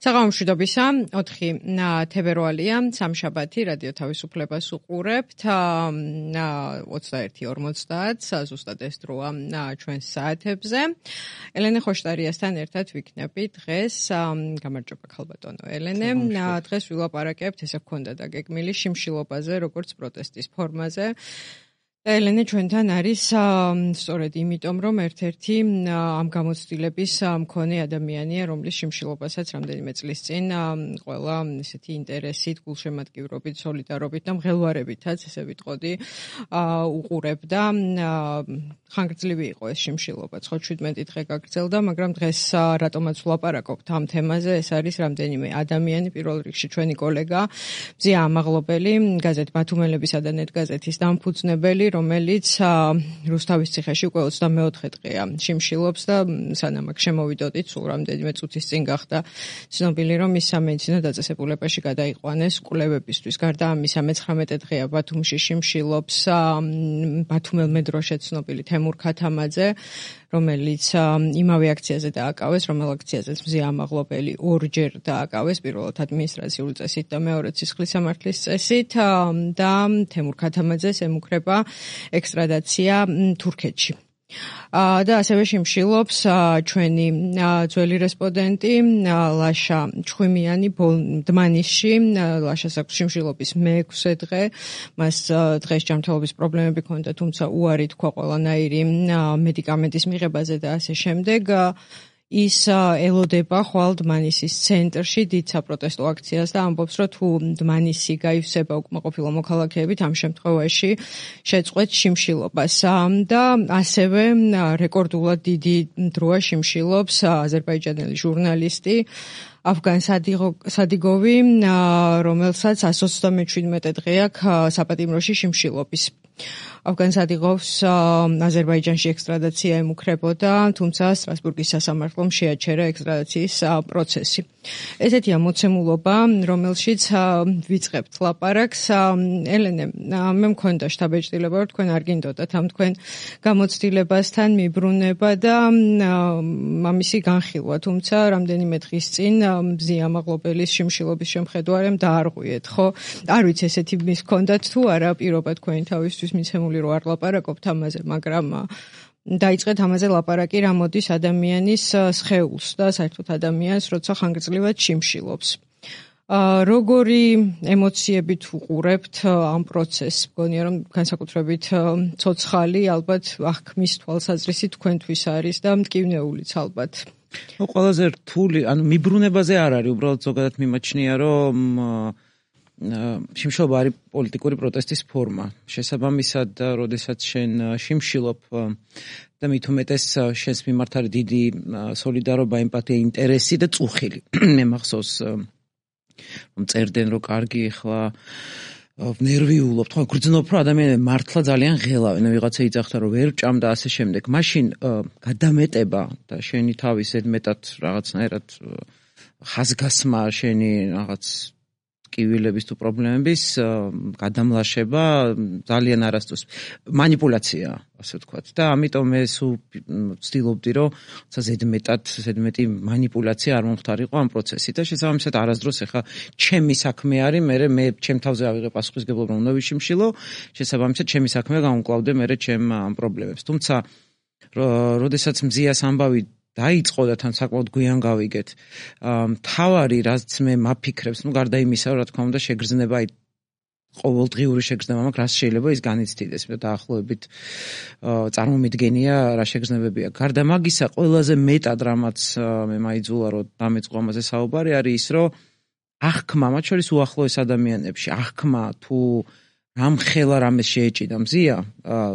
საღამომშვიდობისა 4 თებერვალია სამშაბათი რადიო თავისუფლებას უყურებთ 21:50 ზუსტად ეს დროა ჩვენს საათებზე. ელენე ხოშტარიასთან ერთად ვიქნები დღეს. გამარჯობა ქალბატონო ელენე. დღეს ვილაპარაკებთ, ესე გქონდა დაგეგმილი შიმშილობაზე, როგორც პროტესტის ფორმაზე. ელენე ჩვენთან არის სწორედ იმიტომ, რომ ერთ-ერთი ამ გამოცდილების მქონე ადამიანია, რომლის შიმშილობასაც რამდენიმე წლის წინ ყველა ესეთი ინტერესით, გულშემატკივრობით, სოლიდარობით და მღელვარებითაც, ესე ვიტყოდი, უყურებდა. ხანგრძლივი იყო ეს შიმშილობა, 17 დღე გაგრძელდა, მაგრამ დღეს რატომაც ვლაპარაკობთ ამ თემაზე, ეს არის რამდენიმე ადამიანი, პირველ რიგში ჩვენი კოლეგა, მზია ამაღლობელი, გაზეთ ბათუმელებისა და ნეტგაზეთის დამფუძნებელი, რომელიც რუსთავის ციხეში უკვე 24 დღეა შიმშილობს და სანამ აქ შემოვიდოდით, სულ რამდენიმე წუთის წინ გახდა ცნობილი, რომ ის სამედიცინო დაწესებულებაში გადაიყვანეს კვლევებისთვის. გარდა ამისა, 19 დღეა ბათუმში შიმშილობს ბათუმელ მეტროში ცნობილი თემურ ქათამაძე, რომელიც იმავე აქციაზე დააკავეს, რომელ აქციაზეც მზია ამაღლობელი ორჯერ დააკავეს, პირველად ადმინისტრაციული წესით და მეორედ სისხლის სამართლის წესით და თემურ ქათამაძეს ემუქრება ექსტრადაცია თურქეთში. და ასევე შიმშილობს ჩვენი ძველი რესპონდენტი ლაშა ჩხვიმიანი დმანისში. ლაშას აქვს შიმშილობის მე-6 დღე. მას დღეს ჯანმრთელობის პრობლემები ჰქონდა, თუმცა უარი თქვა ყველანაირი მედიკამენტის მიღებაზე და ასე შემდეგ. ის ელოდება ხვალ დმანისის ცენტრში დიდ საპროტესტო აქციას და ამბობს, რომ თუ დმანისი გაივსება უკმაყოფილო მოქალაქეებით, ამ შემთხვევაში შეწყვეტ შიმშილობას. და ასევე რეკორდულად დიდი დროა შიმშილობს აზერბაიჯანელი ჟურნალისტი აფგან სადიგოვი, რომელსაც 127 დღე აქვს საპატიმროში შიმშილობის. აფგან სადიგოვს აზერბაიჯანში ექსტრადაცია ემუქრებოდა, თუმცა სტრასბურგის სასამართლომ შეაჩერა ექსტრადაციის პროცესი. ესეთია მოცემულობა, რომელშიც ვიწყებთ ლაპარაკს. ელენე, მე მქონდა შთაბეჭდილება, რომ თქვენ არ გინდოდათ ამ თქვენ გამოცდილებასთან მიბრუნება და ამისი განხილვა, თუმცა რამდენიმე დღის წინ მზია ამაღლობელის შიმშილობის შემხედვარემ დაარღვიეთ, ხო? არ ვიცი ესეთი მის ჰქონდათ თუ არა პირობა თქვენი თავისთვის მიცემული, რომ არ ლაპარაკობთ ამაზე, მაგრამ დაიწყეთ ამაზე ლაპარაკი, რა მოდის ადამიანის სხეულს და საერთოდ ადამიანს, როცა ხანგრძლივად შიმშილობს. როგორი ემოციებით უყურებთ ამ პროცესს? მგონია, რომ განსაკუთრებით ცოცხალი, ალბათ აღქმის თვალსაზრისით თქვენთვის არის და მტკივნეულიც ალბათ. ყველაზე რთული, მიბრუნებაზე არ არის, უბრალოდ ზოგადად მიმაჩნია, რომ შიმშილობა არის პოლიტიკური პროტესტის ფორმა. შესაბამისად, როდესაც შენ შიმშილობ და მით უმეტეს შენს მიმართ არის დიდი სოლიდარობა, ემპათია, ინტერესი და წუხილი. მე მახსოვს რომ წერდნენ, რომ კარგი ახლა ნერვიულობ, თქვა გრძნობ, რომ ადამიანები მართლა ძალიან ღელავენ, ვიღაცა იძახდა, რომ ვერ ჭამ და ასე შემდეგ. მაშინ გადამეტება და შენი თავის ზედმეტად რაღაცნაირად ხაზგასმა, შენი რაღაც კივილების თუ პრობლემების გადამლაშება ძალიან არასდროს манипуляცია, ასე ვთქვათ. და ამიტომ მე ვცდილობდი, რომ ზედმეტი манипуляცია არ მომხდარიყო ამ პროცესში და შესაბამისად არასდროს ახლა ჩემი საქმე არის, მე ჩემ თავზე ავიღე პასუხისმგებლობა, რომ უნდა ვიშიმშილო, შესაბამისად ჩემი საქმეა გამოვკლავდე მე ჩემ ამ პრობლემებს. თუმცა როდესაც მზიას ამბავი დაიწყო და თან საკმაოდ გვიან გავიგეთ. თავარი, რაც მე მაფიქრებს, გარდა იმისა, რა თქმა უნდა, შეგრძნება, ყოველდღიური შეგრძნება მაქვს, რაც შეიძლება ის განიცდიდეს. დაახლოებით წარმომიდგენია რა შეგრძნებებია. გარდა მაგისა, ყველაზე მეტად რამაც მე მაიძულა, რომ დამეწყო ამაზე საუბარი, არის ის, რომ აღქმა, მათ შორის უახლოეს ადამიანებში, აღქმა თუ რამ ხელა რამეს შეეჭიდა მზია,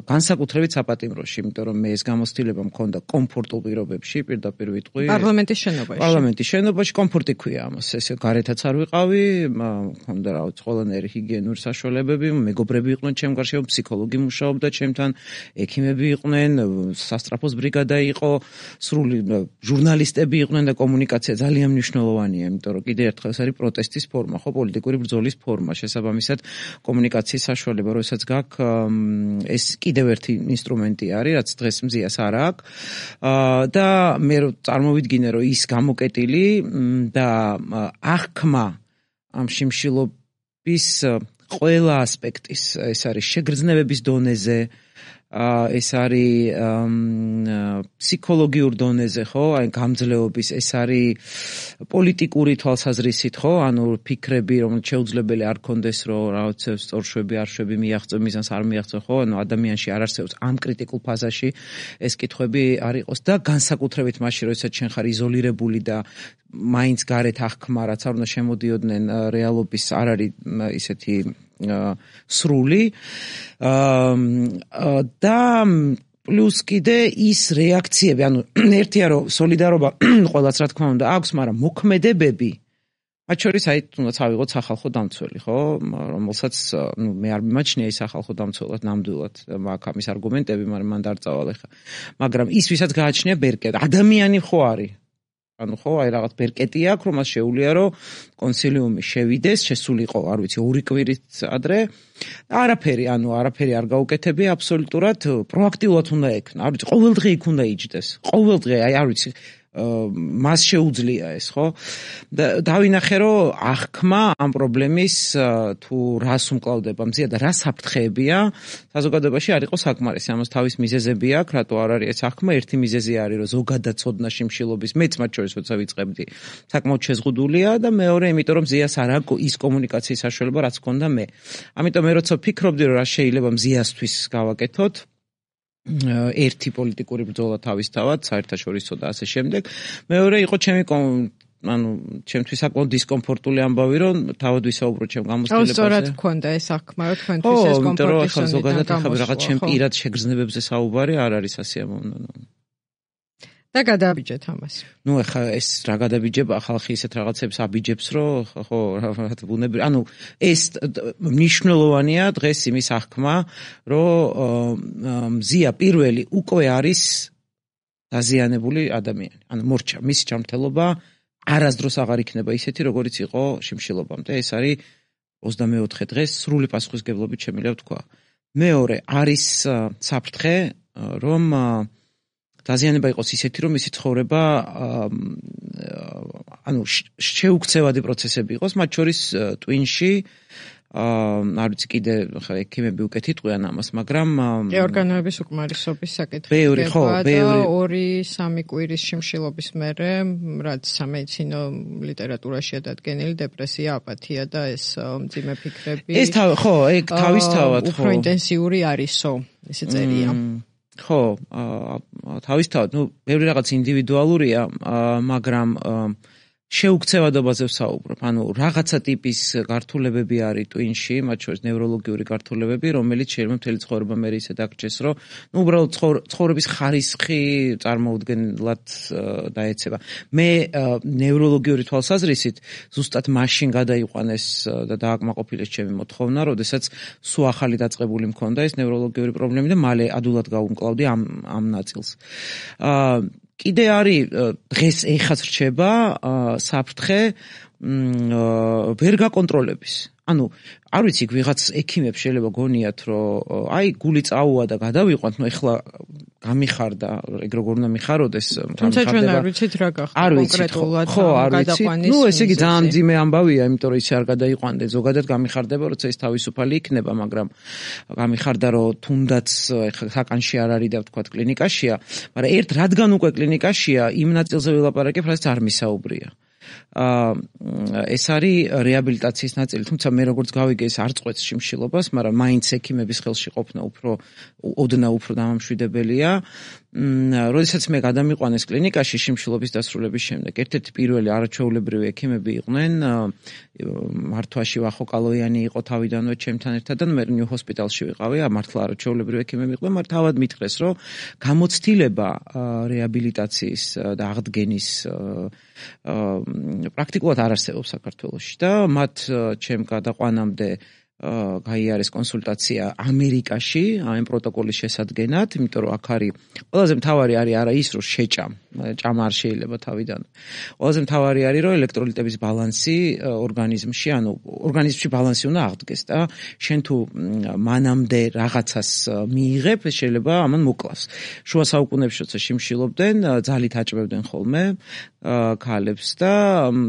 განსაკუთრებით საპატიმროში, იმიტომ რომ მე ეს გამოცდილება მქონდა კომფორტულ პირობებში, პირდაპირ ვიტყვი. პარლამენტის შენობაში კომფორტი ქვია ამას, ესე გარეთაც არ ვიყავი, მქონდა რაღაც ყველანაირი ჰიგიენური საშუალებები, მეგობრები იყვნენ ჩემ გარშემო, ფსიქოლოგი მუშაობდა ჩემთან, ექიმები იყვნენ, სასტრაფოს ბრიგადა იყო, სრული ჟურნალისტები იყვნენ და კომუნიკაცია ძალიან მნიშვნელოვანია, იმიტომ რომ კიდევ ერთხელ ეს არის პროტესტის ფორმა, ხო, პოლიტიკური ბრძოლის ფორმა, შესაბამისად კომუნიკაციის საშუალება, როდესაც გაქვს ეს კიდევ ერთი ინსტრუმენტი არის, რაც დღეს მზიას არ აქვს. და მე წარმოვიდგინე, რომ ის გამოკეტილი და აღქმა ამ შიმშილობის ყველა ასპექტის, ეს არის შეგრძნებების დონეზე, ეს არის ფსიქოლოგიურ დონეზე, ხო? აი გამძლეობის, ეს არის პოლიტიკური თვალსაზრისით, ხო? ანუ ფიქრები, რომ შეუძლებელი არ კონდეს, რომ რაღაცებს სწორშვები, არშვები მიაღწევ, მიზანს არ მიაღწევ, ხო? ანუ ადამიანში არ არსებობს ამ კრიტიკულ ფაზაში ეს კითხვები არ იყოს და განსაკუთრებით მაშინ, როდესაც შენ ხარ იზოლირებული და მაინც გარეთ აღქმა, რაც არ უნდა შემოდიოდნენ რეალობის არ არის ისეთი სრული და პლუს კიდე ის რეაქციები, ანუ ერთია რომ სოლიდარობა ყველას რა თქმა უნდა აქვს, მაგრამ მოქმედებები მათ შორის აი თუნდაც ავიღოთ სახალხო დამცველი, ხო, რომელსაც მე არ მიმაჩნია ის სახალხო დამცველად ნამდვილად, მაგ ამის არგუმენტები, მაგრამ მან დარწავალ ახლა. მაგრამ ის ვისაც გააჩნია ბერკეტი, ადამიანი ხო არის? ანუ ხო, აი რაღაც ბერკეტი აქვს, რომ მას შეუძლია რომ კონსილიუმი შევიდეს, შესულიყო, არ ვიცი, 2 კვირით ადრე. არაფერი არ გაუკეთებია აბსოლუტურად, პროაქტიულად უნდა ექნა. არ ვიცი, ყოველდღე იქ უნდა იჯდეს. ყოველდღე, აი არ ვიცი, მას შეუძლია ეს, ხო? და დავინახე, რომ აღქმა ამ პრობლემის თუ რას უმკლავდება მზია და რა საფრთხეებია, საზოგადოებაში არ იყო საკმარისი. ამას თავის მიზეზები აქვს, რატო არ არის ეს აღქმა. ერთი მიზეზი არის, რომ ზოგადად ცოდნა შიმშილობის, მეც მათ შორის როცა ვიწყებდი, საკმაოდ შეზღუდულია და მეორე, იმიტომ რომ მზიას არ აქვს ის კომუნიკაციის საშუალება, რაც ჰქონდა მე. ამიტომ მე როცა ვფიქრობდი, რომ რა შეიძლება მზიასთვის გავაკეთოთ, ერთი პოლიტიკური ბრძოლა თავისთავად, საერთაშორისო და ასე შემდეგ. მეორე იყო ჩემთვის საკმაოდ დისკომფორტული ამბავი, რომ თავად ვისაუბრო ჩემ გამოცდილებაზე. სწორად გქონდა ეს აღქმა, რომ თქვენთვის ეს კომფორტი ზოგადად ახლა რაღაც ჩემ პირად შეგრძნებებზე საუბარი არ არის ასიამოვნო. და გადაბიჯეთ ამას. ნუ ახლა ეს რა გადაბიჯება, ხალხი ისეთ რაღაცებს აბიჯებს, რომ ხო, ბუნებრივი, ანუ ეს მნიშვნელოვანია დღეს იმის აღქმა, რომ მზია პირველი უკვე არის დაზიანებული ადამიანი. ანუ მორჩა, მისი ჯანმრთელობა არასდროს აღარ იქნება ისეთი, როგორიც იყო შიმშილობამდე. ეს არის 24 დღეს სრული პასუხისგებლობით შემიძლია ვთქვა. მეორე არის საფრთხე, რომ დაზიანება იყოს ისეთი, რომ მისი ცხოვრება ანუ შეუქცევადი პროცესები იყოს, მათ შორის ტვინში არ ვიცი კიდე ხა ექიმები უკეთ იტყვიან ამას, მაგრამ ორგანოების უკმარისობის საკითხი ბევრი 2-3 კვირის შიმშილობის მერე, რაც სამედიცინო ლიტერატურაშია დადგენილი დეპრესია, აპათია და ეს მძიმე ფიქრები. ეს ხო, ეგ თავისთავად ხო. უფრო ინტენსიური არისო, ესე წერია. ხო, თავისთავად, ბევრი რაღაც ინდივიდუალურია, მაგრამ შეუქცევადობაზე ვსაუბრობ. ანუ რაღაცა ტიპის გართულებები არის ტვინში, მათ შორის ნევროლოგიური გართულებები, რომელიც შეიძლება მთელი ცხოვრება მე ისე დაგჭეს, რომ უბრალოდ ცხოვრების ხარისხი წარმოუდგენლად დაეცემა. მე ნევროლოგიური თვალსაზრისით ზუსტად მაშინ გადაიყვანეს და დააკმაყოფილეს ჩემი მოთხოვნა, როდესაც სულ ახალი დაწყებული მქონდა ეს ნევროლოგიური პრობლემები და მალე ადულად გავუმკლავდი ამ ნაწილს. კიდე არის დღეს ეხაც რჩება საფრთხე ვერ გაკონტროლების. ანუ არ ვიცი, ვიღაც ექიმებს შეიძლება გონიათ, რომ აი გული წაუვა და გადავიყვანთ, ეხლა გამიხარდა, ეგ როგორ უნდა მიხაროდეს, თუმცა ჩვენ არ ვიცით რა გახდა კონკრეტულად გადაყვანის. ესე იგი ძალიან მძიმე ამბავია, იმიტომ რომ ისე არ გადაიყვანდნენ. ზოგადად გამიხარდება, როცა ის თავისუფალი იქნება, მაგრამ გამიხარდა, რომ თუნდაც ეხლა საკანში არ არის და ვთქვათ კლინიკაშია, მაგრამ რადგან უკვე კლინიკაშია, იმ ნაწილზე ვილაპარაკებ, რაც არ მისაუბრია. ეს არის რეაბილიტაციის ნაწილი, თუმცა მე როგორც გავიგე, ეს არ წყვეტს შიმშილობას, მაგრამ მაინც ექიმების ხელში ყოფნა ოდნავ უფრო დამამშვიდებელია. როდესაც მე გადამიყვანეს კლინიკაში შიმშილობის დასრულების შემდეგ, ერთ-ერთი პირველი არაჩვეულებრივი ექიმები იყვნენ, მართვაში ვახოკალოიანი იყო თავიდანვე ჩემთან ერთად და მე ნიუ ჰოსპიტალში ვიყავი, მართლა არაჩვეულებრივი ექიმები იყვნენ, მაგრამ თავად მითხრეს, რომ გამოცდილება რეაბილიტაციის და აღდგენის პრაქტიკულად არ არსებობს საქართველოში და მათ ჩემ გადაყვანამდე გაიარეს კონსულტაცია ამერიკაში ამ პროტოკოლის შესადგენად, იმიტომ რომ აქ არის ყველაზე მთავარი არის არა ის რომ ჭამა არ შეიძლება თავიდან. ყველაზე მთავარი არის რომ ელექტროლიტების ბალანსი ორგანიზმში, ანუ ორგანიზმში ბალანსი უნდა აღდგეს და შენ თუ მანამდე რაღაცას მიიღებ, შეიძლება ამან მოკლას. შუა საუკუნეებში როცა შიმშილობდნენ, ძალით აჭმევდნენ ხოლმე ქალებს და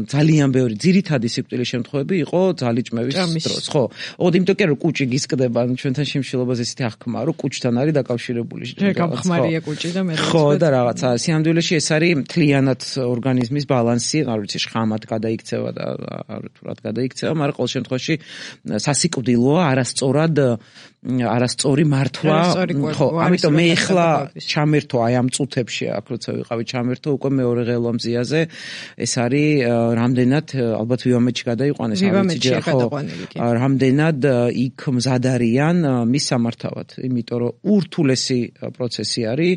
ძალიან ბევრი ძირითადი სიკვდილის შემთხვევები იყო ძალიჭმევის დროს, ხო? ოღონდ იმიტომ კი რომ კუჭი გისკდება, ჩვენთან შიმშილობაზე ისეთი აღქმა, რომ კუჭთან არის დაკავშირებული. გამხმარია კუჭი და მე ხო და რაღაცა. სიამდვილეში ეს არის მთლიანად ორგანიზმის ბალანსი, არ ვიცი, შხამად გადაიქცევა და თუ რა გადაიქცევა, მაგრამ ყოველ შემთხვევაში სასიკვდილოა არასწორი მართვა. ხო, ამიტომ მე ახლა ჩამერთო აი ამ წუთებში, აქ როცა ვიყავი ჩამერთო, უკვე მეორე ღელვამზიაზე ეს არის რამდენად ალბათ ვივამეთში გადაიყვანეს, რამდენად იქ მზად არიან მის სამართავად, იმიტომ რომ ურთულესი პროცესი არის.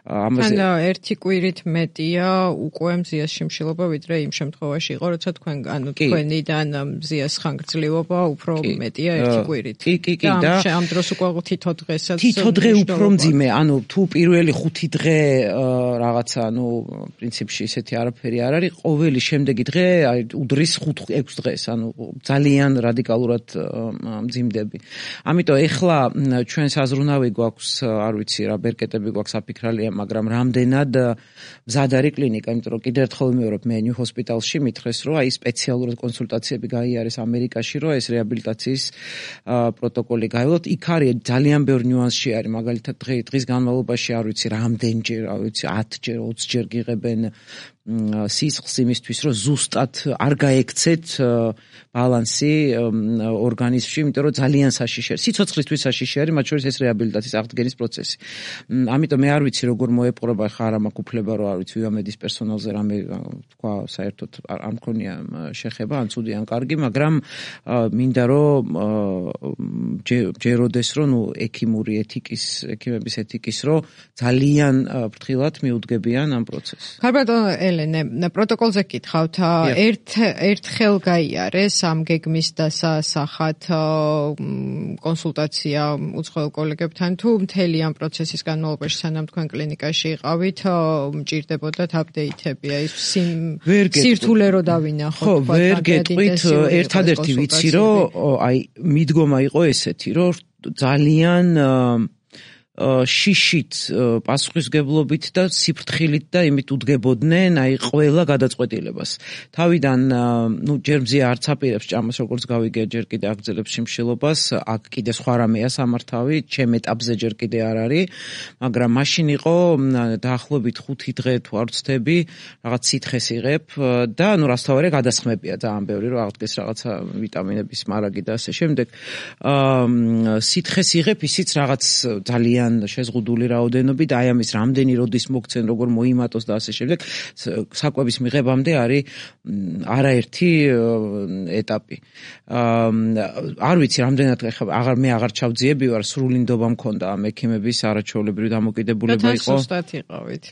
ამაზე ერთი კვირით მეტია უკვე მზიას შიმშილობა, ვიდრე იმ შემთხვევაში იყო, როცა თქვენიდან მზიას ხანგრძლივობა უფრო მეტია ერთი კვირით. კი და ამ დროს უკვე თითო დღესაც თითო დღე უფრო მძიმე, ანუ თუ პირველი 5 დღე რაღაცა, პრინციპში ისეთი არაფერი არ არის, ყოველი შემდეგი დღე უდრის 5-6 დღეს, ანუ ძალიან რადიკალურად მძიმდები. ამიტომ ეხლა ჩვენ საზრუნავი გვაქვს, არ ვიცი რა ბერკეტები გვაქვს აფიქრალია, მაგრამ რამდენად მზად არის კლინიკა, იმიტომ რომ კიდევ ერთხელ ვიმეორებ, მე ნიუ ჰოსპიტალში მითხრეს, რომ აი სპეციალურად კონსულტაციები გაიარეს ამერიკაში, რომ ეს რეაბილიტაციის პროტოკოლი გაივლოთ. იქ არის ძალიან ბევრი ნიუანსი არის, მაგალითად დღის განმავლობაში არ ვიცი რამდენჯერ, არ ვიცი 10ჯერ, 20ჯერ გიღებენ სისხლს იმისთვის, რომ ზუსტად არ გაექცეთ ბალანსი ორგანიზმში, იმიტომ რომ ძალიან საშიში არის. სიცოცხლისთვის საშიში არის, მათ შორის ეს რეაბილიტაციის აღდგენის პროცესი. ამიტომ მე არ ვიცი როგორ მოეპყრობა ხა არა მაქვს უფლება, რომ არ ვიცი ვიამედის პერსონალზე რამე თქვა, საერთოდ არ მქონია შეხება, ან ცუდი ან კარგი, მაგრამ მინდა რომ ჯეროდეს რომ ექიმების ეთიკის რომ ძალიან ფრთხილად მიუდგებიან ამ პროცესს. ქალბატონო ელენე, პროტოკოლზე გითხავთ, ერთხელ გაიარეს ამ გეგმის დასასახად კონსულტაცია უცხოელ კოლეგებთან, თუ მთელი ამ პროცესის განმავლობაში სანამ თქვენ კლინიკაში იყავით, მჭირდებოდათ აპდეიტები, აი სირთულე რო დავინახოთ. ხო, ვერ გეტყვით, ერთადერთი ვიცი, რომ აი მიდგომა იყო ესეთი, რომ ძალიან შიშით, პასუხისგებლობით და სიფრთხილით და იმით უდგებოდნენ აი ყველა გადაწყვეტილებას. თავიდან ჯერ მზია არც აპირებს ჭამას, როგორც გავიგე, ჯერ კიდე აგრძელებს შიმშილობას, აქ კიდე სხვა რამეა სამართავი, ჩემ ეტაპზე ჯერ კიდე არ არის, მაგრამ მაშინ იყო დაახლოებით 5 დღე თუ არ ვცდები, რაღაც სითხეს იღებ და რასთავარია გადასხმებია ძალიან ბევრი, რომ აღდგეს რაღაცა ვიტამინების მარაგი და ასე შემდეგ. სითხეს იღებ, ისიც რაღაც ძალიან შეზღუდული რაოდენობით, აი ამის რამდენი როდის მოგცენ, როგორ მოიმატოს და ასე შემდეგ, საკვების მიღებამდე არის არაერთი ეტაპი. არ ვიცი, რამდენად მე აღარ ჩავძიები ვარ, სრული ნდობა მქონდა ამ ექიმების არაჩვეულებრივი დამოკიდებულება იყო. და სუსტად იყავით.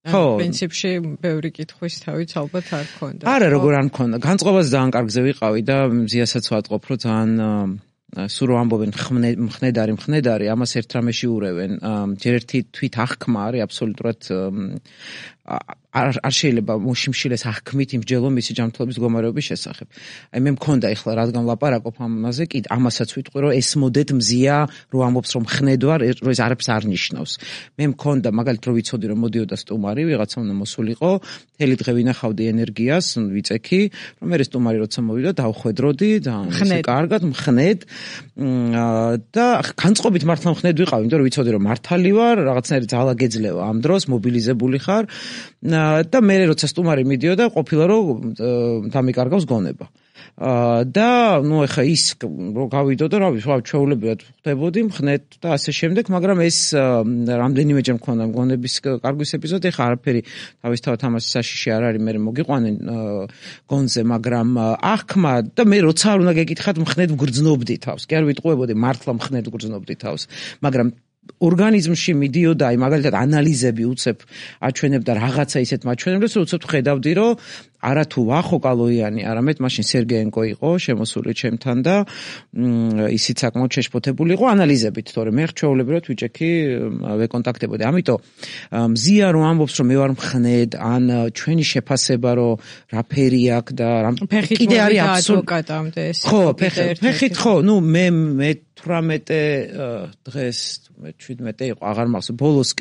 პრინციპში ბევრი კითხვის თავიც ალბათ არ ქონდა. არა, როგორ არ მქონდა. განწყობაზე ძალიან კარგზე ვიყავი და მზიასაც ვატყობ, რომ ძალიან სულ რომ ამბობენ მხნედარი, ამას ერთ რამეში ურევენ. ჯერ ერთი თვით აღქმა არის აბსოლუტურად არ შეიძლება მოშიმშილეს აღქმით იმსჯელო მისი ჯანმრთელობის მდგომარეობის შესახებ. აი მე მქონდა ეხლა რადგან ლაპარაკობ ამაზე, კი ამასაც ვიტყვი, რომ ესმოდეთ მზია, რომ ამბობს რომ მხნედვარ, რომ ეს არაფერს არ ნიშნავს. მე მქონდა მაგალითად რომ ვიცოდი რომ მოდიოდა სტუმარი, ვიღაცა უნდა მოსულიყო, მთელი დღე ვინახავდი ენერგიას, ვიწექი, რომ მე სტუმარი როცა მოვიდა, დავხვედროდი, ძალიან კარგად მხნედ და განწყობით მართლა მხნედ ვიყავი, იმიტომ რომ ვიცოდი რომ მართალი ვარ, რაღაცნაირი ძალა გეძლევა ამ დროს, მობილიზებული ხარ. და მე როცა სტუმარი მიდიოდა, ყოფილა რომ დამიკარგავს გონება. და ეხა ის რომ გავიდოდა, რა ვიცი, ჩვეულებრივად ხდებოდი, მხნედ და ასე შემდეგ, მაგრამ ეს რამდენიმეჯერ მქონდა გონების კარგვის ეპიზოდი, ეხა არაფერი თავისთავად ამას საშიში არ არის, მე მოგიყვანენ გონზე, მაგრამ აღქმა და მე როცა არ უნდა გეკითხათ, მხნედ ვგრძნობდი თავს. კი არ ვიტყუებოდი, მართლა მხნედ ვგრძნობდი თავს, მაგრამ ორგანიზმში მიდიოდა, აი მაგალითად ანალიზები უცებ აჩვენებდა რაღაცა ისეთ მაჩვენებლებს, რომ უცებ ხედავდი, რომ არა თუ ვახო კალოიანი, არამედ მაშინ სერგეენკო იყო შემოსული ჩემთან და ისიც საკმაოდ შეშფოთებული იყო ანალიზებით, თორე მე ჩვეულებრივად ვიჭექი ვეკონტაქტებოდი. ამიტომ მზია რომ ამბობს, რომ მე ვარ მხნედ, ან ჩვენი შეფასება, რომ რაფერი აქვს და კიდე არის ადვოკატამდე ეს. ხო, ფეხით ხო, ნუ მე 18 დღეს 17 იყო, აღარ მახსოვს,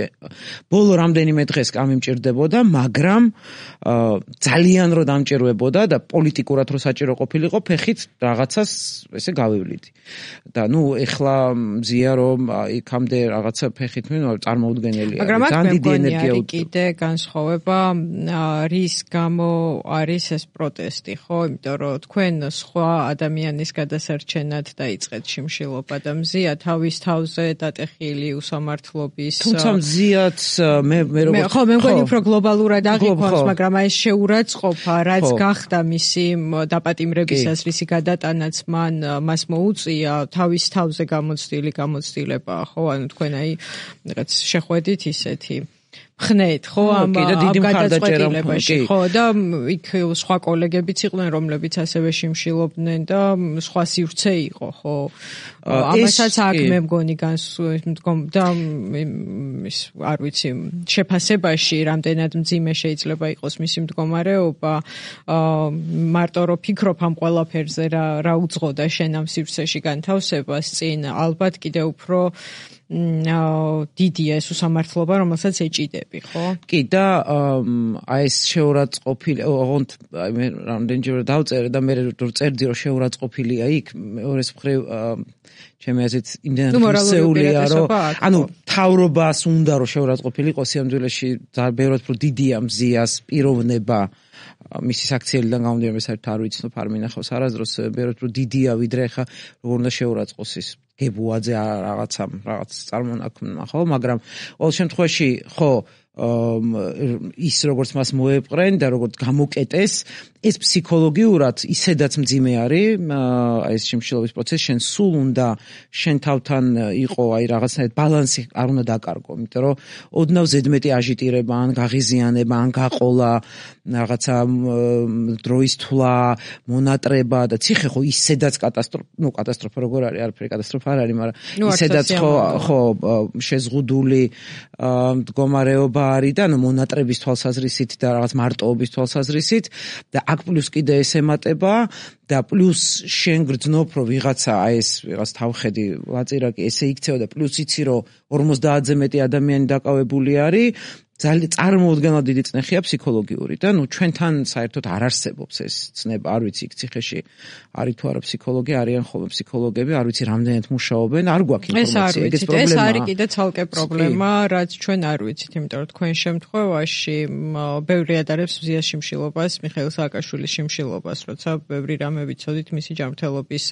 ბოლო რამდენიმე დღეს გამიმჭირდებოდა, მაგრამ ძალიან რო დამჭირვებოდა და პოლიტიკურად რო საჭირო ყოფილიყო, ფეხით რაღაცას ესე გავივლიდი. და ნუ ეხლა მზია რომ იქამდე რაღაცა ფეხით წარმოუდგენელია. მაგრამ ძალიან დიდი ენერგია უწევს. კიდე განსხვავება რის გამო არის ეს პროტესტი, ხო? იმიტომ რომ თქვენ სხვა ადამიანის გადასარჩენად დაიწყეთ შიმშილობა და მზია თავის თავზე დატეხილი უსამართლობის. თუმცა მზიაც მე როგორც ხო, მე მგონი უფრო გლობალურად აღიქვამს, მაგრამ აი ეს შეურაცხყოფა, რაც გახდა მისი დაპატიმრებისას, რისი გადატანაც მას მოუწია, თავის თავზე გამოცდილება, ხო? ანუ თქვენ აი რაღაც შეხვედით ისეთი ხნეთ, ხო, ამ გადაწყვეტილებაში, ხო, და იქ სხვა კოლეგებიც იყვნენ, რომლებიც ასევე შიმშილობდნენ და სხვა სივრცე იყო, ხო. ამასაც აქ მე მგონი და ის არ ვიცი, შეფასებაში რამდენად მძიმე შეიძლება იყოს მისი მდგომარეობა, მარტო რომ ფიქრობ ამ ყველაფერზე რა უძღოდა შენ ამ სივრცეში განთავსებას წინ, ალბათ კიდე უფრო დიდია ეს უსამართლობა, რომელსაც ეჭიდები, ხო? კი, და აი ეს შეურაცხყოფილი, ოღონდ აი მე რამდენჯერ დავწერე და მე რო წერდი რომ შეურაცხყოფილია იქ, მეორეს მხრივ ჩემი აზრით იმდენად ხსეულია, რომ ანუ თავრობას უნდა რომ შეურაცხყოფილიყო სიამძვილეში ბევრად უფრო დიდია მზიას პიროვნება მისი საქციელიდან გამომდინარე, საერთოდ არ ვიცნობ, არ მინახავს არასდროს, ბევრად უფრო დიდია ვიდრე ხა როგორ უნდა შეურაცხყოს ის გებუაძე რაღაც წარმონაქმნმა, ხო, მაგრამ ყოველ შემთხვევაში ხო ის როგორც მას მოეპყრენ და როგორც გამოკეტეს, ეს ფსიქოლოგიურად ისედაც მძიმე არის, აი ეს შიმშილობის პროცესი, შენ სულ უნდა შენ თავთან იყო აი რაღაცნაირად ბალანსი არ უნდა დაკარგო, იმიტომ რომ ოდნავ ზედმეტი აჟიტირება, ან გაღიზიანება, ან გაყოლა, რაღაცა დროის თვლა, მონატრება და ციხე ხო ისედაც კატასტროფა როგორ არის, არაფერი კატასტროფა არ არის, მაგრამ ისედაც ხო შეზღუდული მდგომარეობა არის და მონატრების თვალსაზრისით და რაღაც მარტოობის თვალსაზრისით და აქ პლუს კიდე ეს ემატება და პლუს შენ გრძნობ რომ ვიღაცა აი ეს ვიღაც თავხედი ვაწირაკი ესე იქცევა და პლუს იცი რომ 50-ზე მეტი ადამიანი დაკავებული არის ძალიან წარმოუდგენლად დიდი წნეხია ფსიქოლოგიური და ნუ ჩვენთან საერთოდ არ არსებობს ეს ცნება, არ ვიცი იქ ციხეში არის თუ არა ფსიქოლოგი, არიან ხოლმე ფსიქოლოგები, არ ვიცი რამდენად მუშაობენ, არ გვაქვს ინფორმაცია, ეგეც პრობლემაა. ეს არის კიდე ცალკე პრობლემა, რაც ჩვენ არ ვიცით, იმიტომ რომ თქვენ შემთხვევაში ბევრი ადარებს მზიას შიმშილობას, მიხეილ სააკაშვილის შიმშილობას, როცა ბევრი რამე ვიცოდით მისი ჯანმრთელობის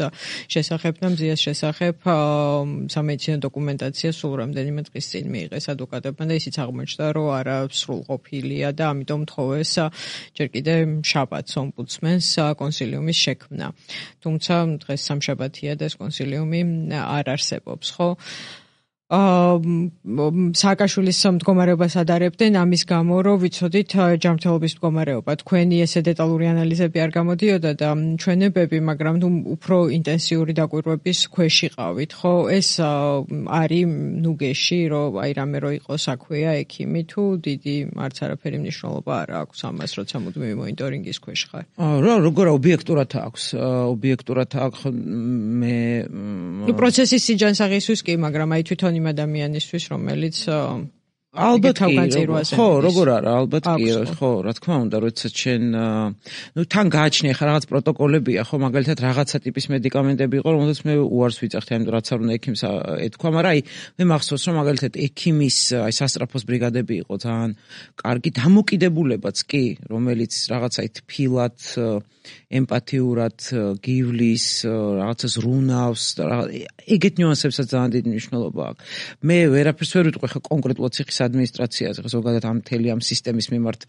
შესახებ და მზიას შესახებ სამედიცინო დოკუმენტაცია სულ რამდენიმე დღის წინ მიიღეს ადვოკატებმა და ისიც აღმოჩნდა, რომ არა სრულყოფილია და ამიტომ თხოვეს ჯერ კიდე შაბათს ომბუდსმენს კონსილიუმის შექმნა. თუმცა დღეს სამშაბათია და ეს კონსილიუმი არ არსებობს, ხო? სააკაშვილის მდგომარეობას ადარებდნენ ამის გამო, რომ ვიცოდით ჯანმრთელობის მდგომარეობა. თქვენი ესე დეტალური ანალიზები არ გამოდიოდა და ჩვენებები, მაგრამ უფრო ინტენსიური დაკვირვების ქვეშ იყავით, ხო? ეს არის ნუგეში, რომ აი რამე რო იყოს აქვეა ექიმი თუ დიდი არც არაფერი მნიშვნელობა არ აქვს ამას, როცა მუდმივი მონიტორინგის ქვეშ ხარ. როგორ ობიექტურად აქვს? ობიექტურად აქვს მე პროცესის სიჯანსაღისთვის კი, მაგრამ აი თვითონ იმ ადამიანისთვის, რომელიც ალბათ ხო, როგორ არა, ალბათ კი, ხო, რა თქმა უნდა, როცა შენ თან გააჩნია ხა რაღაც პროტოკოლებია, ხო, მაგალითად რაღაცა ტიპის მედიკამენტები იყო, რომელსაც მე უარს ვიძახდი, ამიტომ რაც არ უნდა ექიმს ეთქვა, მაგრამ აი მე მახსოვს, რომ მაგალითად ექიმის აი სასტრაფოს ბრიგადები იყო ძალიან კარგი დამოკიდებულებაც კი, რომელიც რაღაცა თბილად ემპათიურად გივლის, რაღაცას რუნავს და ეგეთ ნიუანსებსაც ძალიან დიდი მნიშვნელობა აქვს. მე ვერაფერს ვერ ვიტყვი ხა კონკრეტულად ციხის ადმინისტრაციაზე, ზოგადად ამ მთელი ამ სისტემის მიმართ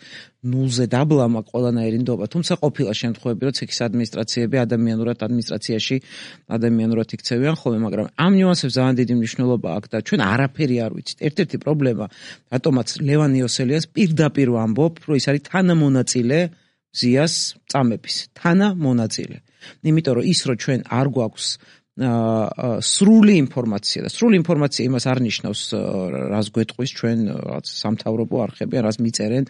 ნულზე დაბლამა ყველანაირი ნდობა, თუმცა ყოფილა შემთხვევები, რომ ციხის ადმინისტრაციები ადმინისტრაციაში ადამიანურად იქცევიან ხოლმე, მაგრამ ამ ნიუანსებს ძალიან დიდი მნიშვნელობა აქვს და ჩვენ არაფერი არ ვიცით. ერთ-ერთი პრობლემა, რატომაც ლევან იოსელიანს პირდაპირ ვამბობ, რომ ის არის თანამონაწილე ზიას წამების, თანამონაწილე. იმიტომ რომ ის რომ ჩვენ არ გვაქვს სრული ინფორმაცია და სრული ინფორმაცია იმას არ ნიშნავს რას გვეტყვის ჩვენ რაღაც სამთავრობო არხები, რას მიწერენ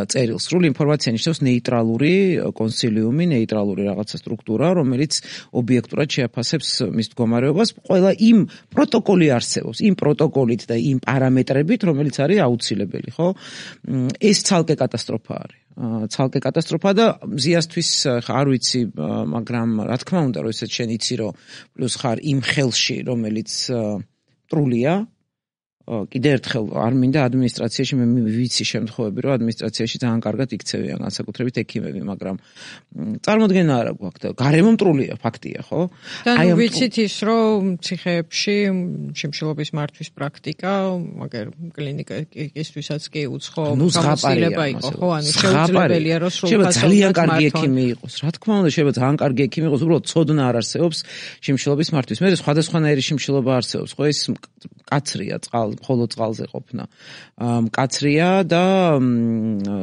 წერილს. სრული ინფორმაცია ნიშნავს ნეიტრალური კონსილიუმი, ნეიტრალური რაღაცა სტრუქტურა, რომელიც ობიექტურად შეაფასებს მის მდგომარეობას. ყველა იმ პროტოკოლი არსებობს, იმ პროტოკოლით და იმ პარამეტრებით, რომელიც არის აუცილებელი, ხო? ეს ცალკე კატასტროფა არის. ცალკე კატასტროფა და ზიასთვის არ ვიცი, მაგრამ რა თქმა უნდა, რომ ესეც შენ იცი, რომ პლუს ხარ იმ ხელში, რომელიც მტრულია, კიდე ერთხელ არ მინდა ადმინისტრაციაში მე ვიცი შემთხვევები, რომ ადმინისტრაციაში ძალიან კარგად იქცევიან განსაკუთრებით ექიმები, მაგრამ წარმოდგენა არ აქვს და გარემო მტრულია, ფაქტია, ხო? და ვიცით ის, რომ ციხეებში შიმშილობის მართვის პრაქტიკა, მაგერ კლინიკისთვისაც კი უცხო გამოცდილება იყო, ხო? ანუ შეუძლებელია, რომ სრულფასოვნად ძალიან კარგი ექიმი იყოს. რა თქმა უნდა, შეიძლება ძალიან კარგი ექიმი იყოს, უბრალოდ ცოდნა არ არსებობს შიმშილობის მართვის. მე სხვადასხვანაირი შიმშილობა არსებობს, ხო? ეს კაცრია მხოლოდ წყალზე ყოფნა. მკაცრია და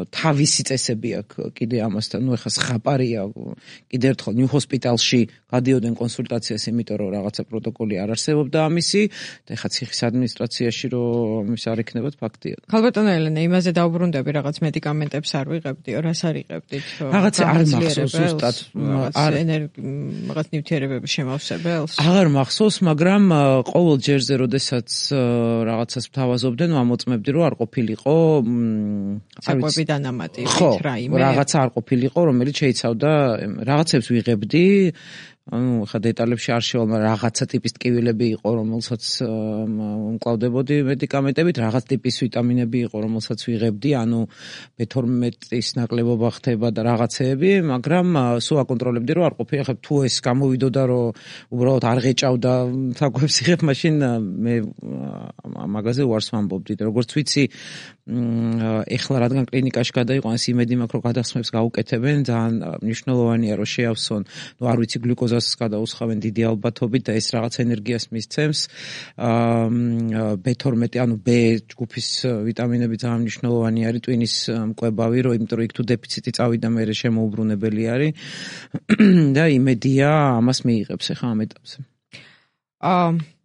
თავისი წესები აქვს კიდე ამასთან. ნუ ეხლა ხაპარია, კიდე ერთხელ ნიუ ჰოსპიტალში გადიოდნენ კონსულტაციას, იმიტომ რომ რაღაცა პროტოკოლი არ არსებობდა ამისი და ეხლა ციხის ადმინისტრაციაში რომ ის არ იქნებოდ ფაქტია. ქალბატონო ელენე, იმაზე დაუბრუნდები, რაღაც მედიკამენტებს არ ვიღებდიო, რას არ იღებდით? რაღაც არ მახსოვს ზუსტად. რაღაც ნივთიერებების შემავსებელს? აღარ მახსოვს, მაგრამ ყოველ ჯერზე, როდესაც რაღაცას ვთავაზობდნენ, ამოწმებდი, რომ არ ყოფილიყო საკვები დანამატი, რაიმე. რაღაცა არ ყოფილიყო, რომელიც შეიცავდა რაღაცებს ვიღებდი, ანუ ხა დეტალებში არ შევალ, მაგრამ რაღაცა ტიპის ტკივილები იყო, რომელსაც მკლავდებოდი მედიკამენტებით, რაღაც ტიპის ვიტამინები იყო, რომელსაც ვიღებდი, ანუ B12-ის ნაკლებობა ხდება და რაღაცეები, მაგრამ სულ აკონტროლებდი, რომ არ ყოფილი. ხა თუ ეს გამოვიდოდა, რომ უბრალოდ არ ღეჭავდა საკვებს იღებ, მაშინ მე მაგაზე უარს ვამბობდი და როგორც ვიცი, ეხლა რადგან კლინიკაში გადაიყვანეს, იმედი მაქვს, რომ გადასხმებს გაუკეთებენ, ძალიან მნიშვნელოვანია, რომ შეავსონ, ნუ არ ვიცი, გლიკოზას გადაუსხავენ დიდი ალბათობით და ეს რაღაც ენერგიას მისცემს. B12, ანუ B ჯგუფის ვიტამინები ძალიან მნიშვნელოვანი არის ტვინის მკვებავი, იმიტომ რომ იქ თუ დეფიციტი წავიდა, მე შემოუბრუნებელი არის და იმედია ამას მიიღებს ახლა ამ ეტაპზე.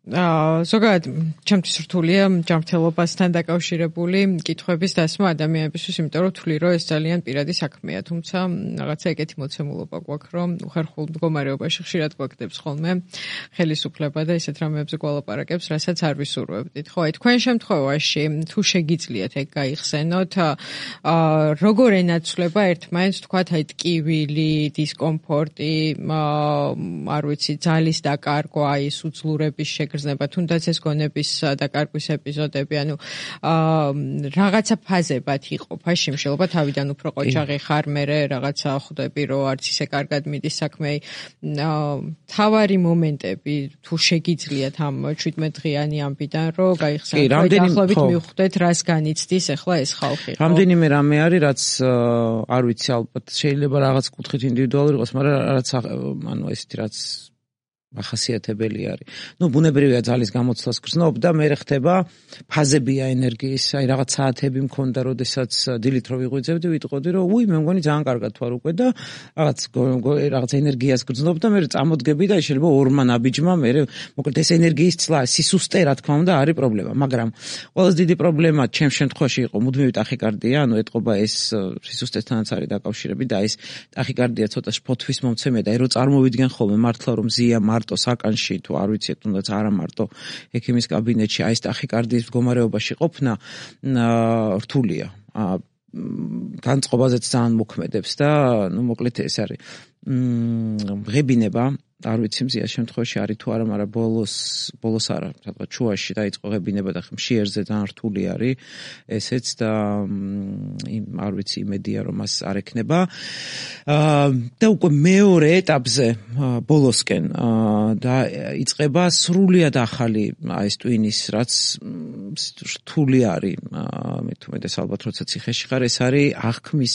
ზოგადად ჩემთვის რთულია ჯანმრთელობასთან დაკავშირებული კითხვების დასმა ადამიანებისთვის, იმიტომ რომ თვლი რომ ეს ძალიან პირადი საქმეა, თუმცა რაღაცა ეგეთი მოცემულობა გვაქვს, რომ უხერხულ მდგომარეობაში ხშირად გვაგდებს ხოლმე ხელისუფლება და ისეთ რამეებზე გვალაპარაკებს, რასაც არ ვისურვებდით. ხო, აი თქვენ შემთხვევაში თუ შეგიძლიათ ეგ გაიხსენოთ, როგორ ენაცვლება ერთმანეთს, თქვათ, აი ტკივილი, დისკომფორტი, არ ვიცი, ძალის დაკარგვა, აი სუძლურების თუნდაც ეს გონების დაკარგვის ეპიზოდები, ანუ რაღაცა ფაზებად იყოფა შიმშილობა, თავიდან უფრო ყოჩაღი ხარ, მერე რაღაცა ხვდები, რომ არც ისე კარგად მიდის საქმე. თავარი მომენტები, თუ შეგიძლიათ ამ 17 დღიანი ამბიდან, რომ გაიხსენოთ, დაახლოებით მივხვდეთ, რას განიცდის ახლა ეს ხალხი. რამდენიმე რამე არის, რაც არ ვიცი, ალბათ შეიძლება რაღაც კუთხით ინდივიდუალური იყოს, მაგრამ რაც ანუ ესეთი რაც ახასიათებელი არის. ნუ ბუნებრივია ძალის გამოცდას გრძნობ და მე ხდება ფაზებია ენერგიის, აი რაღაც საათები მქონდა, როდესაც დილით რო ვიღვიძებდი, ვიტყოდი, რომ უი, მე მგონი ძალიან კარგად ვარ უკვე და რაღაც ენერგიას გრძნობ და მე წამოდგები და შეიძლება ორმა ნაბიჯმა მე მოკლედ ეს ენერგიის ცლა, სისუსტე, რა თქმა უნდა, არის პრობლემა, მაგრამ ყველაზე დიდი პრობლემა ჩემ შემთხვევაში იყო მუდმივი ტახიკარდია, ანუ ეტყობა ეს სისუსტესთანაც არის დაკავშირები და ეს ტახიკარდია ცოტა შფოთვის მომცემია და რო წარმოვიდგენ ხოლმე მართლა რომ ზია მარტო საკანში თუ არ ვიცით, თუნდაც არა მარტო ექიმის კაბინეტში აი ეს ტახიკარდიის მდგომარეობაში ყოფნა რთულია. განწყობაზეც ძალიან მოქმედებს და ნუ მოკლედ ეს არის ღებინება არ ვიცი მზია შემთხვევაში არის თუ არა, მაგრამ ბოლოს არა, სადღაც შუაში დაიწყო ღებინება და ხმშიერზე ძალიან რთული არის ესეც და არ ვიცი იმედია რომ მას არ ექნება. და უკვე მეორე ეტაპზე ბოლოსკენ და იწყება სრულიად ახალი ეს ტვინის რაც რთული არის მე თუმეტეს ალბათ როცა ციხეში ხარ ეს არის აღქმის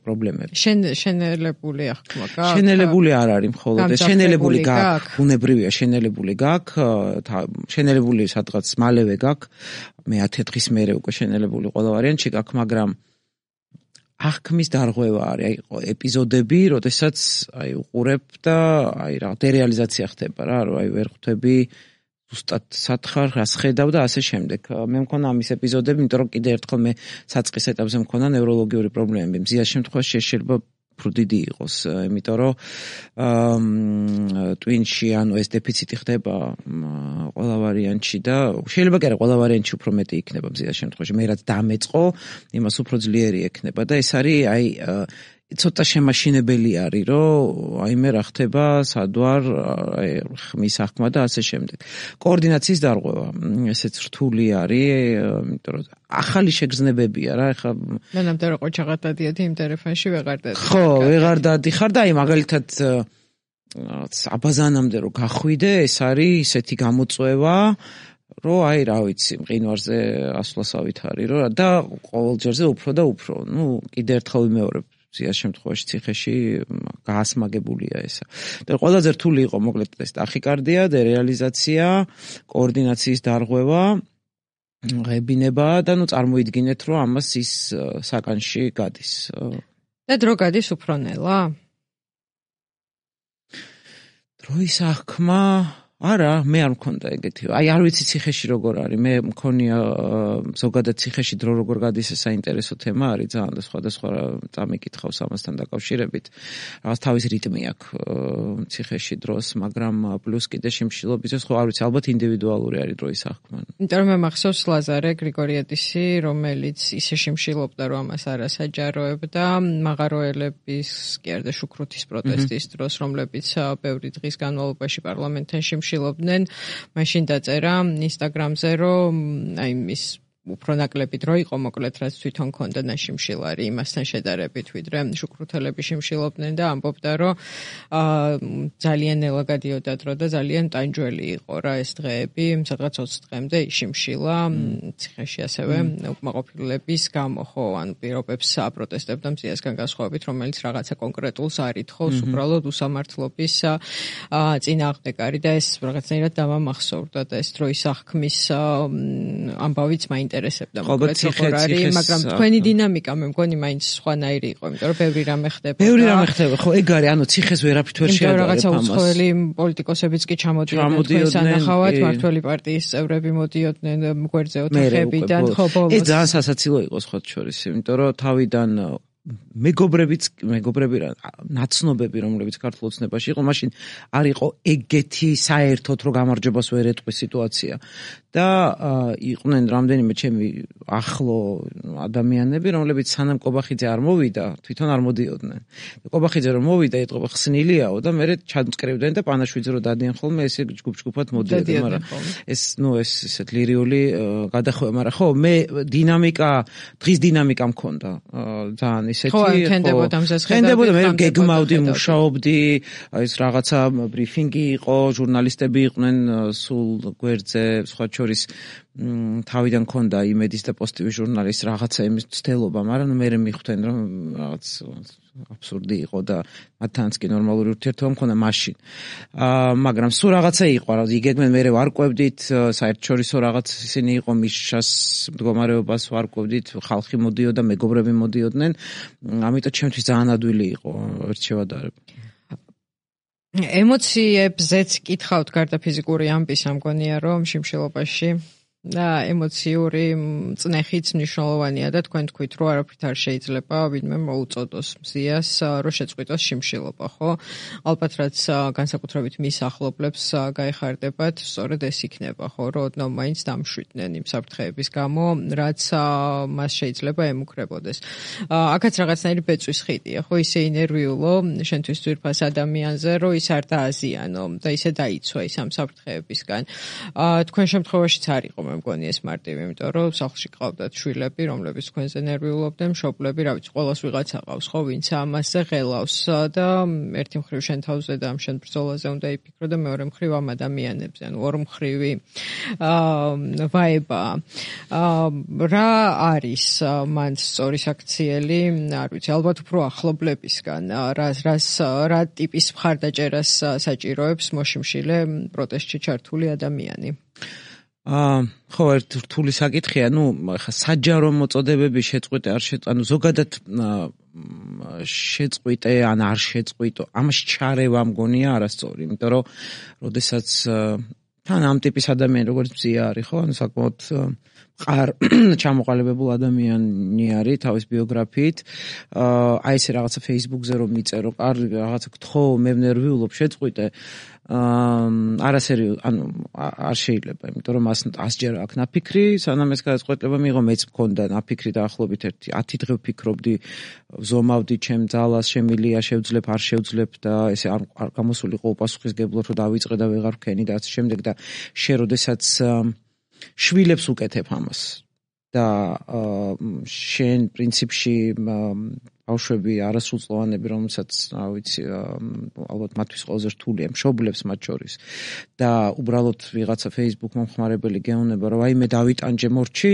პრობლემები. შენელებული აღქმა გაქვს? შენელებული არ არის მხოლოდ ეს შენელებული გაქვს, ბუნებრივია შენელებული გაქვს, შენელებული სადღაც მალევე გაქვს. მე 10 დღის მერე უკვე შენელებული ყველა ვარიანტი გაქვს, მაგრამ აღქმის დარღვევა არის, აი ეპიზოდები, როდესაც აი უყურებ და აი რა დერეალიზაცია ხდება რა, რომ აი ვერ ხვდები ზუსტად სათხარ რას ხედავ და ასე შემდეგ. მე მქონა ამის ეპიზოდები, იმიტომ რომ კიდე ერთხელ მე საწყის ეტაპზე მქონა ნევროლოგიური პრობლემები. მზიას შემთხვევაში შეიძლება ფრუდიდი იყოს, იმიტომ რომ ტვინში ანუ ეს დეფიციტი ხდება ყველა ვარიანტში და შეიძლება კი არა ყველა ვარიანტში უფრო მეტი იქნება მზიას შემთხვევაში. მე რაც დამეწყო, იმას უფრო ძლიერი ექნება და ეს არის აი ცოტა შემაშინებელი არის, რომ აი მე რა ხდება, სად ვარ, ხმის აღქმა და ასე შემდეგ. კოორდინაციის დარღვევა, ესეც რთული არის, იმიტომ რომ ახალი შეგრძნებებია რა, ეხლა მანამდე რო ყოჩაღად დადიოდი იმ ტელეფონში ვეღარ დადიხარ. ხო, ვეღარ დადიხარ და აი მაგალითად აბაზანამდე რო გახვიდე, ეს არის ისეთი გამოწვევა, რომ აი რა ვიცი, მყინვარზე ასვლასავით არის, რომ და ყოველ ჯერზე უფრო და უფრო. ნუ კიდე ერთხელ ვიმეორებ მზიას შემთხვევაში ციხეში გაასმაგებულია ესა. და ყველაზე რთული იყო მოკლედ ეს ტახიკარდია, დერეალიზაცია, კოორდინაციის დარღვევა, ღებინება და ნუ წარმოიდგინეთ, რომ ამას ის საკანში გადის. და დრო გადის უფრო ნელა? დროის აღქმა არა, მე არ მქონდა ეგეთი. აი არ ვიცი ციხეში როგორ არის. მე მქონია ზოგადად ციხეში დრო როგორ გადის ეს საინტერესო თემა არის ძალიან და სხვადასხვა წამიკითხავს ამასთან დაკავშირებით. რაღაც თავის რიტმი აქვს ციხეში დროს, მაგრამ პლუს კიდე შიმშილობისთვის ხო არ ვიცი, ალბათ ინდივიდუალური არის დროის აღქმა. იმიტომ რომ მე მახსოვს ლაზარე გრიგორიადისი, რომელიც ისე შიმშილობდა, რომ ამას არასაჯაროებდა, მაღაროელების კი არა და შუქრუთის პროტესტის დროს, რომლებიც ბევრი დღის განმავლობაში პარლამენტთან შილობდნენ, მაშინ დაწერა ინსტაგრამზე, რომ აი მის უფრო ნაკლები დრო იყო მოკლედ რაც თვითონ ქონდა ნაშიმშილარი იმასთან შედარებით ვიდრე შუქრუთელები შიმშილობდნენ და ამბობდა რომ ძალიან ნელა გადიოდა დრო და ძალიან ტანჯველი იყო რა ეს დღეები სადღაც 20 დღემდე იშიმშილა ციხეში ასევე უკმაყოფილების გამო ხო ან პირობებს აპროტესტებდა მზიასგან განსხვავებით რომელიც რაღაცა კონკრეტულს არ ითხოვს უბრალოდ უსამართლობის წინააღმდეგ არის და ეს რაღაცნაირად დამამახსოვრდა და ეს დროის აღქმის ამბავიც მაინტერესებდა მოკლედ როგორ არის მაგრამ თქვენი დინამიკა მე მგონი მაინც სხვანაირი იყო იმიტომ რომ ბევრი რამე ხდება ბევრი რამე ხდება ხო ეგ არის ანუ ციხეს ვერაფრით ვერ შეადარებ ამას რაღაცა უცხოელი პოლიტიკოსებიც კი ჩამოდიოდნენ თქვენს ანახავად მართველი პარტიის წევრები მოდიოდნენ გვერდზე ოთახებიდან ხო ბოლოს ეს ძალიან სასაცილო იყო სხვა შორის იმიტომ რომ თავიდან მეგობრები რა ნაცნობები რომლებიც ქართულ ოცნებაში იყო მაშინ არ იყო ეგეთი საერთოდ რომ გამარჯვებას ვერ ეტყვის სიტუაცია და იყვნენ რამდენიმე ჩემი ახლო ადამიანები რომლებიც სანამ კობახიძე არ მოვიდა თვითონ არ მოდიოდნენ და კობახიძე რომ მოვიდა ეტყობა ხსნილიაო და მე ჩამწკრივდნენ და პანაშვიძე რომ დადიან ხოლმე ესე ჯგუფ-ჯგუფად მოდიოდნენ მაგრამ ეს ესეთ ლირიული გადახვევა მაგრამ ხო მე დინამიკა დღის დინამიკა მქონდა ძალიან ისეთი ხო ქენდებოდა ამას ქენდებოდა მე გეგმავდი მუშაობდი ეს რაღაცა ბრიფინგი იყო ჟურნალისტები იყვნენ სულ გვერდზე სხვა შორის თავიდან ქონდა იმედის და პოზიტივი ჟურნალის რაღაცა იმის ცდელობა მაგრამ მე მიხვდნენ რომ რაღაც აბსურდი იყო და მათთანაც კი ნორმალური ურთიერთობა მქონდა მაშინ მაგრამ სულ რაღაცა იყო რა იგეგმენ მე ვარკვევდით საერთაშორისო რაღაც ისინი იყო მიშას მდგომარეობას ვარკვევდით ხალხი მოდიოდა მეგობრები მოდიოდნენ ამიტომ ჩემთვის ძალიან ადვილი იყო ერთ შევადარებ ემოციებზეც კითხავთ გარდა ფიზიკური ამბის ამგონია რომ შიმშილობაში ემოციური წნეხიც მნიშვნელოვანია და თქვენ თქვით, რომ არაფრით არ შეიძლება ვინმე მოუწოდოს მზიას, რომ შეწყვიტოს შიმშილობა, ხო? ალბათ რაც განსაკუთრებით მის ახლობლებს გაეხარდებათ, სწორედ ეს იქნება, ხო, რომ ოდნავ მაინც დამშვიდნენ იმ საფრთხეების გამო, რაც მას შეიძლება ემუქრებოდეს. აქაც რაღაცნაირი ბეწვის ხიდია, ხო, ისე ინერვიულო შენთვის ძვირფას ადამიანზე, რომ ის არ დააზიანო და ისე დაიცვა ის ამ საფრთხეებისგან. თქვენ შემთხვევაშიც არ იყო მე მგონი ეს მარტივი, იმიტომ რომ სახლში ყავდათ შვილები, რომლებიც თქვენზე ნერვიულობდნენ, მშობლები, რა ვიცი, ყოველას ვიღაცა ყავს, ხო, ვინც ამასზე ღელავს და ერთი მხრივ შენ თავზე და ამ შენ ბრძოლაზე უნდა იფიქრო და მეორე მხრივ ამ ადამიანებზე, ანუ ორმხრივი ვაება. რა არის მან სწორი საქციელი, არ ვიცი, ალბათ უფრო ახლობლებისგან, რა ტიპის მხარდაჭერას საჭიროებს მოშიმშილე პროტესტში ჩართული ადამიანი? ხო, ერთ რთული საკითხია, ხა საჯარო მოწოდებების შეწყვეტა არ ანუ ზოგადად შეწყვიტე ან არ შეწყვიტო, ამაში ჩარევა მგონია არასწორი, იმიტომ რომ როდესაც თან ამ ტიპის ადამიანი როგორც მზია არის, ხო, ანუ საკმაოდ მყარ ჩამოყალიბებულ ადამიანი არის თავის ბიოგრაფიით. აი ესე რაღაცა Facebook-ზე რომ მიწერო, კარგი რაღაცა გთხოვ, მე ნერვიულობ, შეწყვიტე. არასერიოზ, ანუ არ შეიძლება, იმიტომ რომ 100-ჯერ აქ ნაფიქრი, სანამ ეს გადაწყვეტილება მიიღო, მეც მქონდა ნაფიქრი დაახლოებით 10 დღე ვფიქრობდი, ვზომავდი ჩემ ძალას, შემილია, შევძლებ, არ შევძლებ და ესე არ გამოსულიყო უპასუხისგებლად, რომ დავიწყე და ვეღარ ვქენი და ასე შემდეგ და შე როდესაც შვილებს უკეთებ ამას და შენ პრინციპში ბავშვები არასრულწლოვანები, რომელსაც, რა ვიცი, ალბათ მათთვის ყველაზე რთულია, მშობლებს მათ შორის და უბრალოდ ვიღაცა Facebook მომხმარებელი გეუბნება, რომ აი მე დავიტანჯე მორჩი,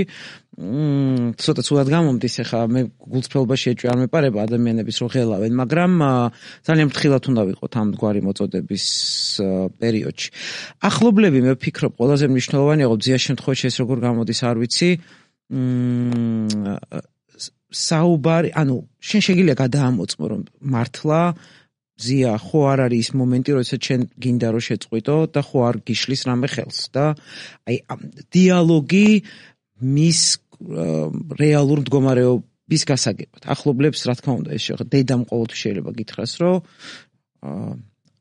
ცოტა ცუდად გამომდის, ახლა მე გულწრფელობაში ეჭვი არ მეპარება ადამიანების რომ ღელავენ, მაგრამ ძალიან ფრთხილად უნდა ვიყოთ ამ გვარი მოწოდების პერიოდში. ახლობლები მე ვფიქრობ, ყველაზე მნიშვნელოვანია, რომ ძიას შემთხვევაში ეს როგორ გამოდის, არ ვიცი, საუბარი, ანუ შენ შეგიძლია გადაამოწმო, რომ მართლა მზია, ხო არ არის ის მომენტი, როდესაც შენ გინდა რომ შეწყვიტო და ხო არ გიშლის რამე ხელს და აი დიალოგი მის რეალურ მდგომარეობის გასაგებად. ახლობლებს რა თქმა უნდა ეს შეეხება, დედამ ყოველთვის შეიძლება გითხრას, რომ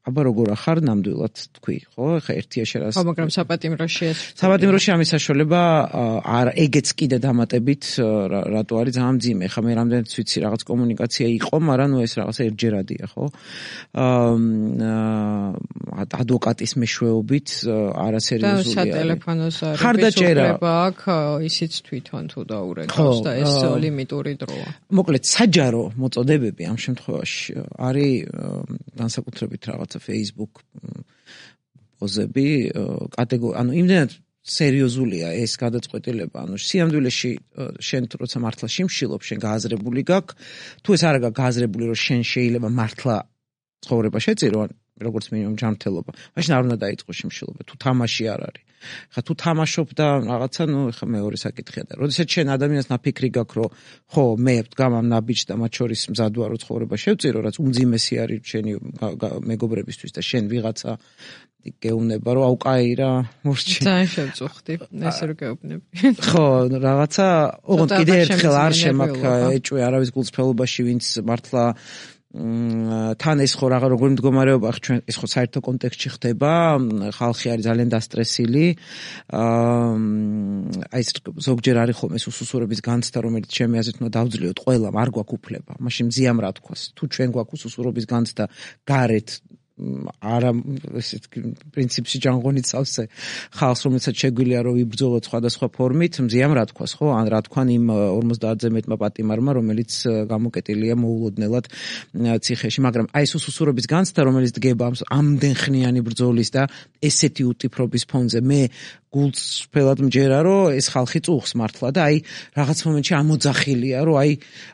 აბა როგორ ახარ ნამდვილად თქვი, ხო? ხა ერთია შენ ხო, მაგრამ საპატიმროში ეს საპატიმროში ამის საშუალება არ ეგეც კიდე დამატებით რატო არის ძალიან მძიმე. ხა მე რამდენიც ვიცი რაღაც კომუნიკაცია იყო, მაგრამ ეს რაღაცა ერთჯერადია, ხო? ადვოკატის მეშვეობით არასერიოზულია. და სატელეფონოს ხარდაჭერა აქვს, ისიც თვითონ თუ დაურეკავს და ეს ლიმიტური დროა. მოკლედ საჯარო მოწოდებები ამ შემთხვევაში არის განსაკუთრებით რაღაც Facebook პოზები, ანუ იმდენად სერიოზულია ეს გადაწყვეტილება, ანუ სიამდვილეში შენ როცა მართლა შიმშილობ, შენ გააზრებული გაქვს, თუ ეს არ არის გააზრებული, რომ შენ შეიძლება მართლა ცხოვრება შეწირო, როგორც მინიმუმ ჯანმრთელობა, მაშინ არ უნდა დაიწყო შიმშილობა, თუ თამაში არ არის. ხა თუ თამაშობ და რაღაცა, ხა მეორე საკითხია და როდესაც შენ ადამიანს ნაფიქრი გაქვს, რომ ხო, მე ვდგამ ამ ნაბიჯს და მათ შორის მზად ვარ, რომ ცხოვრება შევწირო, რაც უმძიმესი არის შენი მეგობრებისთვის და შენ ვიღაცა გეუბნება, რომ აუკაი რა, მორჩი. ძალიან შევწუხდი, ეს რო გეუბნები. ხო, რაღაცა, ოღონდ კიდე ერთხელ არ შემაქ ეჭვი არავის გულწრფელობაში, ვინც მართლა თან ეს ხო როგორი მდგომარეობა ჩვენ ეს ხო საერთო კონტექსტში ხდება, ხალხი არის ძალიან დასტრესილი. აი ეს ზოგჯერ არის ხოლმე უსუსურების განცდა, რომელიც ჩემი აზრით უნდა დავძლიოთ ყველამ, არ გვაქვს უფლება. მაშინ მზიამ რა თქვას, თუ ჩვენ გვაქვს უსუსურობის განცდა გარეთ არა ესეთ პრინციპში ჯანღონით სავსე ხალხს, რომელსაც შეგვიძლია რომ იბრძოლოთ სხვადასხვა ფორმით, მზიამ რა თქვას, ხო? ან რა თქვან იმ 50-ზე მეტმა პატიმარმა, რომელიც გამოკეტილია მოულოდნელად ციხეში, მაგრამ აი ეს უსუსურობის განცდა, რომელიც დგება ამდენხნიანი ბრძოლის და ესეთი უტიფრობის ფონზე, მე გულწრფელად მჯერა, რომ ეს ხალხი წუხს მართლა და აი რაღაც მომენტში ამოძახილია, რომ აი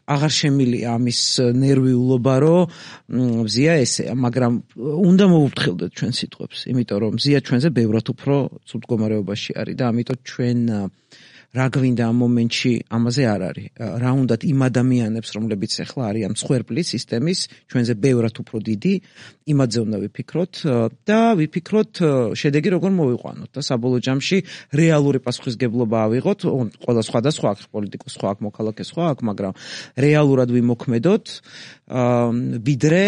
აღარ შემილია ამის ნერვიულობა, რომ მზია ესეა, მაგრამ უნდა მოუფრთხილდეთ ჩვენ სიტყვებს, იმიტომ რომ მზია ჩვენზე ბევრად უფრო ცუდ მდგომარეობაში არის და ამიტომ ჩვენ რა გვინდა ამ მომენტში ამაზე არ არის. რა უნდათ იმ ადამიანებს, რომლებიც ახლა არიან მსხვერპლის სისტემის, ჩვენზე ბევრად უფრო დიდი, იმაზე უნდა ვიფიქროთ და ვიფიქროთ შედეგი როგორ მოვიყვანოთ და საბოლოო ჯამში რეალური პასუხისგებლობა ავიღოთ, ყველა სხვადასხვა აქ პოლიტიკოს სხვა აქ მოქალაქე სხვა აქ, მაგრამ რეალურად ვიმოქმედოთ, ვიდრე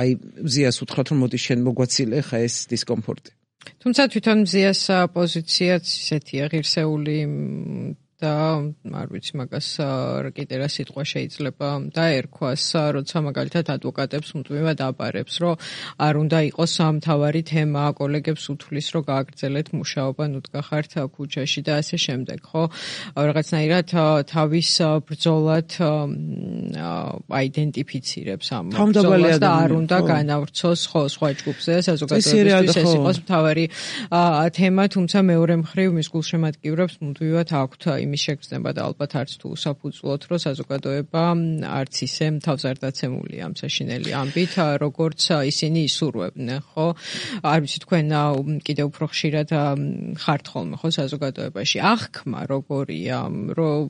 აი მზიას უთხრათ რომ მოდი შენ მოგვაცილე ხა ეს დისკომფორტი. თუმცა თვითონ მზიას პოზიციაც ისეთია ღირსეული და არ ვიცი მაგას კიდე რა სიტყვა შეიძლება დაერქვას, როცა მაგალითად ადვოკატებს უთმება დაბარებს, რომ არ უნდა იყოს მთავარი თემა, კოლეგებს უთვლის, რომ გააგრძელეთ მუშაობა, ნუ დგახართ ქუჩაში და ასე შემდეგ, ხო? რაღაცნაირად თავის ბრძოლად აიდენტიფიცირებს ამ ბრძოლას და არ უნდა განავრცოს ხო სხვა ჯგუფზე, საზოგადოებისთვის ეს იყოს მთავარი თემა, თუმცა მეორე მხრივ მის გულშემატკივრებს მუდმივად აქვთ იმის შეგრძნება და ალბათ არც თუ საფუძვლოდ, რომ საზოგადოება არც ისე თავს არ დაცემულია ამ საშინელი ამბით, როგორც ისინი ისურვებდნენ, ხო? არ ვიცი თქვენ კიდევ უფრო ხშირად ხართ ხოლმე ხო საზოგადოებაში. აღქმა როგორია, რომ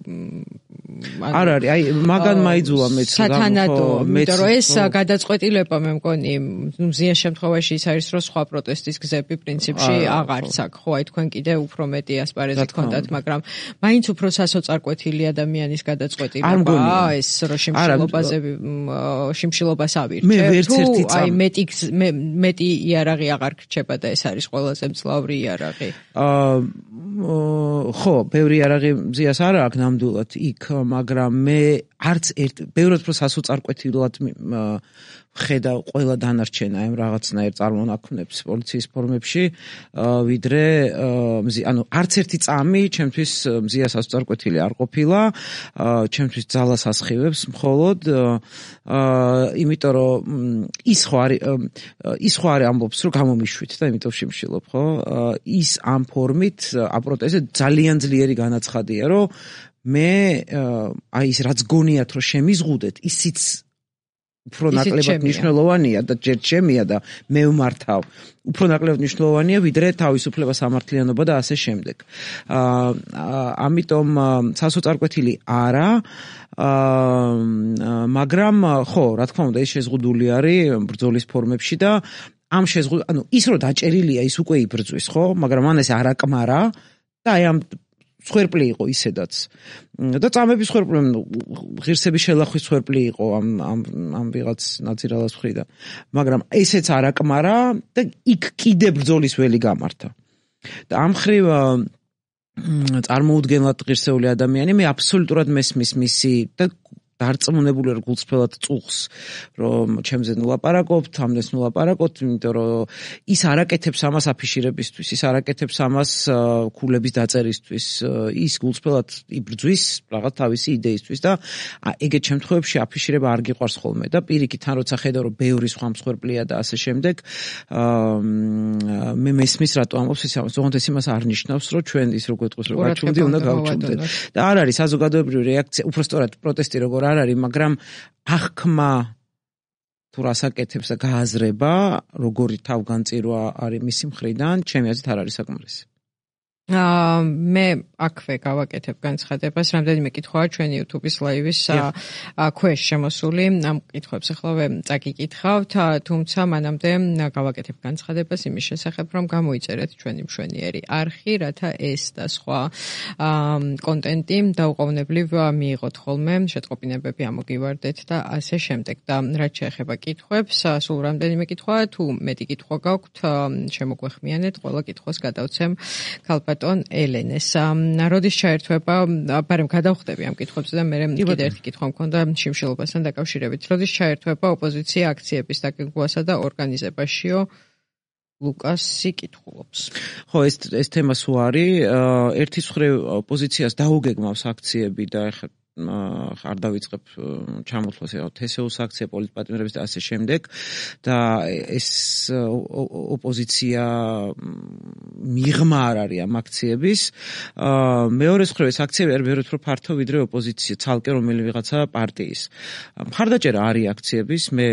არ არის, აი მაგან მაიძულა მეც სათანადო, იმიტომ რომ ეს გადაწყვეტილება მე მგონი, მზიან შემთხვევაში ის არის, რომ სხვა პროტესტის გზები პრინციპში აღარც აქვს, ხო? აი თქვენ კიდე უფრო მეტი ასპარეზი გქონდათ, მაგრამ მაინც უფრო სასოწარკვეთილი ადამიანის გადაწყვეტილება ეს რომ შიმშილობას ავირჩევ თუ აი მეტი იარაღი აღარ გრჩება და ეს არის ყველაზე მძლავრი იარაღი ხო ბევრი იარაღი მზიას არ აქვს ნამდვილად იქ მაგრამ მე არც ბევრად უფრო სასოწარკვეთილად ხედავ ყველა დანარჩენ აი რაღაცნაირ წარმონაქმნებს პოლიციის ფორმებში ვიდრე ანუ არც ერთი წამი ჩემთვის მზიას სასოწარკვეთილი არ ყოფილა ჩემთვის ძალას ასხივებს მხოლოდ იმიტომ რომ ის ხო არის ამბობს რომ გამომიშვით და იმიტომ შიმშილობ ხო ის ამ ფორმით აპროტესტზე ძალიან ძლიერი განაცხადია რომ მე აი ის რაც გონიათ რომ შემიზღუდეთ ისიც უფრო ნაკლებად მნიშვნელოვანია და ჯერ ჩემია და მე ვმართავ უფრო ნაკლებად მნიშვნელოვანია ვიდრე თავისუფლება სამართლიანობა და ასე შემდეგ ამიტომ სასოწარკვეთილი არა მაგრამ ხო რა თქმა უნდა ეს შეზღუდული არის ბრძოლის ფორმებში და ამ ანუ ის რომ დაჭერილია ის უკვე იბრძვის ხო მაგრამ მან ეს არ აკმარა და აი ამ სხერპლი იყო ისედაც და წამების სხერპლი ღირსების შელახვის სხერპლი იყო ამ ვიღაც ნაცირალას მხრიდან მაგრამ ესეც არ აკმარა და იქ კიდე ბრძოლის ველი გამართა და ამ ხრივ წარმოუდგენლად ღირსეული ადამიანი მე აბსოლუტურად მესმის მისი და დარწმუნებული ვარ გულწრფელად წუხს რომ ჩემზე ნულაპარაკობთ ამდეს ნულაპარაკოთ იმიტომ რომ ის არაკეთებს ამას აფიშირებისთვის ის არაკეთებს ამას ქულების დაწერისთვის ის გულწრფელად იბრძვის რაღაც თავისი იდეისთვის და ეგეთ შემთხვევებში აფიშირება არ გიყვარს ხოლმე და პირიქით თან როცა ხედავ რომ ბევრი სხვა მსხვერპლია და ასე შემდეგ მე მესმის რატო ამბობს ის ამას თუმცა ეს იმას არ ნიშნავს რომ ჩვენ ის რო გვეტყვის რომ გაჩვენდი უნდა გავჩვენდეთ და არ არის საზოგადოებრივი რეაქცია უბრალოდ პროტესტი როგორ არ არის მაგრამ აღქმა თუ რასაკეთებს და გააზრება როგორი თავგანწირვა არის მისი მხრიდან ჩემი აზრით არ არის საკმარისი მე აქვე გავაკეთებ განცხადებას რამდენიმე კითხვაა ჩვენი YouTube-ის ლაივის ქვეშ შემოსული ამ კითხვებს ახლა წაგიკითხავთ თუმცა მანამდე გავაკეთებ განცხადებას იმის შესახებ რომ გამოიწერეთ ჩვენი მშვენიერი არხი რათა ეს და სხვა კონტენტი დაუყოვნებლივ მიიღოთ ხოლმე შეტყობინებები ამოგივარდეთ და ასე შემდეგ და რაც შეეხება კითხვებს სულ რამდენიმე კითხვაა თუ მეტი კითხვა გაქვთ შემოგვეხმიანეთ ყველა კითხვას გადავცემ ქალბატონ ელენეს როდის ჩაერთვება ბარემ გადავხდები ამ კითხვებზე და მე კიდე ერთი კითხვა მქონდა შიმშილობასთან დაკავშირებით როდის ჩაერთვება ოპოზიცია აქციების დაგეგმვასა და ორგანიზებაშიო ლუკასი კითხულობს ხო ეს თემა სულ არის ერთის მხრივ ოპოზიციას დაუგეგმავს აქციები და ეხლა არ დავიწყებ ჩამოთვლას თესეუს აქცია პოლიტპატიმრების და ასე შემდეგ და ეს ოპოზიცია მიღმა არ არის ამ აქციების მეორე მხრივ ეს აქციები არ ბევრად უფრო ფართო ვიდრე ოპოზიცია ცალკე რომელი ვიღაცა პარტიის მხარდაჭერა არის აქციების მე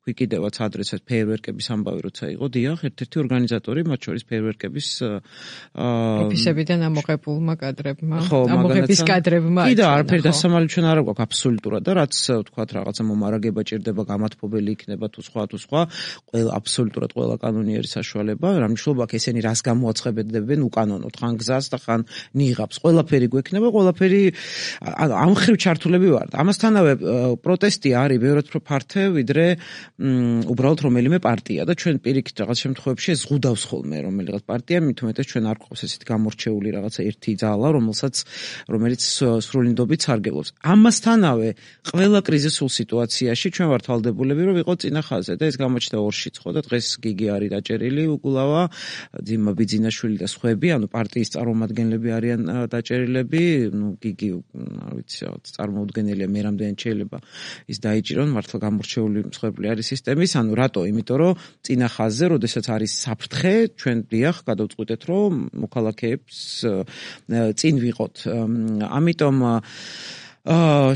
თქვი კიდევაც ადრესად ფეიერვერკების ამბავი როცა იყო, დიახ, ერთ-ერთი ორგანიზატორი, მათ შორის ფეიერვერკების ოფისებიდან ამოღებულმა კადრებმა, ამოღების კადრებმა. კიდე არაფერი დასამალი ჩვენ არ გვაქვს აბსოლუტურად და რაც თქვათ რაღაცა მომარაგება ჭირდება, გამათბობელი იქნება თუ სხვა, ყველა აბსოლუტურად ყველა კანონიერი საშუალება, რა მნიშვნელობა აქვს ესენი რას გამოაცხადებენ უკანონოდ, ხან გზას და ხან ნიღაბს. ყველაფერი გვექნება, ყველაფერი ამ ხრივ ჩართულები ვართ. ამასთანავე პროტესტი არის ბევრად უფრო ფართე, ვიდრე უბრალოდ რომელიმე პარტია და ჩვენ პირიქით რაღაც შემთხვევებში ზღუდავს ხოლმე რომელიღაც პარტია, მით უმეტეს ჩვენ არ გვყავს ესეთი გამორჩეული რაღაცა ერთი ძალა, რომელიც სრულინდობით სარგებლობს. ამასთანავე ყველა კრიზისულ სიტუაციაში ჩვენ ვართ ვალდებულები, რომ ვიყოთ წინა ხაზზე და ეს გამოჩნდა ორშიც ხო და დღეს გიგი არის დაჭერილი უკულავა, ძიმა ბიძინაშვილი და სხვები, ანუ პარტიის წარმომადგენლები არიან დაჭერილები, გიგი არ ვიცი რაღაც წარმოუდგენელია, მე რამდენად შეიძლება ის დაიჭირონ, მართლა გამორჩეული მსხვერპლი არის სისტემის, ანუ რატო? იმიტომ რომ წინა ხაზზე, როდესაც არის საფრთხე, ჩვენ დიახ გადავწყვიტეთ, რომ მოქალაქეებს წინ ვიყოთ. ამიტომ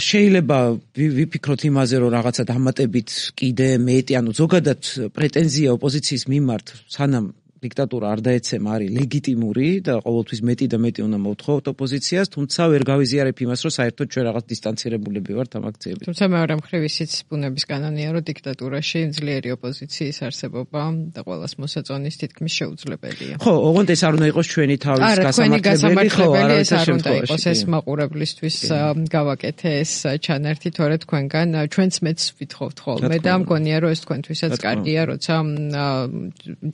შეიძლება ვიფიქროთ იმაზე, რომ რაღაცა დამატებით კიდე მეტი, ანუ ზოგადად პრეტენზია ოპოზიციის მიმართ, სანამ დიქტატურა არ დაეცემა, არის ლეგიტიმური და ყოველთვის მეტი და მეტი უნდა მოვთხოვოთ ოპოზიციას, თუმცა ვერ გავიზიარებ იმას, რომ საერთოდ ჩვენ რაღაც დისტანცირებულები ვართ ამ აქციებით. თუმცა მეორე მხრივ ისიც ბუნების კანონია, რომ დიქტატურაში ძლიერი ოპოზიციის არსებობა და ყველას მოსაწონის თითქმის შეუძლებელია. ხო, ოღონდ ეს არ უნდა იყოს ჩვენი თავის გასამართლებელი, ხო, ეს არ უნდა იყოს ეს მაყურებლისთვის გავაკეთე ეს ჩანართი, თორე თქვენგან ჩვენც მეც ვითხოვთ ხოლმე და მგონია, რომ ეს თქვენთვისაც კარგია, როცა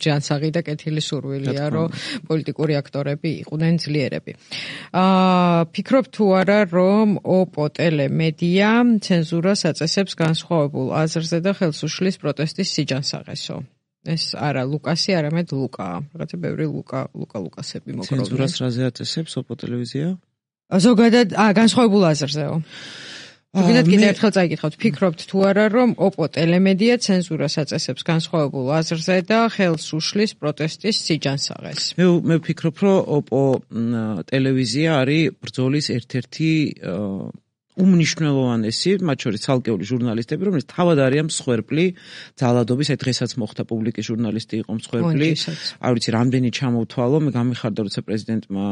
ჯანსაღი და კეთილი სურვილია, რომ პოლიტიკური აქტორები იყვნენ ძლიერები. ფიქრობ თუ არა, რომ ოპო ტელემედია ცენზურას აწესებს განსხვავებულ აზრზე და ხელს უშლის პროტესტის სიჯანსაღესო. ეს არა ლუკასი, არამედ ლუკაა. რაღაცა ბევრი ლუკასები მოგროვდნენ. ცენზურას რაზე აწესებს ოპო ტელევიზია? ზოგადად, განსხვავებულ აზრზეო. ზოგადად კიდევ ერთხელ წაიკითხავთ, ფიქრობთ თუ არა, რომ ოპო ტელემედია ცენზურას აწესებს განსხვავებულ აზრზე და ხელს უშლის პროტესტის სიჯანსაღეს? მე ვფიქრობ, რომ ოპო ტელევიზია არის ბრძოლის ერთ-ერთი უმნიშვნელოვანესი, მათ შორის ცალკეული ჟურნალისტები, რომელიც თავად არიან მსხვერპლი ძალადობის, აი დღესაც მოხდა პუბლიკის ჟურნალისტი იყო მსხვერპლი. არ ვიცი, რამდენი ჩამოვთვალო, მე გამიხარდა, როცა პრეზიდენტმა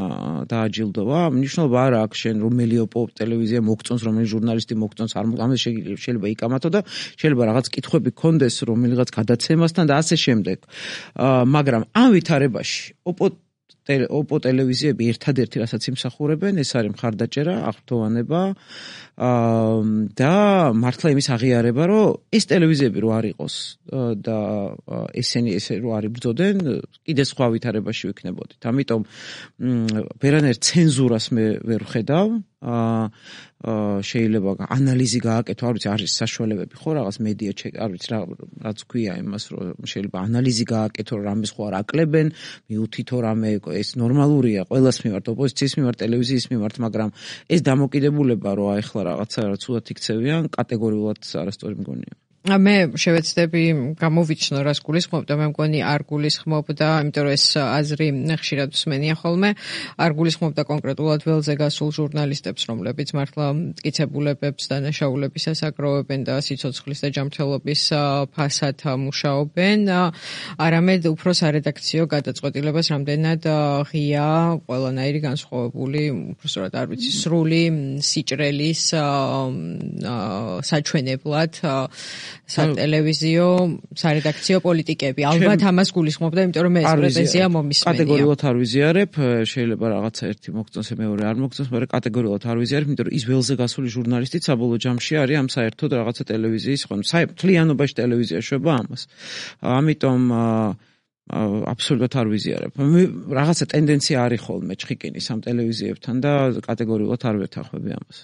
დააჯილდოვა. მნიშვნელობა არ აქვს შენ რომელი ოპო ტელევიზია მოგწონს, რომელი ჟურნალისტი მოგწონს, ამაზე შეიძლება იკამათო და შეიძლება რაღაც კითხვები გქონდეს რომელიღაც გადაცემასთან და ასე შემდეგ. მაგრამ ამ ვითარებაში ოპო ტელევიზიები ერთადერთი რასაც იმსახურებენ, ეს არის მხარდაჭერა, აღფრთოვანება და მართლა იმის აღიარება, რომ ეს ტელევიზიები რო არ იყოს და ესენი ესე რო არ იბრძოდნენ, კიდე სხვა ვითარებაში ვიქნებოდით. ამიტომ ვერანაირ ცენზურას მე ვერ ვხედავ. შეიძლება ანალიზი გააკეთო, არ ვიცი, არის საშუალებები ხო რაღაც მედია არ ვიცი რაც ქვია იმას, რომ შეიძლება ანალიზი გააკეთო, რომ რამეს ხო არ აკლებენ, მიუთითო რამე, ეს ნორმალურია ყველას მიმართ, ოპოზიციის მიმართ, ტელევიზიის მიმართ, მაგრამ ეს დამოკიდებულება რომ აეხლა რაღაცა ცუდად იქცევიან, კატეგორიულად არასწორი მგონია. მე შევეცდები გამოვიჩნო რას გულისხმობ და მე მგონი არ გულისხმობდა, იმიტომ რომ ეს აზრი ხშირად მსმენია ხოლმე, არ გულისხმობდა კონკრეტულად ველზე გასულ ჟურნალისტებს, რომლებიც მართლა მტკიცებულებებს დანაშაულებისას აგროვებენ და სიცოცხლის და ჯანმრთელობის ფასად მუშაობენ, არამედ უფრო სარედაქციო გადაწყვეტილებას რამდენად ღია, ყველანაირი განსხვავებული, უბრალოდ არ ვიცი, სრული სიჭრელის საჩვენებლად სატელევიზიო, სარედაქციო პოლიტიკები. ალბათ ამას გულისხმობდა, იმიტომ რომ ეს პრეტენზია მომისმენია. კატეგორიულად არ ვიზიარებ, შეიძლება რაღაცა ერთი მოგწონს, მეორე არ მოგწონს, მაგრამ კატეგორიულად არ ვიზიარებ, იმიტომ რომ ის ველზე გასული ჟურნალისტიც საბოლოო ჯამში არის ამ საერთოდ რაღაცა ტელევიზიის, მთლიანობაში ტელევიზია შვება ამას. ამიტომ აბსოლუტურად არ ვიზიარებ. რაღაცა ტენდენცია არის ხოლმე ჩხიკინის ამ ტელევიზიებთან და კატეგორიულად არ ვეთანხმები ამას.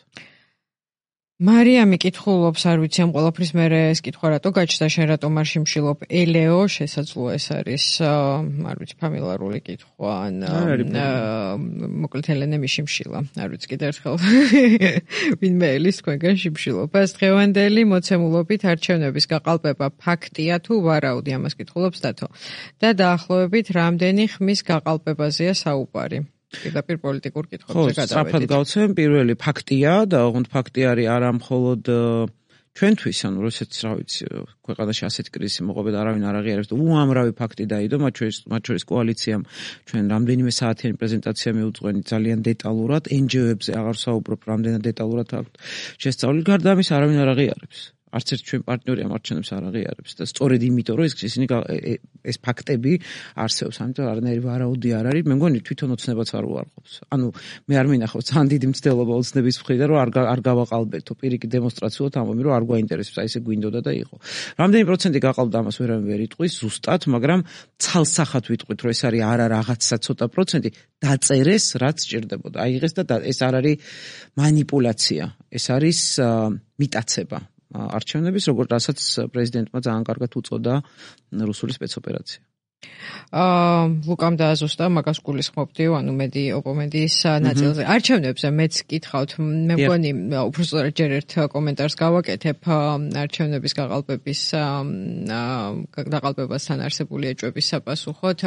მარიამი კითხულობს, არ ვიცი ამ ყველაფრის მერე ეს კითხვა რატო გაჩნდა, შენ რატომ არ შიმშილობ? ელეო, შესაძლოა ეს არის, არ ვიცი, ფამილარული კითხვა, ან მოკლედ ელენე მიშიმშილა. არ ვიცი, კიდევ ერთხელ ვინმე ელის თქვენგან შიმშილობას. დღევანდელი მოცემულობით არჩევნების გაყალბება ფაქტია თუ ვარაუდი, ამას კითხულობს დათო. და დაახლოებით რამდენი ხმის გაყალბებაზეა საუბარი? პირდაპირ პოლიტიკურ კითხვებზე გადავედით. სწრაფად გავცემ, პირველი ფაქტია და ოღონდ ფაქტი არის არა მხოლოდ ჩვენთვის, ანუ როდესაც რა ვიცი, ქვეყანაში ასეთი კრიზისი მოყვება და არავინ არ აღიარებს და უამრავი ფაქტი დაიდო, მათ შორის კოალიციამ ჩვენ რამდენიმე საათიანი პრეზენტაცია მიუძღვენით ძალიან დეტალურად, NGO-ებზე აღარ საუბრობ, რამდენად დეტალურად აქვთ შესწავლილი, გარდა ამის არავინ არ აღიარებს. არც ერთ ჩვენ პარტნიორი ამ არჩევნებს არ აღიარებს და სწორედ იმიტომ რომ ისინი ეს ფაქტები არსებობს, ამიტომ არანაირი ვარაუდი არ არის, მე მგონი თვითონ ოცნებაც არ უარყოფს. ანუ მე არ მინახავს ძალიან დიდი მცდელობა ოცნების მხრიდან რომ არ გავაყალბეთო პირიქით დემონსტრაციულად ამბობ რომ არ გვაინტერესებს, აი ესე გვინდოდა და იყო. რამდენი პროცენტი გაყალბდა ამას ვერავინ ვერ იტყვის ზუსტად, მაგრამ ცალსახად ვიტყვით რომ ეს არის არა რაღაცა ცოტა პროცენტი დაწერეს რაც სჭირდებოდა. აიღეს და ეს არ არის მანიპულაცია, ეს არის მიტაცება. არჩევნების, როგორც რასაც პრეზიდენტმა ძალიან კარგად უწოდა რუსული სპეცოპერაცია. ლუკამ დააზუსტა მაგას გულისხმობდი, ანუ მედი ოპონენტის ნაწილზე. არჩევნებზე მეც კითხავთ, მე მგონი უბრალოდ ჯერ ერთ კომენტარს გავაკეთებ არჩევნების გაყალბებასთან არსებული ეჭვების საპასუხოდ.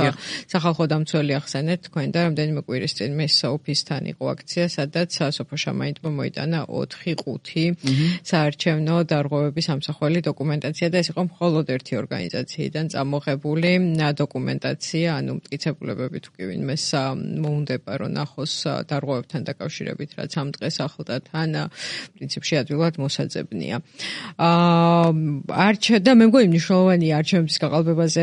სახალხო დამცველი ახსენეთ თქვენ და რამდენიმე კვირის წინ მის ოფისთან იყო აქცია, სადაც სოფო შამაინტმა მოიტანა 4-5 საარჩევნო დარღვევების ამსახველი დოკუმენტაცია და ეს იყო მხოლოდ ერთი ორგანიზაციიდან წამოღებული დოკუმენტაცია, ანუ მტკიცებულებები თუ კი ვინმეს მოუნდება რომ ნახოს დარღვევებთან დაკავშირებით, რაც ამ დღეს ახლდა თან პრინციპში ადვილად მოსაძებნია. და მე მგონი მნიშვნელოვანია არჩევნების გაყალბებაზე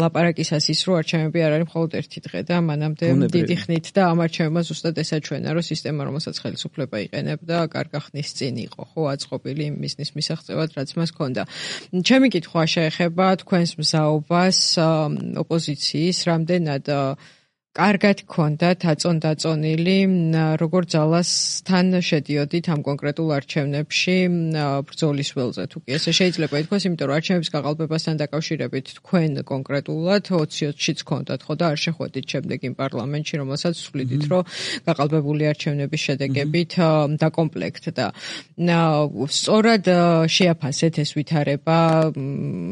ლაპარაკისას ის, რომ არჩევნები არ არის მხოლოდ ერთი დღე და მანამდე დიდი ხნით და ამ არჩევნებმა ზუსტად ესაჩვენა, რომ სისტემა, რომელსაც ხელისუფლება იყენებდა, კარგა ხნის წინ იყო, ხო, აწყობილი იმ მიზნის მისაღწევად, რაც მას ჰქონდა. ჩემი კითხვა შეეხება თქვენს მზაობას ოპოზიციის რამდენად კარგად ჰქონდათ აწონდაწონილი, როგორ ძალასთან შედიოდით ამ კონკრეტულ არჩევნებში ბრძოლის ველზე თუ კი ესე შეიძლება ითქვას, იმიტომ რომ არჩევნების გაყალბებასთან დაკავშირებით თქვენ კონკრეტულად 20-20-შიც ჰქონდათ, ხო და არ შეხვედით შემდეგ იმ პარლამენტში, რომელსაც ვსვლიდით, რომ გაყალბებული არჩევნების შედეგებით დაკომპლექტდა. სწორად შეაფასეთ ეს ვითარება,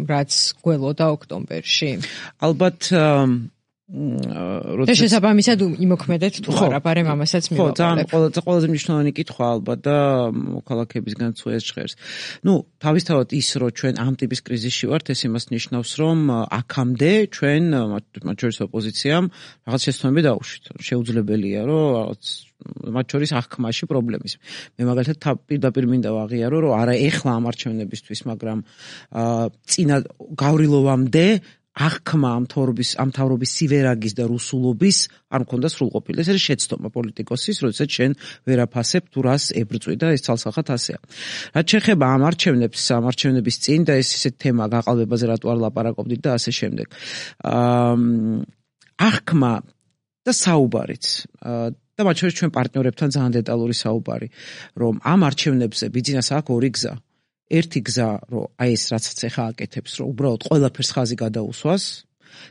რაც გველოდა ოქტომბერში. ალბათ და შესაბამისად იმოქმედეთ თუ არა, ბარემ ამასაც მივაყოლებ. ხო, ყველაზე მნიშვნელოვანი კითხვა ალბათ და მოქალაქეებისგან წუეს ჟღერს. თავისთავად ის, რომ ჩვენ ამ ტიპის კრიზისში ვართ, ეს იმას ნიშნავს, რომ აქამდე ჩვენ, მათ შორის ოპოზიციამ, რაღაც შეცდომები დაუშვით. შეუძლებელია, რომ რაღაც მათ შორის აღქმაში პრობლემის. მე მაგალითად პირდაპირ მინდა ვაღიარო, რომ არა ეხლა ამ არჩევნებისთვის, მაგრამ წინა გავრილოვამდე აღქმა ამ მთავრობის სივერაგის და რუსულობის არ მქონდა სრულყოფილი. ეს არის შეცდომა პოლიტიკოსის, როდესაც შენ ვერ აფასებ თუ რას ებრძვი და ეს ცალსახად ასეა. რაც შეეხება ამ არჩევნების წინ და ეს ისეთ თემა გაყალბებაზე რატო არ ლაპარაკობდით და ასე შემდეგ. აღქმა და საუბარიც და მათ შორის ჩვენ პარტნიორებთან ძალიან დეტალური საუბარი, რომ ამ არჩევნებზე ბიძინას აქვს ორი გზა. ერთი გზა, რომ აი ეს რაცაც ახლა აკეთებს, რომ უბრალოდ ყველაფერს ხაზი გადაუსვას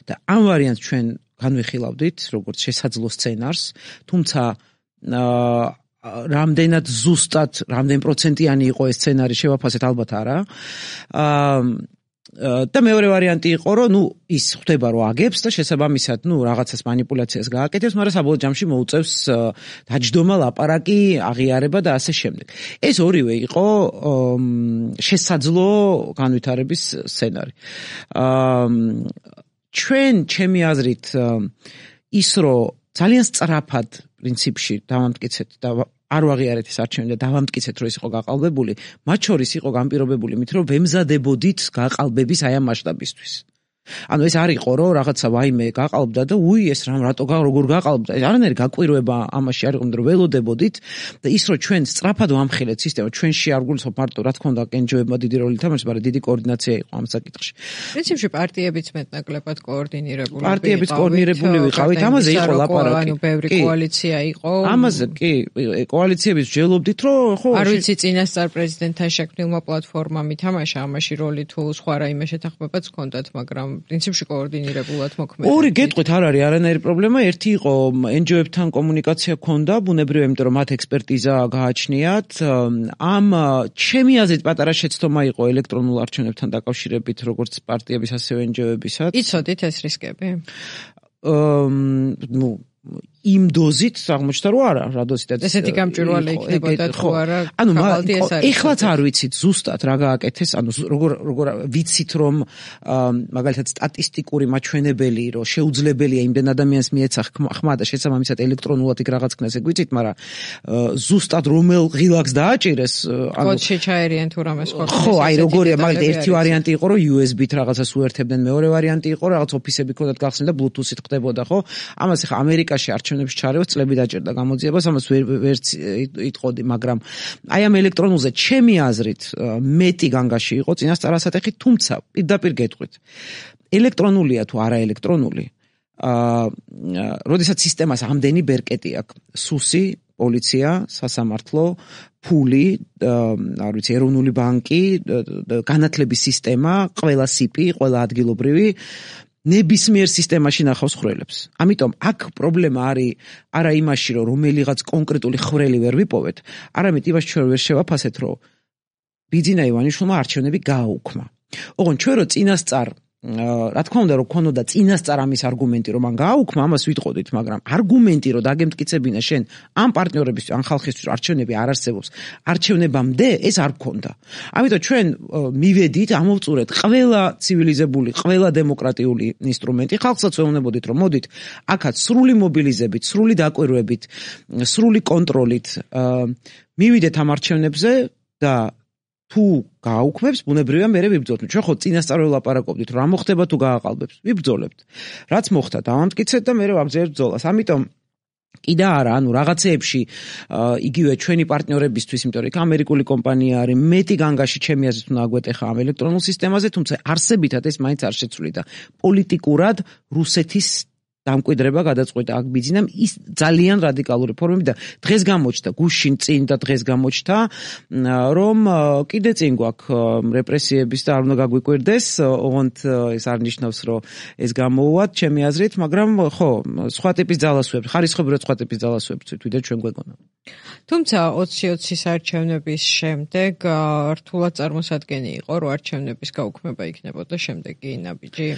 და ამ ვარიანტს ჩვენ განვიხილავდით, როგორც შესაძლო სცენარს, თუმცა რამდენად ზუსტად, რამდენ პროცენტიანი იყო ეს სცენარი შევაფასეთ, ალბათ არა. და მეორე ვარიანტი იყო, რომ ის ხვდება რომ აგებს და შესაბამისად, რაღაცას მანიპულაციას გააკეთებს, მაგრამ საბოლოო ჯამში მოუწევს დაჯდომა, ლაპარაკი, აღიარება და ასე შემდეგ. ეს ორივე იყო შესაძლო განვითარების სცენარი. ჩვენ, ჩემი აზრით, ის რომ ძალიან სწრაფად პრინციპში დავამტკიცეთ და არ ვაღიარეთ ეს არჩევნები და დავამტკიცეთ, რომ ეს იყო გაყალბებული, მათ შორის იყო განპირობებული მით, რომ ვემზადებოდით გაყალბების აი ამ მასშტაბისთვის. ანუ ეს არ იყო, რომ რაღაცა ვაიმე გაყალბდა და ეს როგორ გაყალბდა. არანაირი გაკვირვება ამაში არ იყო, რომ ველოდებოდით და ის რომ ჩვენ სწრაფად ვამხილეთ სისტემა, ჩვენში არ გულისხმობ მარტო რა თქმა უნდა NGO-ებმა დიდი როლი თამაშობს, მაგრამ დიდი კოორდინაცია იყო ამ საკითხში. პრინციპში პარტიებიც მეტნაკლებად კოორდინირებული ვიყავით, ამაზე იყო ლაპარაკი. ანუ ბევრი კოალიცია იყო. ამაზე კი, კოალიციების ვჯელობდით, რომ ხო, არ ვიცი წინასწარ პრეზიდენტთან შექმნილმა პლატფორმამ ითამაშა ამაში როლი თუ სხვა რაიმე შეთანხმებაც ჰქონდათ, მაგრამ პრინციპში კოორდინირებულად მოქმედებით. ორი გეტყვით არ არის არანაირი პრობლემა. ერთი იყო NGO-ებთან კომუნიკაცია ჰქონდა, ბუნებრივია, იმიტომ რომ მათ ექსპერტიზა გააჩნიათ. ამ ჩემი აზრით პატარა შეცდომა იყო ელექტრონულ არჩევნებთან დაკავშირებით, როგორც პარტიების, ასევე NGO-ებისაც. იცოდით ეს რისკები? იმ დოზით აღმოჩნდა რომ არა, რა დოზითაც ესეთი გამჭვირვალე იქნებოდა თუ არა. ანუ ეხლაც არ ვიცით ზუსტად რა გააკეთეს, ანუ როგორ ვიცით რომ მაგალითად სტატისტიკური მაჩვენებელი რომ შეუძლებელია იმდენ ადამიანს მიეცა ხმა და შესაბამისად ელექტრონულად იქ რაღაც ქნას ეგ ვიცით, მაგრამ ზუსტად რომელ ღილაკს დააჭირეს, ანუ კოდში ჩაერიან თუ რამეს ხო. ხო, აი როგორია, მაგალითად ერთი ვარიანტი იყო რომ USB-თ რაღაცას უერთებდნენ, მეორე ვარიანტი იყო რაღაც ოფისები ქონდათ გახსნილი და Bluetooth-ით ხდებოდა, ხო? ამას ახლა ამერიკაში არჩევნებში ჩარევას წლები დაჭერდა გამოძიებას, ამას ვერ იტყოდი, მაგრამ აი ამ ელექტრონულზე ჩემი აზრით მეტი განგაში იყო წინასწარ ასატეხი, თუმცა პირდაპირ გეტყვით. ელექტრონულია თუ არა ელექტრონული, როდესაც სისტემას ამდენი ბერკეტი აქვს, სუსი, პოლიცია, სასამართლო, ფული, არ ვიცი, ეროვნული ბანკი, განათლების სისტემა, ყველა სიპი, ყველა ადგილობრივი ნებისმიერ სისტემაში ნახავს ხვრელებს. ამიტომ აქ პრობლემა არის არა იმაში, რომ რომელიღაც კონკრეტული ხვრელი ვერ ვიპოვეთ, არამედ იმაში ჩვენ ვერ შევაფასეთ, რომ ბიძინა ივანიშვილმა არჩევნები გააუქმა. ოღონდ ჩვენ რო წინასწარ რა თქმა უნდა რომ ქონოდა წინასწარ ამის არგუმენტი რომ მან გააუქმა, ამას ვიტყოდით, მაგრამ არგუმენტი რომ დაგემტკიცებინა შენ ამ პარტნიორებისთვის, ამ ხალხისთვის არჩევნები არ არსებობს, არჩევნებამდე ეს არ გქონდა. ამიტომ ჩვენ მივედით, ამოვწურეთ ყველა ცივილიზებული, ყველა დემოკრატიული ინსტრუმენტი, ხალხსაც ვეუბნებოდით რომ მოდით, აქაც სრული მობილიზებით, სრული დაკვირვებით, სრული კონტროლით მივიდეთ ამ არჩევნებზე და თუ გააუქმებს, ბუნებრივია მერე ვიბრძოლოთ. ჩვენ ხო წინასწარ ველაპარაკობდით, რა მოხდება თუ გააყალბებს. ვიბრძოლებთ. რაც მოხდა, დავამტკიცეთ და მერე ვაგრძელებთ ბრძოლას. ამიტომ კიდე არა, ანუ რაღაცეებში იგივე ჩვენი პარტნიორებისთვის, იმიტომ რომ ამერიკული კომპანია არის, მეტი განგაში ჩემი აზრით უნდა აგვეტეხა ამ ელექტრონულ სისტემაზე, თუმცა არსებითად ეს მაინც არ შეცვლი და პოლიტიკურად რუსეთის დამკვიდრება გადაწყვეტა აქ ბიძინამ ის ძალიან რადიკალური ფორმები და დღეს გამოჩნდა გუშინ წინ და დღეს გამოჩნდა რომ კიდე წინ გვაქვს რეპრესიების და არ უნდა გაგვიკვირდეს, ოღონდ ეს არ ნიშნავს რომ ეს გამოუვათ ჩემი აზრით, მაგრამ ხო, სხვა ტიპის ძალასვებს, ხარისხობრივად სხვა ტიპის ძალასვებს ვიდრე ჩვენ გვეგონა. თუმცა 20-20 არჩევნების შემდეგ რთულად წარმოსადგენი იყო, რომ არჩევნების გაუქმება იქნებოდა შემდეგი ნაბიჯი.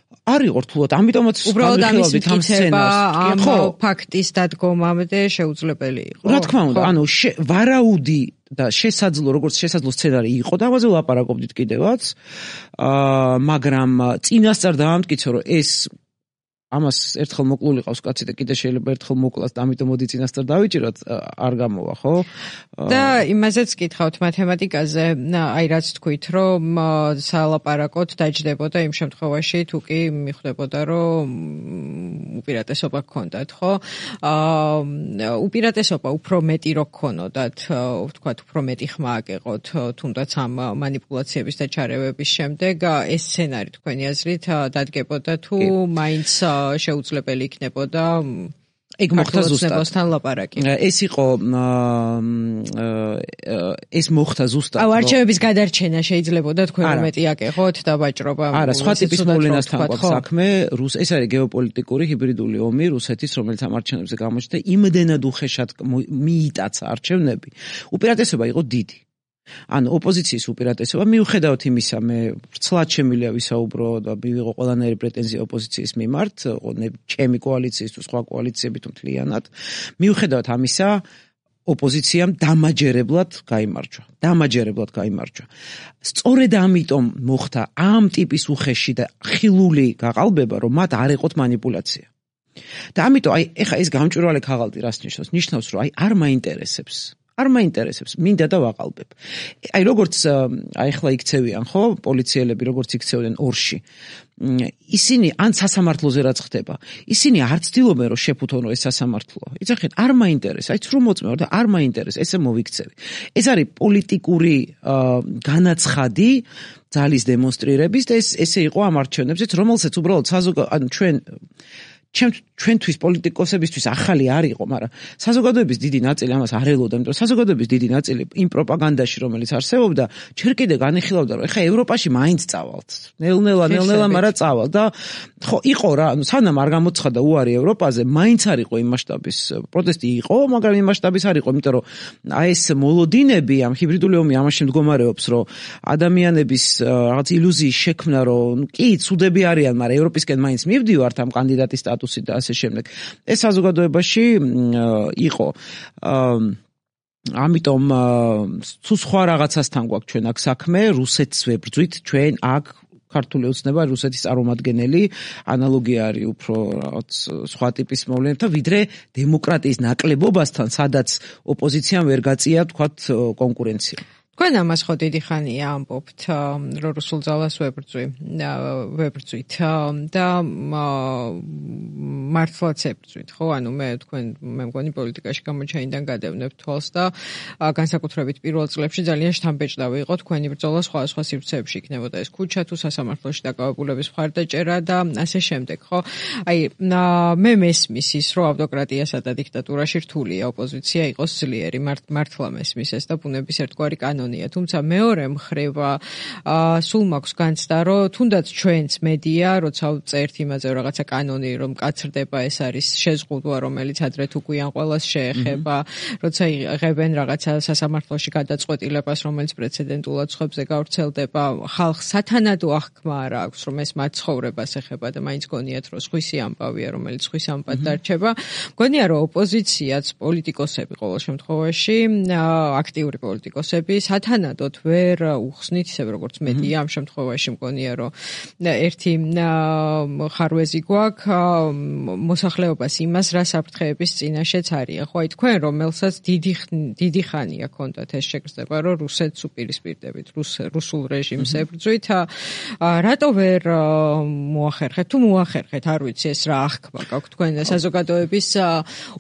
არ იყო რთულად, ამიტომაც უბრალოდ ამის მტკიცება ამ ფაქტის დადგომამდე შეუძლებელი იყო. რა თქმა უნდა, ანუ ვარაუდი და შესაძლო, როგორც შესაძლო სცენარი იყო, და ამაზე ვლაპარაკობდით კიდევაც, მაგრამ წინასწარ დაამტკიცო, რომ ეს ამას ერთხელ მოკლული ყავს კაცი და კიდე შეიძლება ერთხელ მოკლას და ამიტომ მოდი წინასწარ დავიჭიროთ, არ გამოვა, ხო? და იმაზეც კითხავთ მათემატიკაზე, აი რაც თქვით, რომ სალაპარაკოდ დაჯდებოდა იმ შემთხვევაში, თუ კი მიხვდებოდა, რომ უპირატესობა გქონდათ, ხო? უპირატესობა უფრო მეტი რო გქონოდათ, ვთქვათ, უფრო მეტი ხმა აგეყოთ, თუნდაც ამ მანიპულაციების და ჩარევების შემდეგ, ეს სცენარი თქვენი აზრით დადგებოდა თუ მაინც შეუძლებელი იქნებოდა ეგ მოხდა ზუსტად ლაპარაკი. ეს იყო ეს მოხდა ზუსტად. აუ არჩევნების გადარჩენა შეიძლებოდა თქვენ მეტი აკეხოთ და ვაჭრობა. არა, სხვა ტიპის მოვლენასთან გვაქვს საქმე, ეს არის გეოპოლიტიკური ჰიბრიდული ომი რუსეთის, რომელიც ამ არჩევნებზე გამოჩნდა, იმდენად უხეშად მიიტაცა არჩევნები. უპირატესობა იყო დიდი. ანუ ოპოზიციის უპირატესობა, მიუხედავად იმისა, მე ვრცლად შემიძლია ვისაუბრო და მივიღო ყველანაირი პრეტენზია ოპოზიციის მიმართ, ჩემი კოალიციის თუ სხვა კოალიციებით მთლიანად, მიუხედავად ამისა, ოპოზიციამ დამაჯერებლად გაიმარჯვა. სწორედ ამიტომ მოხდა ამ ტიპის უხეში და ხილული გაყალბება, რომ მათ არ ეყოთ მანიპულაცია. და ამიტომ აი ეხა ეს გამჭვირვალე ქაღალდი რას ნიშნავს? ნიშნავს, რომ აი არ მაინტერესებს, მინდა და ვაყალბებ. აი როგორც აი ახლა იქცევიან, ხო, პოლიციელები როგორც იქცევდნენ ორში. ისინი ან სასამართლოზე რაც ხდება, ისინი არ ცდილობენ რომ შეფუთონ ეს სასამართლო. იცახეთ, არ მაინტერესებს, აი ცრუ მოწმეო და არ მაინტერესებს, ესე მოვიქცევი. ეს არის პოლიტიკური განაცხადი ძალის დემონსტრირების და ესე იყო ამ არჩევნებზეც, რომელსაც უბრალოდ ანუ ჩვენთვის პოლიტიკოსებისთვის ახალი არ იყო, მაგრამ საზოგადოების დიდი ნაწილი ამას არ ელოდა, იმიტომ რომ საზოგადოების დიდი ნაწილი იმ პროპაგანდაში, რომელიც არსებობდა, ჯერ კიდე განიხილავდა, რომ ეხა ევროპაში მაინც წავალთ. ნელ-ნელა, მაგრამ წავალ და ხო, იყო რა, ანუ სანამ არ გამოცხადა უარი ევროპაზე, მაინც არ იყო იმ მასშტაბის პროტესტი იყო, მაგრამ იმ მასშტაბის არ იყო, იმიტომ რომ აი ეს მოლოდინები, ამ ჰიბრიდული ომი ამაში მდგომარეობს, რომ ადამიანების რაღაც ილუზიის შექმნა, რომ კი, ცუდები არიან, მაგრამ ევროპისკენ მაინც მივდივართ ამ კანდიდატის სტატუსით და ასე შემდეგ. ეს საზოგადოებაში იყო ამიტომ თუ სხვა რაღაცასთან გვაქვს ჩვენ აქ საქმე, რუსეთს ვებრძვით, ჩვენ აქ ქართული ოცნება რუსეთის წარმომადგენელი ანალოგია არის უფრო რაღაც სხვა ტიპის მოვლენებთან, ვიდრე დემოკრატიის ნაკლებობასთან, სადაც ოპოზიციამ ვერ გაწია თქვათ კონკურენცია. თქვენ ამას ხო დიდი ხანია ამბობთ, რომ რუსულ ძალას ვებრძვით და მართლაც ებრძვით, ხო? ანუ მე მგონი პოლიტიკაში გამოჩენიდან გადავნებ თვალს და განსაკუთრებით პირველ წლებში ძალიან შთამბეჭდავი იყო თქვენი ბრძოლა სხვა სივრცეებში იქნებოდა ეს ქუჩა თუ სასამართლოში დაკავებულების მხარდაჭერა და ასე შემდეგ, ხო? აი მე მესმის ის, რომ ავტოკრატიასა და დიქტატურაში რთულია ოპოზიცია იყოს ძლიერი, მართლა მესმის ეს და ბუნების ერთგვარი კანონია, თუმცა მეორე მხრივ სულ მაქვს განცდა, რომ თუნდაც ჩვენც მედია, როცა წერთ იმაზე რაღაცა კანონი, რომ კაცრდება, ეს არის შეზღუდვა, რომელიც ადრე თუ გვიან ყველას შეეხება, როცა იღებენ რაღაცა სასამართლოში გადაწყვეტილებას, რომელიც პრეცედენტულად სხვებზე გავრცელდება, ხალხს სათანადო აღქმა არ აქვს, რომ ეს მათ ცხოვრებას ეხება და მაინც გონიათ, რომ სხვისი ამბავია, რომელიც ხვის ამბად დარჩება. გონია, რომ ოპოზიციაც, პოლიტიკოსები ყოველ შემთხვევაში, აქტიური პოლიტიკოსები სათანადოდ ვერ უხსნით, ისე როგორც მედია ამ შემთხვევაში მგონია, რომ ერთი ხარვეზი გვაქვს მოსახლეობას იმას, რა საფრთხეების წინაშეც არიან. ხო, აი თქვენ რომელსაც დიდი ხანია ქონდათ ეს შეგრძნება, რომ რუსეთს უპირისპირდებით, რუსულ რეჟიმს ებრძვით, რატო ვერ მოახერხეთ? თუ მოახერხეთ, არ ვიცი ეს რა აღქმა გაქვთ თქვენ საზოგადოების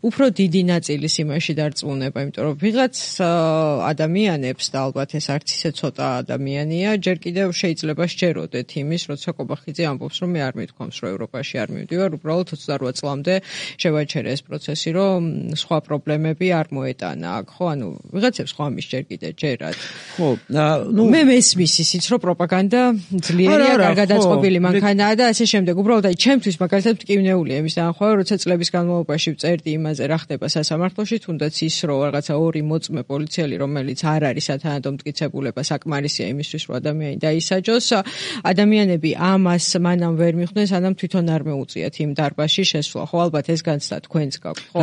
უფრო დიდი ნაწილის იმაში დარწმუნება, იმიტომ რომ ვიღაც ადამიანებს და ალბათ ეს არც ისე ცოტა ადამიანია, ჯერ კიდევ შეიძლება სჯეროდეთ იმის, როცა კობახიძე ამბობს, რომ მე არ მithქვამს, რომ ევროპაში არ მივდივარ, უბრალოდ 28 წლამდე შევაჩერე ეს პროცესი, რომ სხვა პრობლემები არ მოეტანა აქ, ხო? ანუ ვიღაცებს ხო ამის ჯერ კიდევ ჯერათ. ხო, მე მესმის ისიც, რომ პროპაგანდა ძლიერია, კარგად აწყობილი მანქანაა და ასე შემდეგ. უბრალოდ აი ჩემთვის მაგალითად მტკივნეულია იმის დანახვა, როცა წლების განმავლობაში ვწერდი იმაზე, რა ხდება სასამართლოში, თუნდაც ის, რომ რაღაცა ორი მოწმე პოლიციელი, რომელიც არ არის სათანადო მტკიცებულება, საკმარისია იმისთვის, რომ ადამიანი დაისაჯოს. ადამიანები ამას მანამ ვერ მიხვდნენ, სანამ თვითონ არ მეუწიათ იმ დარბაზში შესვლა. ხო, ალბათ ეს განცდა თქვენს გაქვთ, ხო?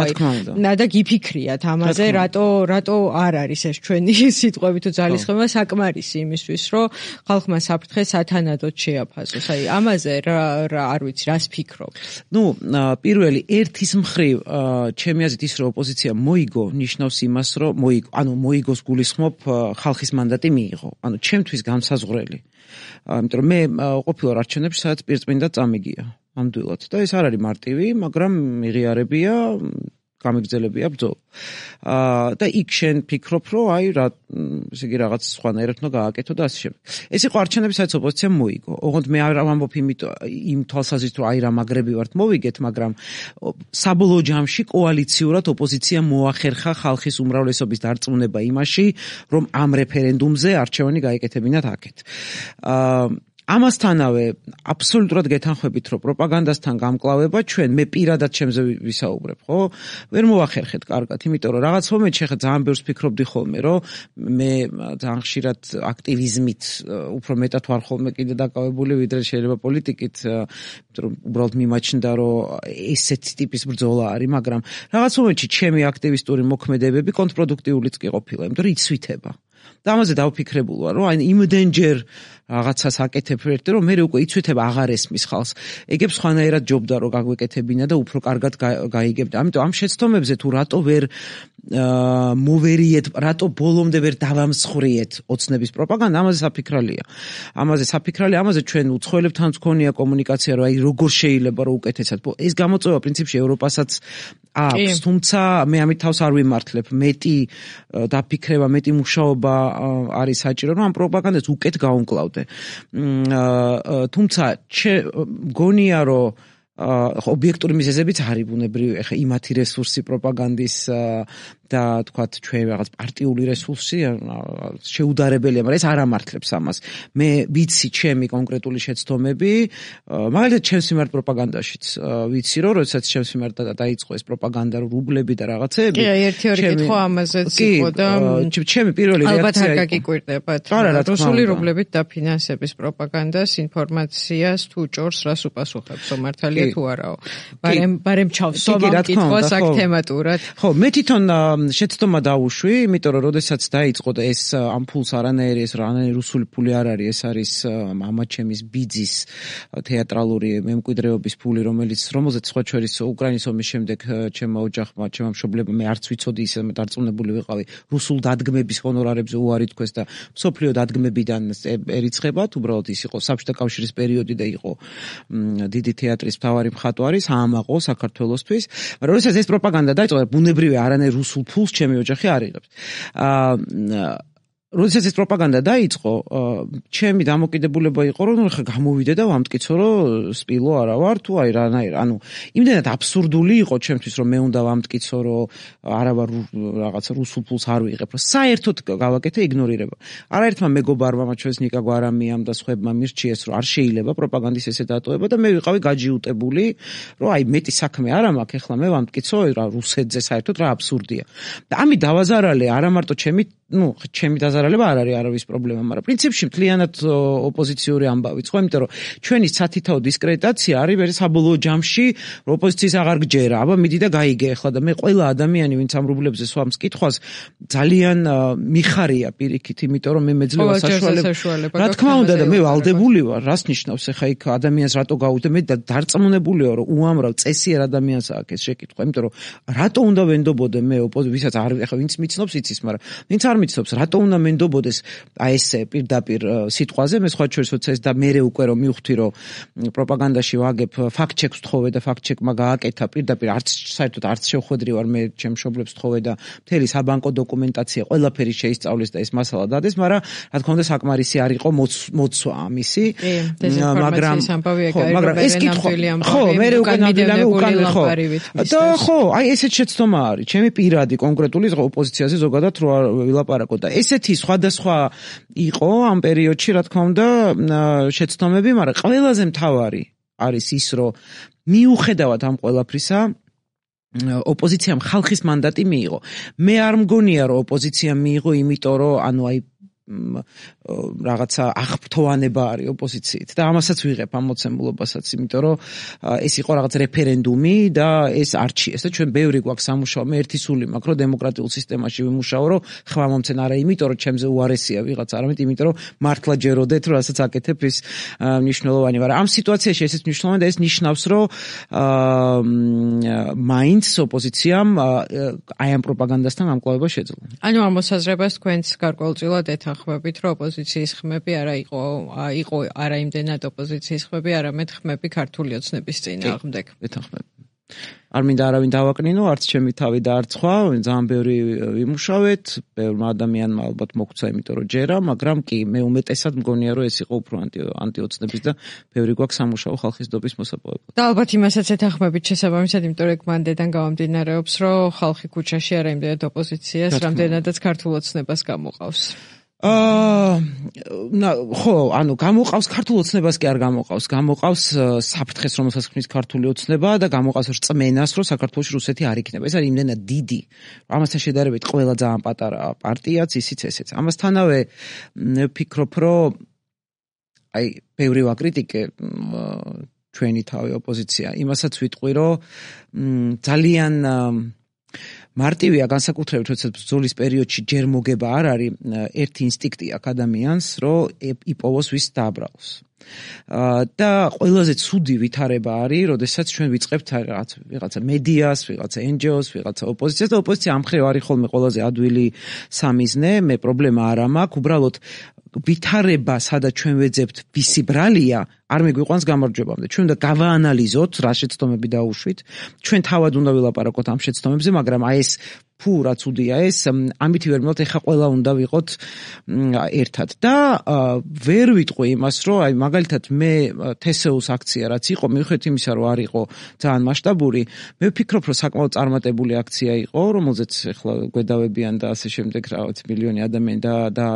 და გიფიქრიათ ამაზე, რატო არ არის ეს ჩვენი სიტყვები თუ ძალისხმევა საკმარისი იმისთვის, რომ ხალხმა საფრთხე სათანადოდ შეაფასოს. აი ამაზე რა არ ვიცი, რას ფიქრობთ? პირველი ერთის მხრივ, ჩემი აზრით ის, რომ ოპოზიცია მოიგო, ნიშნავს იმას, რომ მოიგოს გულისხმობ ხალხის მანდატი მიიღო. ანუ ჩემთვის განსაზღვრელი. იმიტომ რომ მე ყოფილვარ არჩევნებში, სადაც პირწმინდა წამიგია ამდვილად და ეს არ არის მარტივი, მაგრამ მიღიარებია, გამიგრძელებია ბრძოლა. და იქ შენ ფიქრობ, რომ აი რა, ესე იგი რაღაც სხვანაირად უნდა გააკეთო და ასე შემდეგ. ეს იყო არჩევნები, სადაც ოპოზიციამ მოიგო. ოღონდ მე არ ვამბობ იმ თვალსაზრისით, რომ აი რა მაგრები ვართ მოვიგეთ, მაგრამ საბოლოო ჯამში კოალიციურად ოპოზიციამ მოახერხა ხალხის უმრავლესობის დარწმუნება იმაში, რომ ამ რეფერენდუმზე არჩევანი გაეკეთებინათ აქეთ. ამასთანავე აბსოლუტურად გეთანხმებით, რომ პროპაგანდასთან გამკლავება ჩვენ მე პირადად ჩემზე ვისაუბრებ, ხო? ვერ მოახერხეთ კარგად, იმიტომ რომ რაღაც მომენტში ხა ძალიან ბევრს ფიქრობდი ხოლმე, რომ მე ძალიან ხშირად აქტივიზმით უფრო მეტად ვარ ხოლმე კიდე დაკავებული, ვიდრე შეიძლება პოლიტიკით, იმიტომ რომ უბრალოდ მიმაჩნდა, რომ ესეთი ტიპის ბრძოლა არის, მაგრამ რაღაც მომენტში ჩემი აქტივისტური მოქმედებები კონტრპროდუქტიულიც კი ყოფილა, იმიტომ რომ იცვითება. და ამაზე დავფიქრებული ვარ, რომ აი იმდენჯერ რაღაცას აკეთებ ერთი, რომ მე უკვე იცვითება აღარ ესმის ხალხს. ეგებს სხვანაირად ჯობდა, რომ გაგვეკეთებინა და უფრო კარგად გაიგებდა. ამიტომ ამ შეცდომებზე თუ რატო ვერ მოვერიეთ, რატო ბოლომდე ვერ დავამსხვრიეთ ოცნების პროპაგანდა, ამაზე საფიქრალია. ამაზე ჩვენ უცხოელებთან გქონია კომუნიკაცია, რომ აი როგორ შეიძლება რომ უკეთესად. ეს გამოწვევა პრინციპში ევროპასაც აქვს, თუმცა მე ამით თავს არ ვიმართლებ. მეტი დაფიქრება, მეტი მუშაობა არის საჭირო, რომ ამ პროპაგანდას უკეთ გაუმკლავდე. თუმცა მგონია, რომ ობიექტური მიზეზებიც არის ბუნებრივი, ეხა იმათი რესურსი პროპაგანდის და თქვათ ჩვენ რაღაც პარტიული რესურსი შეუდარებელია, მაგრამ ეს არ ამართლებს ამას. მე ვიცი ჩემი კონკრეტული შეცდომები, მაგალითად ჩემს მიმართ პროპაგანდაშიც ვიცი, რომ როდესაც ჩემს მიმართ დაიწყო ეს პროპაგანდა, რუბლები და რაღაცეები. კი, ერთი-ორი კითხვა ამაზეც იყო და ჩემი პირველი რეაქცია ალბათ არ გაგიკვირდებათ. რუსული რუბლებით დაფინანსების პროპაგანდას, ინფორმაციას თუ ჭორს რას უპასუხებსო, მართალია თუ არაო. ბარემ ჩავსვამ კითხვას აქ თემატურად. ხო, მე თვითონ შეცდომა დავუშვი, იმიტომ რომ როდესაც დაიწყო და ეს ამ ფულს არანაირი რუსული ფული არ არის, ეს არის მამაჩემის ბიძის თეატრალური მემკვიდრეობის ფული, რომელზეც სხვა შორის უკრაინის ომის შემდეგ ჩემმა ოჯახმა, ჩემმა მშობლებმა მე არც ვიცოდი ისე დარწმუნებული ვიყავი რუსულ დადგმების ჰონორარებზე უარი თქვეს და მსოფლიო დადგმებიდან ერიცხებათ, უბრალოდ ის იყო საბჭოთა კავშირის პერიოდი და იყო დიდი თეატრის მთავარი მხატვარი, საამაყო საქართველოსთვის. მაგრამ როდესაც ეს პროპაგანდა დაიწყო, ბუნებრივია არანაირ რუსულ ფულს ჩემი ოჯახი არ იღებს. როდესაც ეს პროპაგანდა დაიწყო, ჩემი დამოკიდებულება იყო, რომ ხა გამოვიდე და ვამტკიცო, რომ სპილო არა ვარ თუ აი რანაირ, იმდენად აბსურდული იყო ჩემთვის, რომ მე უნდა ვამტკიცო, რომ არა ვარ რაღაცა რუსულ ფულს არ ვიღებ, რომ საერთოდ გავაკეთე იგნორირება. არაერთმა მეგობარმა, მათ შორის ნიკა გვარამიამ და სხვებმა მირჩიეს, რომ არ შეიძლება პროპაგანდის ესე დატოვება და მე ვიყავი გაჯიუტებული, რომ აი მეტი საქმე არ მაქვს, ეხლა მე ვამტკიცო რა რუსეთზე საერთოდ რა აბსურდია. და ამით დავაზარალე არა მარტო ჩემი დაზარალება არ არის არავის პრობლემა, მაგრამ პრინციპში მთლიანად ოპოზიციური ამბავიც, ხო, იმიტომ რომ ჩვენი სათითაო დისკრედიტაცია არის საბოლოო ჯამში, რომ ოპოზიციის აღარ გჯერა, აბა მიდი და გაიგე ახლა და მე ყველა ადამიანი, ვინც ამ რუბლებზე სვამს კითხვას, ძალიან მიხარია პირიქით, იმიტომ რომ მე მეძლევა საშუალება. რა თქმა უნდა და მე ვალდებული ვარ, რას ნიშნავს ახლა იქ ადამიანს რატო გავუდე, მე დარწმუნებული ვარ, რომ უამრავ წესიერ ადამიანს აქვს ეს შეკითხვა, იმიტომ რომ რატო უნდა ვენდობოდე მე ვისაც არ ახლა ვინც მიცნობს იცის, მაგრამ ვინც არ მიცნობს, რატო უნდა მენდობოდეს აი ესე პირდაპირ სიტყვაზე, მე სხვა შორის როცა ეს და მე უკვე რომ მივხვდი, რომ პროპაგანდაში ვაგებ ფაქტ-ჩეკს ვთხოვე და ფაქტ-ჩეკმა გააკეთა პირდაპირ საერთოდ არც შევხვედრი ვარ მე ჩემ მშობლებს ვთხოვე და მთელი საბანკო დოკუმენტაცია ყველაფერი შეისწავლეს და ეს მასალა დადეს, მაგრამ რა თქმა უნდა საკმარისი არ იყო მოცვა ამისი, მაგრამ ეს კითხვა ხო, მე უკვე ნამდვილად და ხო, აი ესეც შეცდომა არის, ჩემი პირადი კონკრეტული ოპოზიციაზე ზოგადად რო ვილაპარაკო და ესეთი სხვადასხვა იყო ამ პერიოდში, რა თქმა უნდა, შეცდომები, მაგრამ ყველაზე მთავარი არის ის, რომ მიუხედავად ამ ყველაფრისა, ოპოზიციამ ხალხის მანდატი მიიღო. მე არ მგონია, რომ ოპოზიციამ მიიღო, იმიტომ რომ აი რაღაცა აღფრთოვანება არის ოპოზიციით და ამასაც ვიღებ ამ მოცემულობასაც, იმიტომ რომ ეს იყო რაღაც რეფერენდუმი და ეს არჩიეს და ჩვენ ბევრი გვაქვს სამუშაო, მე ერთი სული მაქვს, რომ დემოკრატიულ სისტემაში ვიმუშაო, რომ ხმა მომცენ არა იმიტომ რომ ჩემზე უარესია ვიღაც, არამედ იმიტომ რომ მართლა ჯეროდეთ, რომ რასაც აკეთებ ის მნიშვნელოვანი, მაგრამ ამ სიტუაციაში ესეც მნიშვნელოვანი და ეს ნიშნავს, რომ მაინც ოპოზიციამ აი ამ პროპაგანდასთან ამკლავება შეძლო. ანუ ამ მოსაზრებას თქვენს გარკვეულწილად ეთანხმებით, რომ ოპოზიციის ხმები არა იყო არა იმდენად ოპოზიციის ხმები, არამედ ხმები ქართული ოცნების წინააღმდეგ. ეთანხმებით. არ მინდა არავინ დავაკნინო, არც ჩემი თავი და არც სხვა, ძალიან ბევრი ვიმუშავეთ, ბევრმა ადამიანმა ალბათ მოგცა, იმიტომ რომ ჯერა, მაგრამ კი, მე უმეტესად მგონია, რომ ეს იყო უფრო ანტიოცნების და ბევრი გვაქვს სამუშაო ხალხის დობის მოსაპოვებლად. და ალბათ იმასაც ეთანხმებით შესაბამისად, იმიტომ რომ მანდედან გამომდინარეობს, რომ ხალხი ქუჩაში არა იმდენად ოპოზიციას, რამდენადაც ქართულ ოცნებას გამოყავს. ხო, გამოყავს ქართულ ოცნებას კი არ გამოყავს საფრთხეს, რომელსაც ქმნის ქართული ოცნება და გამოყავს რწმენას, რომ საქართველოში რუსეთი არ იქნება. ეს არის იმდენად დიდი, რომ ამასთან შედარებით ყველა ძალიან პატარა პარტიაც ისიც ესეც. ამასთანავე ვფიქრობ, რომ აი ბევრი ვაკრიტიკე ჩვენი თავი ოპოზიცია. იმასაც ვიტყვი, რომ ძალიან მარტივია განსაკუთრებით, როდესაც ბრძოლის პერიოდში ჯერ მოგება არ არის, ერთი ინსტინქტი აქვს ადამიანს, რომ იპოვოს ვის დააბრალოს. და ყველაზე ცუდი ვითარება არის, როდესაც ჩვენ ვიწყებთ ვიღაცა მედიას, ვიღაცა NGO-ს, ვიღაცა ოპოზიციას და ოპოზიცია ამ მხრივ არის ხოლმე ყველაზე ადვილი სამიზნე, მე პრობლემა არ მაქვს, უბრალოდ ვითარება, სადაც ჩვენ ვეძებთ ვისი ბრალია, არ მეგვიყვანს გამარჯვებამდე. ჩვენ უნდა გავაანალიზოთ, რა შეცდომები დაუშვით. ჩვენ თავად უნდა ვილაპარაკოთ ამ შეცდომებზე, მაგრამ აი ეს ფუ რაც უდია ეს ამით ვერ მოვთ ეხა ყველა უნდა ვიყოთ ერთად და ვერ ვიტყვი იმას რომ აი მაგალითად მე TSU-ს აქცია რაც იყო მიუხედავად იმისა რომ არ იყო ძალიან მასშტაბური მე ვფიქრობ რომ საკმაოდ წარმატებული აქცია იყო რომელზეც ეხლა გვედავებიან და ასე შემდეგ რაღაც მილიონი ადამიანი და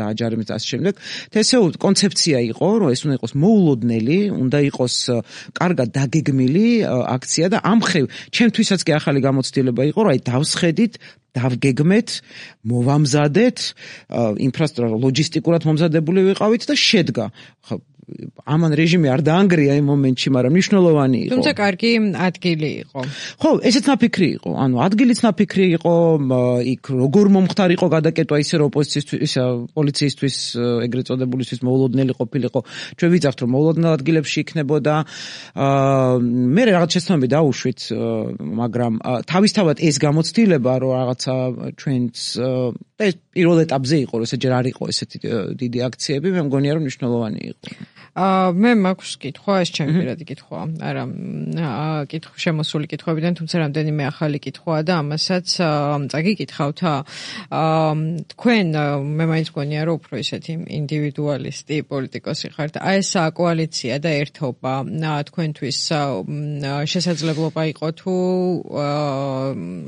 აჯარიმით ასე შემდეგ TSU კონცეფცია იყო რომ ეს უნდა იყოს მოულოდნელი უნდა იყოს კარგად დაგეგმილი აქცია და ამხრივ ჩემთვისაც კი ახალი გამოცდილება იყო რომ აი დავსხედით დავგეგმეთ, მოვამზადეთ, ინფრასტრუქტურა ლოჯისტიკურად მომზადებული ვიყავით და შედგა. ამან რეჟიმი არ დაანგრია იმ მომენტში, მაგრამ მნიშვნელოვანი იყო. თუმცა კარგი ადგილი იყო. ხო, ესეც ნაფიქრი იყო. ანუ ადგილიც ნაფიქრი იყო, იქ როგორ მომხდარ იყო გადაკეტვა ისე რომ ოპოზიციისთვის, პოლიციისთვის, ეგრეთ წოდებულისთვის მოულოდნელი ყოფილიყო. ჩვენ ვიძახთ რომ მოულოდნელ ადგილებში იქნებოდა. მე რაღაც შეცდომები დაუშვით, მაგრამ თავისთავად ეს გამოცდილება რომ რაღაცა ჩვენს ეს პირველ ეტაპზე იყო, რომ ესეჯერ არ იყო ესეთი დიდი აქციები, მე მგონია რომ მნიშვნელოვანი იყო. მე მაქვს კითხვა, ეს ჩემი პირადი კითხვა, არა შემოსული კითხვებიდან, თუმცა რამდენიმე ახალი კითხვაა და ამასაც წაგიკითხავთ. თქვენ მე მაინც მგონია რომ უფრო ისეთი ინდივიდუალისტი პოლიტიკოსი ხართ. აი ეს კოალიცია და ერთობა თქვენთვის შესაძლებლობა იყო თუ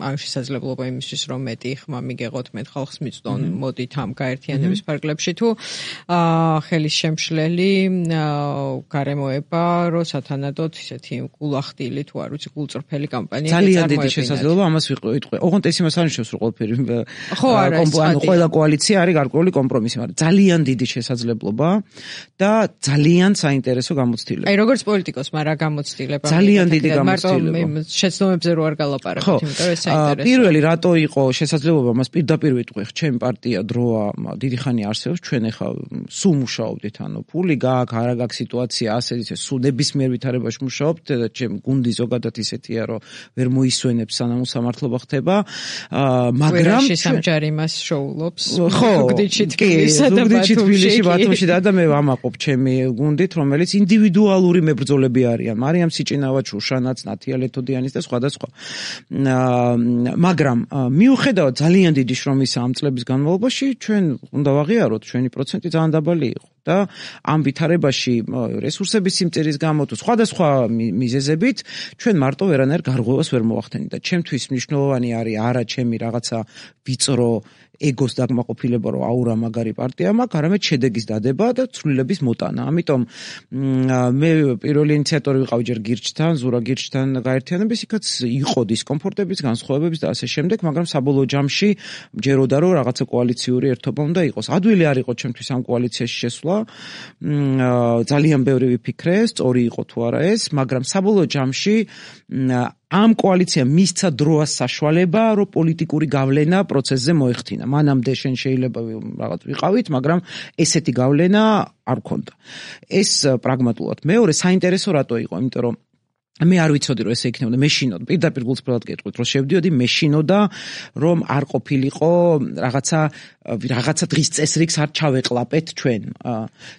ან შესაძლებლობა იმისთვის რომ მეტი ხმა მიგეღოთ მე ხალხს მიწვდონ მოდით ამ გაერთიანების ფარგლებში თუ ხელის შემშლელი გარემოება რომ სათანადოდ ისეთი გულახდილი თუ არ ვიცი გულწრფელი კამპანია ძალიან დიდი შესაძლებლობა ამას ვიტყვი. ოღონდ ეს იმას არ ნიშნავს რომ ყველაფერი ყველა კოალიცია არის გარკვეული კომპრომისი, მაგრამ ძალიან დიდი შესაძლებლობა და ძალიან საინტერესო გამოცდილება. აი როგორც პოლიტიკოსმა რა გამოცდილება? ძალიან დიდი გამოცდილება. მარტო შეცდომებზე რო არ გალაპარაკოთ, იმიტომ რომ ეს საინტერესოა. პირველი რატო იყო შესაძლებლობა მას პირდაპირ ვიტყვი, ჩემი პარტია დროა დიდი ხანი არსებობს, ჩვენ ახლა სულ მუშაობდით, ანუ ფული გააქვს, არა გაქვს სიტუაცია ასეთი, სულ ნებისმიერ ვითარებაში მუშაობთ და ჩემ გუნდი ზოგადად ისეთია, რომ ვერ მოისვენებს სანამ უსამართლობა ხდება, მაგრამ სამჯარი მას შოულობს. ზუგდიდში, თბილისში, ბათუმში და მე ვამაყობ ჩემი გუნდით, რომელიც ინდივიდუალური მებრძოლები არიან. მარიამ სიჭინავა, შუშანაც, ნათია ლეთოდიანის და სხვადასხვა. მაგრამ მიუხედავად ძალიან დიდი შრომისა ამ წლების განმავლობაში, ჩვენ უნდა ვაღიაროთ, ჩვენი პროცენტი ძალიან დაბალი იყო. და ამ ვითარებაში რესურსების სიმწირის გამო თუ სხვადასხვა მიზეზებით ჩვენ მარტო ვერანაირ გარღვევას ვერ მოვახდენით და ჩემთვის მნიშვნელოვანი არის არა ჩემი რაღაცა ვიწრო ეგოს დაკმაყოფილება რომ აურა მაგარი პარტია მაქვს, არამედ შედეგის დადება და ცვლილების მოტანა. ამიტომ მე პირველი ინიციატორი ვიყავი ჯერ გირჩთან, ზურა გირჩთან გაერთიანების, იქაც იყო დისკომფორტების, განსხვავებების და ასე შემდეგ, მაგრამ საბოლოო ჯამში მჯეროდა რომ რაღაცა კოალიციური ერთობა უნდა იყოს. ადვილი არ იყო ჩემთვის ამ კოალიციაში შესვლა. ძალიან ბევრი ვიფიქრე, სწორი იყო თუ არა ეს, მაგრამ საბოლოო ჯამში ამ კოალიციამ მისცა დროას საშუალება, რომ პოლიტიკური გავლენა პროცესზე მოეხდინა. მანამდე შენ შეიძლება რაღაც ვიყავით, მაგრამ ესეთი გავლენა არ გქონდა. ეს პრაგმატულად. მეორე საინტერესო რატო იყო, იმიტომ რომ მე არ ვიცოდი რომ ესე იქნებოდა, მეშინოდა, პირდაპირ გულწრფელად გეტყვით, რომ შევდიოდი, მეშინოდა, რომ არ ყოფილიყო რაღაცა დღის წესრიგს არ ჩავეყლაპეთ ჩვენ.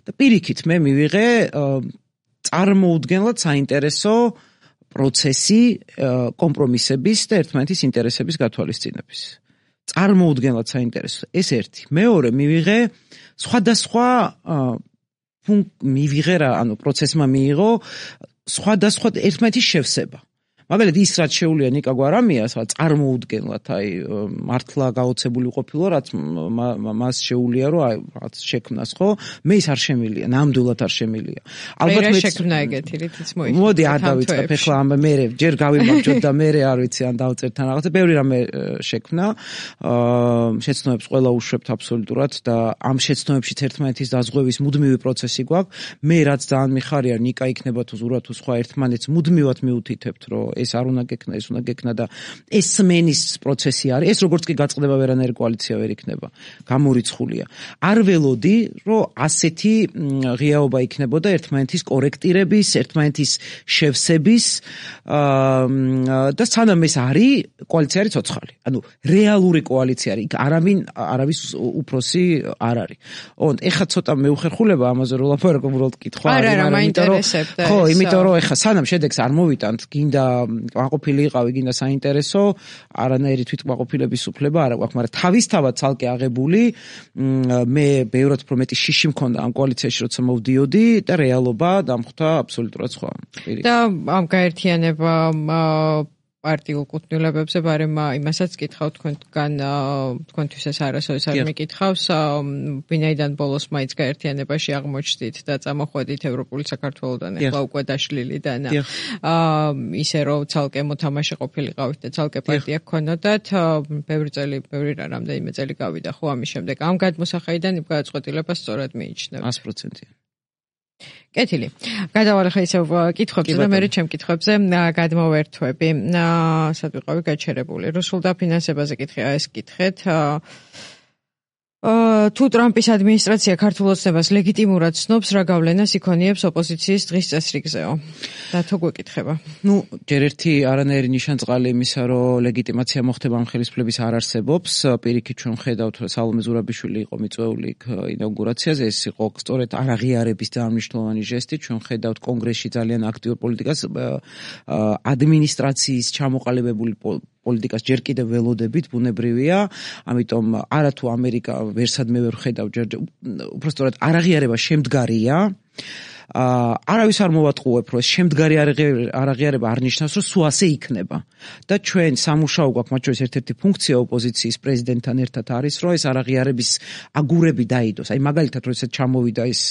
და პირიქით მე მივიღე წარმოუდგენლად საინტერესო პროცესი კომპრომისების და ერთმანეთის ინტერესების გათვალისწინების. წარმოუდგენლად საინტერესო. ეს ერთი. მეორე მივიღე სხვადასხვა პროცესმა მიიღო სხვადასხვა ერთმანეთის შევსება. მაგალითად ის რაც შეუულია ნიკა გვარამიას, რაც წარმოუდგენლად აი მართლა გაოცებული ყოფილა, რაც მას შეუულია რომ აი რაღაც შექმნას, ხო? მე ის არ შემილია, ნამდვილად არ შემილია. ალბათ მე შექმნა ეგეთი რითიც მოიწევს. მოდი არ დავიწყებ ახლა ამ მე ჯერ გავიმარჯვოთ და მე არ ვიცი ან დავწერთ ან რაღაცა, ბევრი რამე შექმნა. შეცდომებს ყველა უშვებთ აბსოლუტურად და ამ შეცდომებშიც ერთმანეთის დაზღვევის მუდმივი პროცესი გვაქვს. მე რაც ძალიან მიხარია, ნიკა იქნება თუ ზურა თუ სხვა ერთმანეთს მუდმივად მიუთითებთ, რომ ეს არ უნდა გექნა, ეს უნდა გექნა და ეს სმენის პროცესი არის. ეს როგორც კი გაწყდება ვერანაირი კოალიცია ვერ იქნება. გამორიცხულია. არ ველოდი, რომ ასეთი ღიაობა იქნებოდა ერთმანეთის კორექტირების, ერთმანეთის შევსების და სანამ ეს არის, კოალიცია არის ცოცხალი. ანუ რეალური კოალიცია არის. არავის უფროსი არ არის. ეხლა ცოტა მეუხერხულება ამაზე რომ ლაპარაკობ, უბრალოდ კითხვა არის, მაგრამ მაინტერესებდა. ხო, იმიტომ რომ ეხლა სანამ შედეგს არ მოვიტანთ, გინდა კმაყოფილი იყავი, გინდა საინტერესო, არანაირი თვითკმაყოფილების უფლება არ აქვს, მაგრამ თავისთავად ცალკე აღებული მე ბევრად უფრო მეტი შიში მქონდა ამ კოალიციაში, როცა მოვდიოდი და რეალობა დამხვდა აბსოლუტურად სხვა. და ამ გაერთიანება პარტიულ კუთვნილებებზე, ბარემ იმასაც კითხავ თქვენთვის ეს არასოდეს არ მიკითხავს, ვინაიდან ბოლოს მაინც გაერთიანებაში აღმოჩნდით და წამოხვედით ევროპული საქართველოდან, ახლა უკვე დაშლილიდან, ისე რომ ცალკე მოთამაშე ყოფილიყავით და ცალკე პარტია გქონოდათ, ბევრი რამდენიმე წელი გავიდა ხო ამის შემდეგ. ამ გადმოსახედიდან იმ გადაწყვეტილებას სწორად მიიჩნევ. 100%. კეთილი. გადავალე ხა ისევ კითხვებზე და მე ჩემ კითხვებზე გადმოვერთვები. სად ვიყავი გაჩერებული. რუსულ დაფინანსებაზე კითხია ეს კითხეთ. თუ ტრამპის ადმინისტრაცია ქართულ ოცნებას ლეგიტიმურად ცნობს, რა გავლენას იქონიებს ოპოზიციის დღის წესრიგზეო? და თუ გვეკითხება. ჯერ ერთი არანაირი ნიშანწყალი იმისა, რომ ლეგიტიმაცია მოხდება ამ ხელისუფლების არ არსებობს. პირიქით ჩვენ ხედავთ, რომ სალომე ზურაბიშვილი იყო მიწვეული ინაუგურაციაზე, ეს იყო სწორედ არაღიარების დაამნიშნულოვანი ჟესტი. ჩვენ ხედავთ კონგრესში ძალიან აქტიურ პოლიტიკას, ადმინისტრაციის ჩამოყალიბებული პოლიტიკას ჯერ კიდევ ველოდებით, ბუნებრივია, ამიტომ არათუ ამერიკა ვერსად მე ვერ ხედავ ჯერ უბრალოდ არაღიარება შემდგარია. არავის არ მოვატყუებ, რომ ეს შემდგარი არაღიარება არ ნიშნავს, რომ სულ ასე იქნება. და ჩვენ სამუშაო გვაქვს, მათ შორის ერთ-ერთი ფუნქცია ოპოზიციის პრეზიდენტთან ერთად არის, რომ ეს არაღიარების აგურები დაიდოს. აი მაგალითად, რომ ესეთ ჩამოვიდა ეს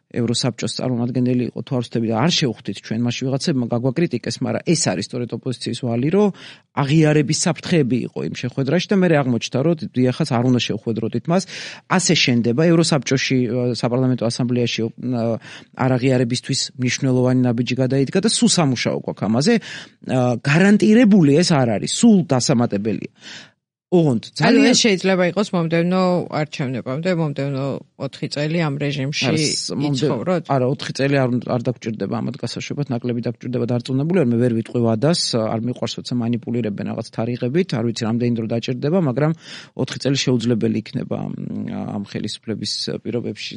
ევროსაბჭოს წარმომადგენელი იყო თუ არ ვცდები და არ შევხვდით ჩვენ მაშინ ვიღაცებმა გაგვაკრიტიკეს, მაგრამ ეს არის სწორედ ოპოზიციის ვალი, რომ აღიარების საფრთხეები იყო იმ შეხვედრაში და მე აღმოჩნდა, რომ დიახაც არ უნდა შევხვედროდით მას. ასე შენდება ევროსაბჭოში საპარლამენტო ასამბლეაში არაღიარებისთვის მნიშვნელოვანი ნაბიჯი გადაიდგა და სულ სამუშაო გვაქვს ამაზე. გარანტირებული ეს არ არის, სულ დასამატებელია. ოღონდ ძალიან შეიძლება იყოს მომდევნო არჩევნებამდე, მომდევნო 4 წელი ამ რეჟიმში იცხოვროთ? არა, 4 წელი არ დაგჭირდება ამათ გასაშვებად, ნაკლები დაგჭირდება დარწმუნებული ვარ, მე ვერ ვიტყვი ვადას, არ მიყვარს როცა მანიპულირებენ რაღაც თარიღებით, არ ვიცი რამდენი დრო დაჭირდება, მაგრამ 4 წელი შეუძლებელი იქნება ამ ხელისუფლების პირობებში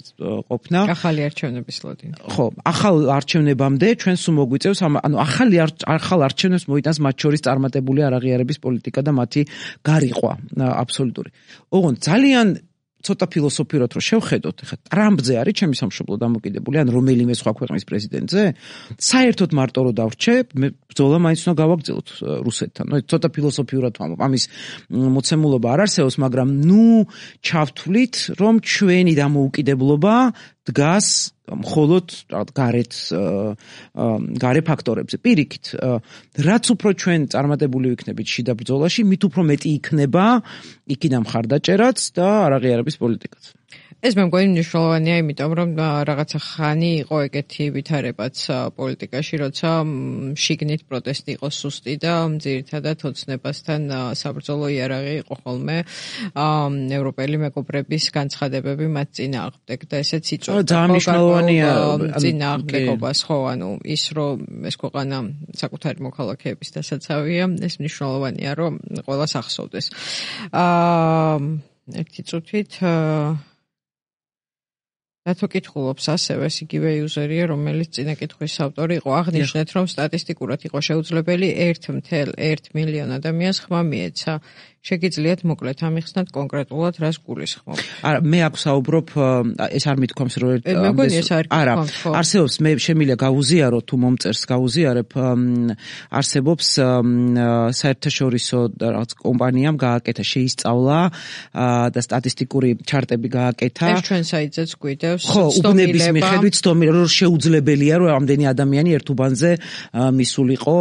ყოფნა. ახალი არჩევნების ლოდინი. ხო, ახალ არჩევნებამდე ჩვენ სულ მოგვიწევს, ანუ ახალ არჩევნებს მოიტანს მათ შორის წარმატებული არაღიარების პოლიტიკა და მათი გარიყვა აბსოლუტური. ოღონდ ძალიან ცოტა ფილოსოფიურად რომ შევხედოთ, ხა ტრამპზე არის ჩემი სამშობლო დამოკიდებული, ან რომელიმე სხვა ქვეყნის პრეზიდენტზე, საერთოდ მარტო რომ დავრჩე, მე ბრძოლა მაინც უნდა გავაგრძელოთ რუსეთთან. ცოტა ფილოსოფიურად ვამბობ, ამის მოცემულობა არ არსებობს, მაგრამ ჩავთვლით, რომ ჩვენი დამოუკიდებლობა დგას მხოლოდ გარე ფაქტორებზე. პირიქით, რაც უფრო ჩვენ წარმატებული ვიქნებით შიდა ბრძოლაში, მით უფრო მეტი იქნება იქიდან მხარდაჭერაც და არაღიარების პოლიტიკაც. ეს მე მგონი მნიშვნელოვანია, იმიტომ რომ რაღაცა ხანი იყო ეგეთი ვითარებაც პოლიტიკაში, როცა შიგნით პროტესტი იყო სუსტი და ძირითადად ოცნებასთან საბრძოლო იარაღი იყო ხოლმე ევროპელი მეგობრების განცხადებები მათ წინააღმდეგ და ესეც იწვევდა ძალიან მნიშვნელოვანია წინააღმდეგობას, ხო, ანუ ის რომ ეს ქვეყანა საკუთარი მოქალაქეების დასაცავია, ეს მნიშვნელოვანია, რომ ყველას ახსოვდეს. ერთი წუთით რატო კითხულობს ასევე იგივე იუზერია, რომელიც წინა კითხვის ავტორი იყო, აღნიშნეთ, რომ სტატისტიკურად იყო შეუძლებელი 1.1 მილიონ ადამიანს ხმა მიეცა. შეგიძლიათ მოკლედ ამიხსნათ კონკრეტულად რას გულისხმობ? არა, მე აქ საუბრობ, ეს არ მithქვამს, რომ არა, არსებობს, მე შემიძლია გავუზიარო თუ მომწერს გავუზიარებ, არსებობს საერთაშორისო რაღაც კომპანიამ გააკეთა, შეისწავლა და სტატისტიკური ჩარტები გააკეთა. ეს ჩვენ საიტზეც გვიდევს. ხო, უბნების მიხედვით 100 მილიონ, რომ შეუძლებელია, რომ ამდენი ადამიანი ერთ უბანზე მისულიყო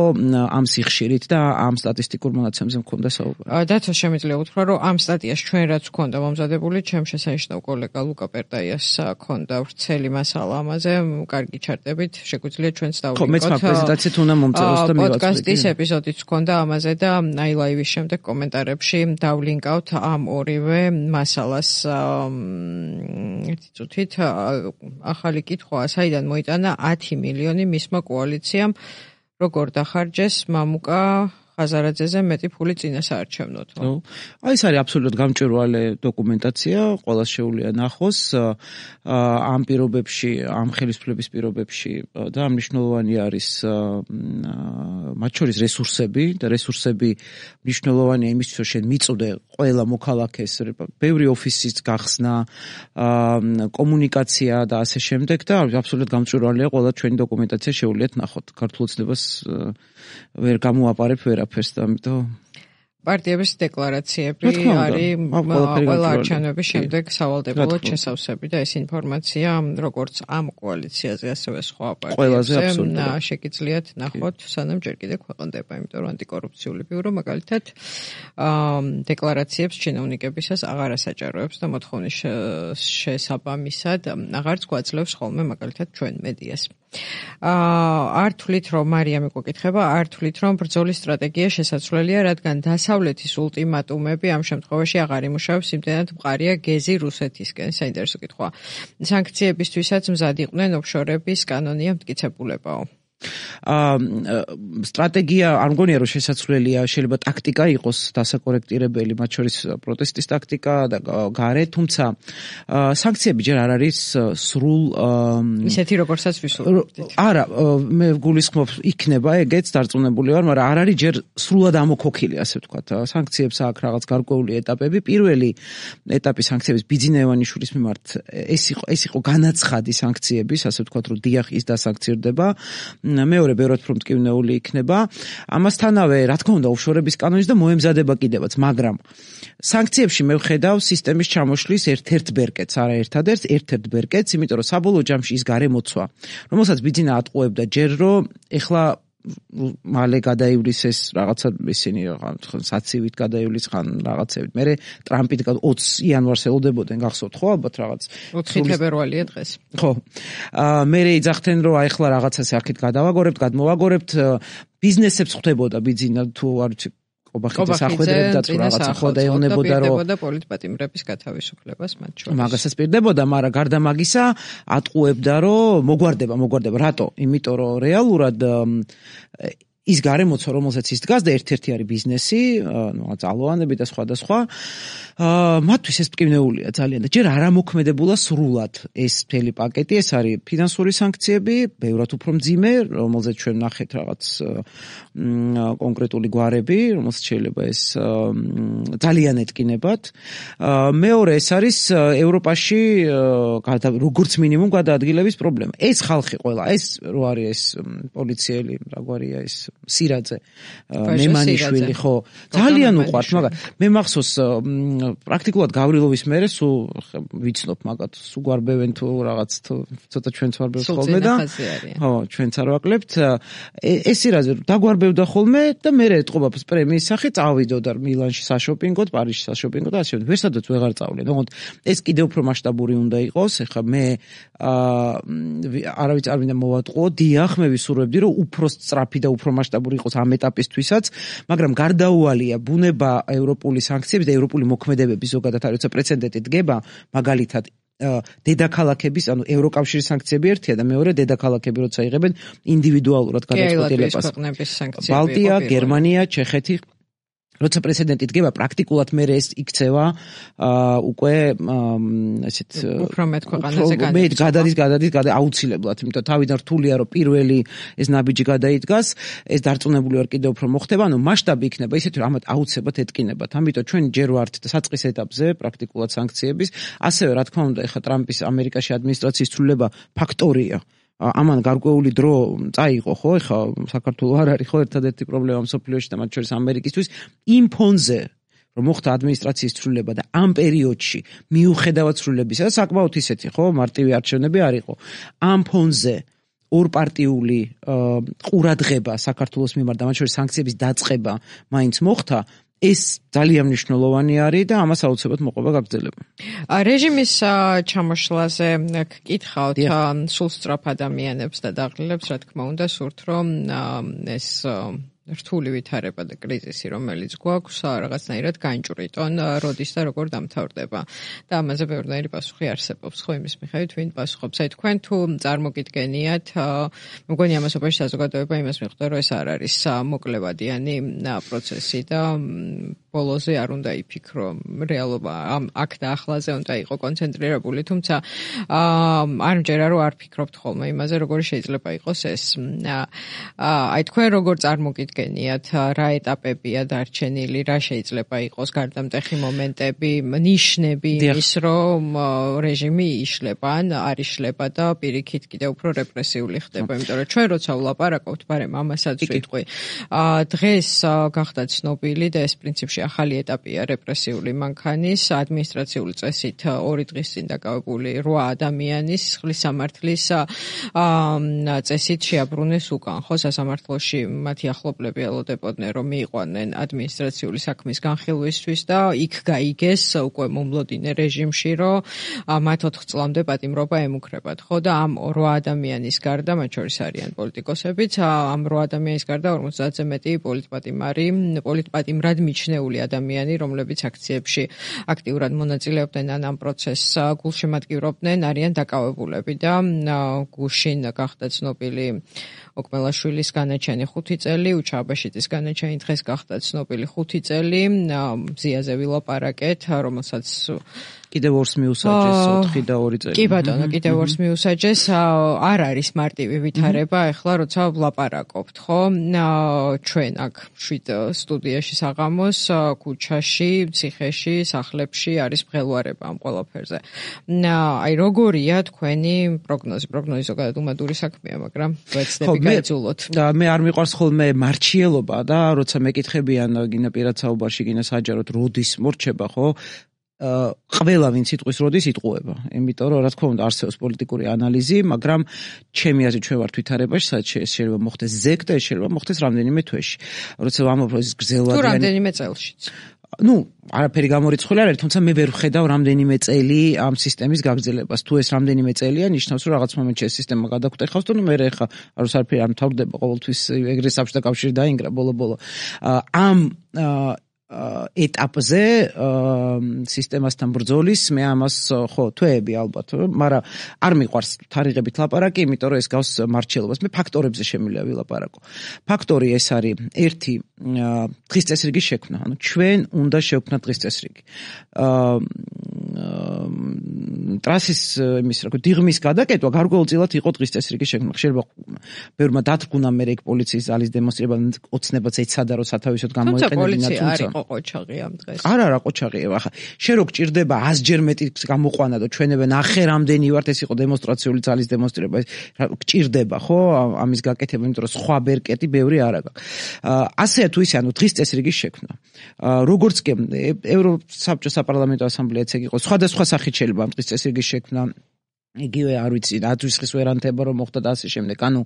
ამ სიხშირით და ამ სტატისტიკურ მონაცემებზე მქონდა საუბარი. შემიძლია უთხრა, რომ ამ სტატიას ჩვენ რაც გვქონდა მომზადებული, ჩემ შესანიშნავ კოლეგა ლუკა პერტაიას ქონდა ვრცელი მასალა ამაზე, კარგი ჩარტებით, შეგვიძლია ჩვენც დავлинკოთ. ხო, მეც მაგ პრეზენტაციით უნდა მომწეროს და მივაწვდით. პოდკასტის ეპიზოდიც ქონდა ამაზე და აი ლაივის შემდეგ კომენტარებში დავлинკავთ ამ ორივე მასალას. ერთი წუთით ახალი კითხვა, საიდან მოიტანა 10 მილიონი მისმა კოალიციამ, როგორ დახარჯეს მამუკა ხაზარაძეზე მეტი ფული წინა საარჩევნოდ. აი ეს არის აბსოლუტურად გამჭვირვალე დოკუმენტაცია, ყველას შეუძლია ნახოს ამ პირობებში, ამ ხელისუფლების პირობებში და მნიშვნელოვანი არის მათ შორის რესურსები და რესურსები მნიშვნელოვანია იმისთვის, რომ შენ მიწოდე ყველა მოქალაქეს ბევრი ოფისის გახსნა, კომუნიკაცია და ასე შემდეგ და აბსოლუტურად გამჭვირვალეა ყველა ჩვენი დოკუმენტაცია შეუძლიათ ნახოთ. ქართულ ოცნებას ვერ გამოაპარებ ვერაფერს და ამიტომ პარტიების დეკლარაციები არის ყველა არჩევნების შემდეგ სავალდებულოდ შესავსები და ეს ინფორმაცია როგორც ამ კოალიციაზე ასევე სხვა პარტიებზე შეგიძლიათ ნახოთ სანამ ჯერ კიდევ ქვეყნდება, იმიტომ რომ ანტიკორუფციული ბიურო მაგალითად დეკლარაციებს ჩინოვნიკებისას აღარ ასაჭაროებს და მოთხოვნის შესაბამისად აღარც გვაძლევს ხოლმე მაგალითად ჩვენ მედიას. არ თვლით რომ მარიამი გვეკითხება, არ თვლით რომ ბრძოლის სტრატეგია შესაძლებელია, რადგან დასავლეთის ულტიმატუმები ამ შემთხვევაში აღარ იმუშავებს, იმდენად მყარია გეზი რუსეთისკენ. საინტერესო კითხვა. სანქციებისთვისაც მზად იყვნენ ოფშორების კანონია მტკიცებულებაო. სტრატეგია არ მგონია რომ შესაძლებელია, შეიძლება ტაქტიკა იყოს დასაკორექტირებელი, მათ შორის პროტესტის ტაქტიკა და გარე, თუმცა სანქციები ჯერ არ არის სრულ ისეთი როგორცაც ვისურვებდით. არა, მე გულისხმობ იქნება ეგეც დარწმუნებული ვარ, მაგრამ არ არის ჯერ სრულად ამოქოქილი, ასე ვთქვათ. სანქციებს აქვს რაღაც გარკვეული ეტაპები. პირველი ეტაპი სანქციების ბიძინევანიშვილის მიმართ ეს იყო განაცხადი სანქციების, ასე ვთქვათ, რომ დიახ ის დასანქცირდება. მეორე ბევრად უფრო მტკივნეული იქნება. ამასთანავე, რა თქმა უნდა, ოფშორების კანონის და მოემზადება კიდევაც, მაგრამ სანქციებში მე ვხედავ სისტემის ჩამოშლის ერთ-ერთ ბერკეტს, არა ერთადერთ, ერთ-ერთ ბერკეტს, იმიტომ რომ საბოლოო ჯამში ის გარემოცვა, რომელსაც ბიძინა ატყუებდა ჯერ რომ ეხლა მალე გადაივლის ეს რაღაცა ისინი საცივით გადაივლის ხან რაღაცებით. მე ტრამპით 20 იანვარს ელოდებოდნენ, გახსოვთ ხო ალბათ რაღაც 4 თებერვალია დღეს. ხო. მე ეძახდნენ რომ აი ახლა რაღაცას აქეთ გადავაგორებთ, გადმოვაგორებთ, ბიზნესებს ხვდებოდა ბიძინა თუ არ ვიცი ობახიძეს ახვედრებდა თუ რაღაცა ხო და ეუბნებოდა რომ პოლიტპატიმრების გათავისუფლებას მათ შორის. მაგასაც პირდებოდა, მაგრამ გარდა მაგისა ატყუებდა რომ მოგვარდება, რატო? იმიტომ რომ რეალურად ის გარემოცვა, რომელსაც ის დგას და ერთ-ერთი არის ბიზნესი, ძალოვანები და სხვა. მათთვის ეს მტკივნეულია ძალიან და ჯერ არ ამოქმედებულა სრულად ეს მთელი პაკეტი, ეს არის ფინანსური სანქციები, ბევრად უფრო მძიმე, რომელზეც ჩვენ ნახეთ რაღაც კონკრეტული გვარები, რომელსაც შეიძლება ეს ძალიან ეტკინებათ. მეორე ეს არის ევროპაში როგორც მინიმუმ გადაადგილების პრობლემა. ეს ხალხი ყველა, ეს რო არის ეს პოლიციელი, რა გვარია ეს სირაძე, მემანიშვილი, ხო, ძალიან უყვართ, მაგრამ მე მახსოვს პრაქტიკულად გავრილოვის მერე სულ ვიცნობ მაგათ, სულ გვარბევენ თუ რაღაც ცოტა ჩვენც ვარბევთ ხოლმე და ხო, ჩვენც არ ვაკლებთ. ეს სირაძე დაგვარბევდა ხოლმე და მე ეტყობა პრემიის სახით წავიდოდა მილანში საშოპინგოდ, პარიზში საშოპინგოდ და ასე შემდეგ. ვერსადაც ვეღარ წავლენ. თუმცა ეს კიდევ უფრო მასშტაბური უნდა იყოს. ეხლა მე არავის არ მინდა მოვატყუო, დიახ, მე ვისურვებდი რომ უფრო სწრაფი და უფრო მასშტაბური იყოს ამ ეტაპისთვისაც, მაგრამ გარდაუვალია ბუნება ევროპული სანქციების და ევროპული მოქმედებების ზოგადად არის პრეცედენტი დგება, მაგალითად დედაქალაქების, ანუ ევროკავშირის სანქციები ერთია და მეორე დედაქალაქები როცა იღებენ ინდივიდუალურად გადაწყვეტილებას. ბალტია, გერმანია, ჩეხეთი როცა პრეცედენტი დგება, პრაქტიკულად მე ეს იქცევა უკვე ესეთ უფრო მეტ ქვეყანაზე გადადის აუცილებლად, იმიტომ თავიდან რთულია რომ პირველი ეს ნაბიჯი გადაიდგას, ეს დარწმუნებული ვარ კიდევ უფრო მოხდება, ანუ მასშტაბი იქნება ისეთი რომ ამათ აუცილებლად ეტკინებათ. ამიტომ ჩვენ ჯერ ვართ საწყის ეტაპზე პრაქტიკულად სანქციების, ასევე რა თქმა უნდა ეხლა ტრამპის ამერიკაში ადმინისტრაციის ცვლილება ფაქტორია. ამან გარკვეული დრო წაიღო, ხო, ეხლა საქართველოს არ არის ხო ერთადერთი პრობლემა მსოფლიოში და მათ შორის ამერიკისთვის იმ ფონზე რომ მოხდა ადმინისტრაციის ცვლილება და ამ პერიოდში მიუხედავად ცვლილებისა და საკმაოდ ისეთი, ხო, მარტივი არჩევნები არ იყო. ამ ფონზე ორპარტიული ყურადღება საქართველოს მიმართ და მათ შორის სანქციების დაწყება მაინც მოხდა. ეს ძალიან მნიშვნელოვანი არის და ამას აუცილებლად მოყვება გაგრძელება. რეჟიმის ჩამოშლაზე გკითხავთ სულ სწრაფ ადამიანებს და დაღლილებს, რა თქმა უნდა, სურთ რომ ეს რთული ვითარება და კრიზისი, რომელიც გვაქვს, რაღაცნაირად განჭვრიტონ, როდის და როგორ დამთავრდება. და ამაზე ბევრნაირი პასუხი არსებობს, ხო, იმის მიხედვით, ვინ პასუხობს. აი თქვენ თუ წარმოგიდგენიათ, მგონი ამასობაში საზოგადოება იმას მიხვდა, რომ ეს არ არის მოკლევადიანი პროცესი და ბოლოზე არ უნდა იფიქრო რეალობა აქ და ახლაზე უნდა იყო კონცენტრირებული, თუმცა არ მჯერა რომ არ ფიქრობთ ხოლმე იმაზე, როგორ შეიძლება იყოს ეს. აი თქვენ როგორ წარმოგიდგენიათ, რა ეტაპებია დარჩენილი, რა შეიძლება იყოს გარდამტეხი მომენტები, ნიშნები ის, რომ რეჟიმი იშლება, ან არ იშლება და პირიქით კიდევ უფრო რეპრესიული ხდება, იმიტომ რომ ჩვენ როცა ვლაპარაკობთ, ბარემ ამასაც ვიტყვი. დღეს გახდა ცნობილი და ეს პრინციპში ახალი ეტაპია რეპრესიული მანქანის ადმინისტრაციული წესით 2 დღის წინ დაკავებული 8 ადამიანის სისხლის სამართლის წესით შეაბრუნეს უკან. ხო, სასამართლოში მათი ახლობლები ელოდებოდნენ, რომ მიიყვანენ ადმინისტრაციული საქმის განხილვისთვის და იქ გაიგეს უკვე მომლოდინე რეჟიმში, რომ მათ 4 წლამდე პატიმრობა ემუქრებათ. ხო, და ამ 8 ადამიანის გარდა, მათ შორის არიან პოლიტიკოსებიც, ამ 8 ადამიანის გარდა 50-ზე მეტი პოლიტპატიმრად მიჩნეული ადამიანი, რომლებიც აქციებში აქტიურად მონაწილეობდნენ ან ამ პროცესს გულშემატკივრობდნენ, არიან დაკავებულები და გუშინ გახდა ცნობილი ოკმელაშვილის განაჩენი 5 წელი, უჩა აბაშიძის განაჩენი დღეს გახდა ცნობილი 5 წელი, მზიაზე ვილაპარაკეთ, რომელსაც კიდევ 2-ს მიუსაჯეს 4 და 2 წელი. კი ბატონო, კიდევ 2-ს მიუსაჯეს, არ არის მარტივი ვითარება, ეხლა როცა ვლაპარაკობთ, ხო? ჩვენ აქ 7 სტუდიაში საღამოს, ქუჩაში, ციხეში, სახლებში არის მღელვარება ამ ყველაფერზე. აი როგორია თქვენი პროგნოზი? პროგნოზი ზოგადად უმადური საქმეა, მაგრამ ვეცდები გაიძულოთ. მე არ მიყვარს ხოლმე მარჩიელობა და როცა მეკითხებიან გინა პირად საუბარში, გინა საჯაროდ როდის მორჩება, ხო? ყველა ვინც იტყვის როდის იტყუება. იმიტომ რომ რა თქმა უნდა არსებობს პოლიტიკური ანალიზი, მაგრამ ჩემი აზრით ჩვენ ვართ ვითარებაში, სადაც შეიძლება მოხდეს ზეგ და შეიძლება მოხდეს რამდენიმე თვეში. როცა ვამბობ ეს გრძელვადიანი თუ რამდენიმე წელშიც. არაფერი გამორიცხული არ არის, თუმცა მე ვერ ვხედავ რამდენიმე წელი ამ სისტემის გაგრძელებას. თუ ეს რამდენიმე წელია, ნიშნავს რომ რაღაც მომენტში ეს სისტემა გადაგვტეხავს, თუ მე ხა არაფერი არ მთავრდება, ყოველთვის ეგრე საბჭოთა კავშირი დაინგრა ბოლო-ბოლო. ამ ეტაპზე სისტემასთან ბრძოლის მე ამას ხო თვეები ალბათ, მაგრამ არ მიყვარს თარიღებით ლაპარაკი, იმიტომ რომ ეს გავს მარჩელობას. მე ფაქტორებზე შემიძლია ვილაპარაკო. ფაქტორი ეს არის ერთი დღის წესრიგის შექმნა. ანუ ჩვენ უნდა შევქმნათ დღის წესრიგი. ტრასის დიღმის გადაკეთვა გარკვეულწილად იყო დღის წესრიგის შექმნა. შეიძლება ბევრმა დათრგუნა მე ეგ პოლიციის ძალის დემონსტრირება ოცნებაც ეცადა რომ სათავისოდ გამოიყენებინა, თუმცა ყოჩაღი ამ დღეს. არა, ყოჩაღია. ახლა შენ რო გჭირდება 100-ჯერ მეტი გამოყვანა და ჩვენებე ნახე რამდენი ვართ, ეს იყო დემონსტრაციული ძალის დემონსტრირება. გჭირდება, ხო, ამის გაკეთება, იმიტომ რომ სხვა ბერკეტი ბევრი არ აქვს. ასე თუ ისე, ანუ დღის წესრიგის შექმნა. როგორც კი ევროსაბჭოს საპარლამენტო ასამბლეაც ეგ იყო, სხვადასხვა სახით შეიძლება ამ დღის წესრიგის შექმნა. იგივე არ ვიცი, დაცვის ვერანტება რომ მოხდა და ასე შემდეგ. ანუ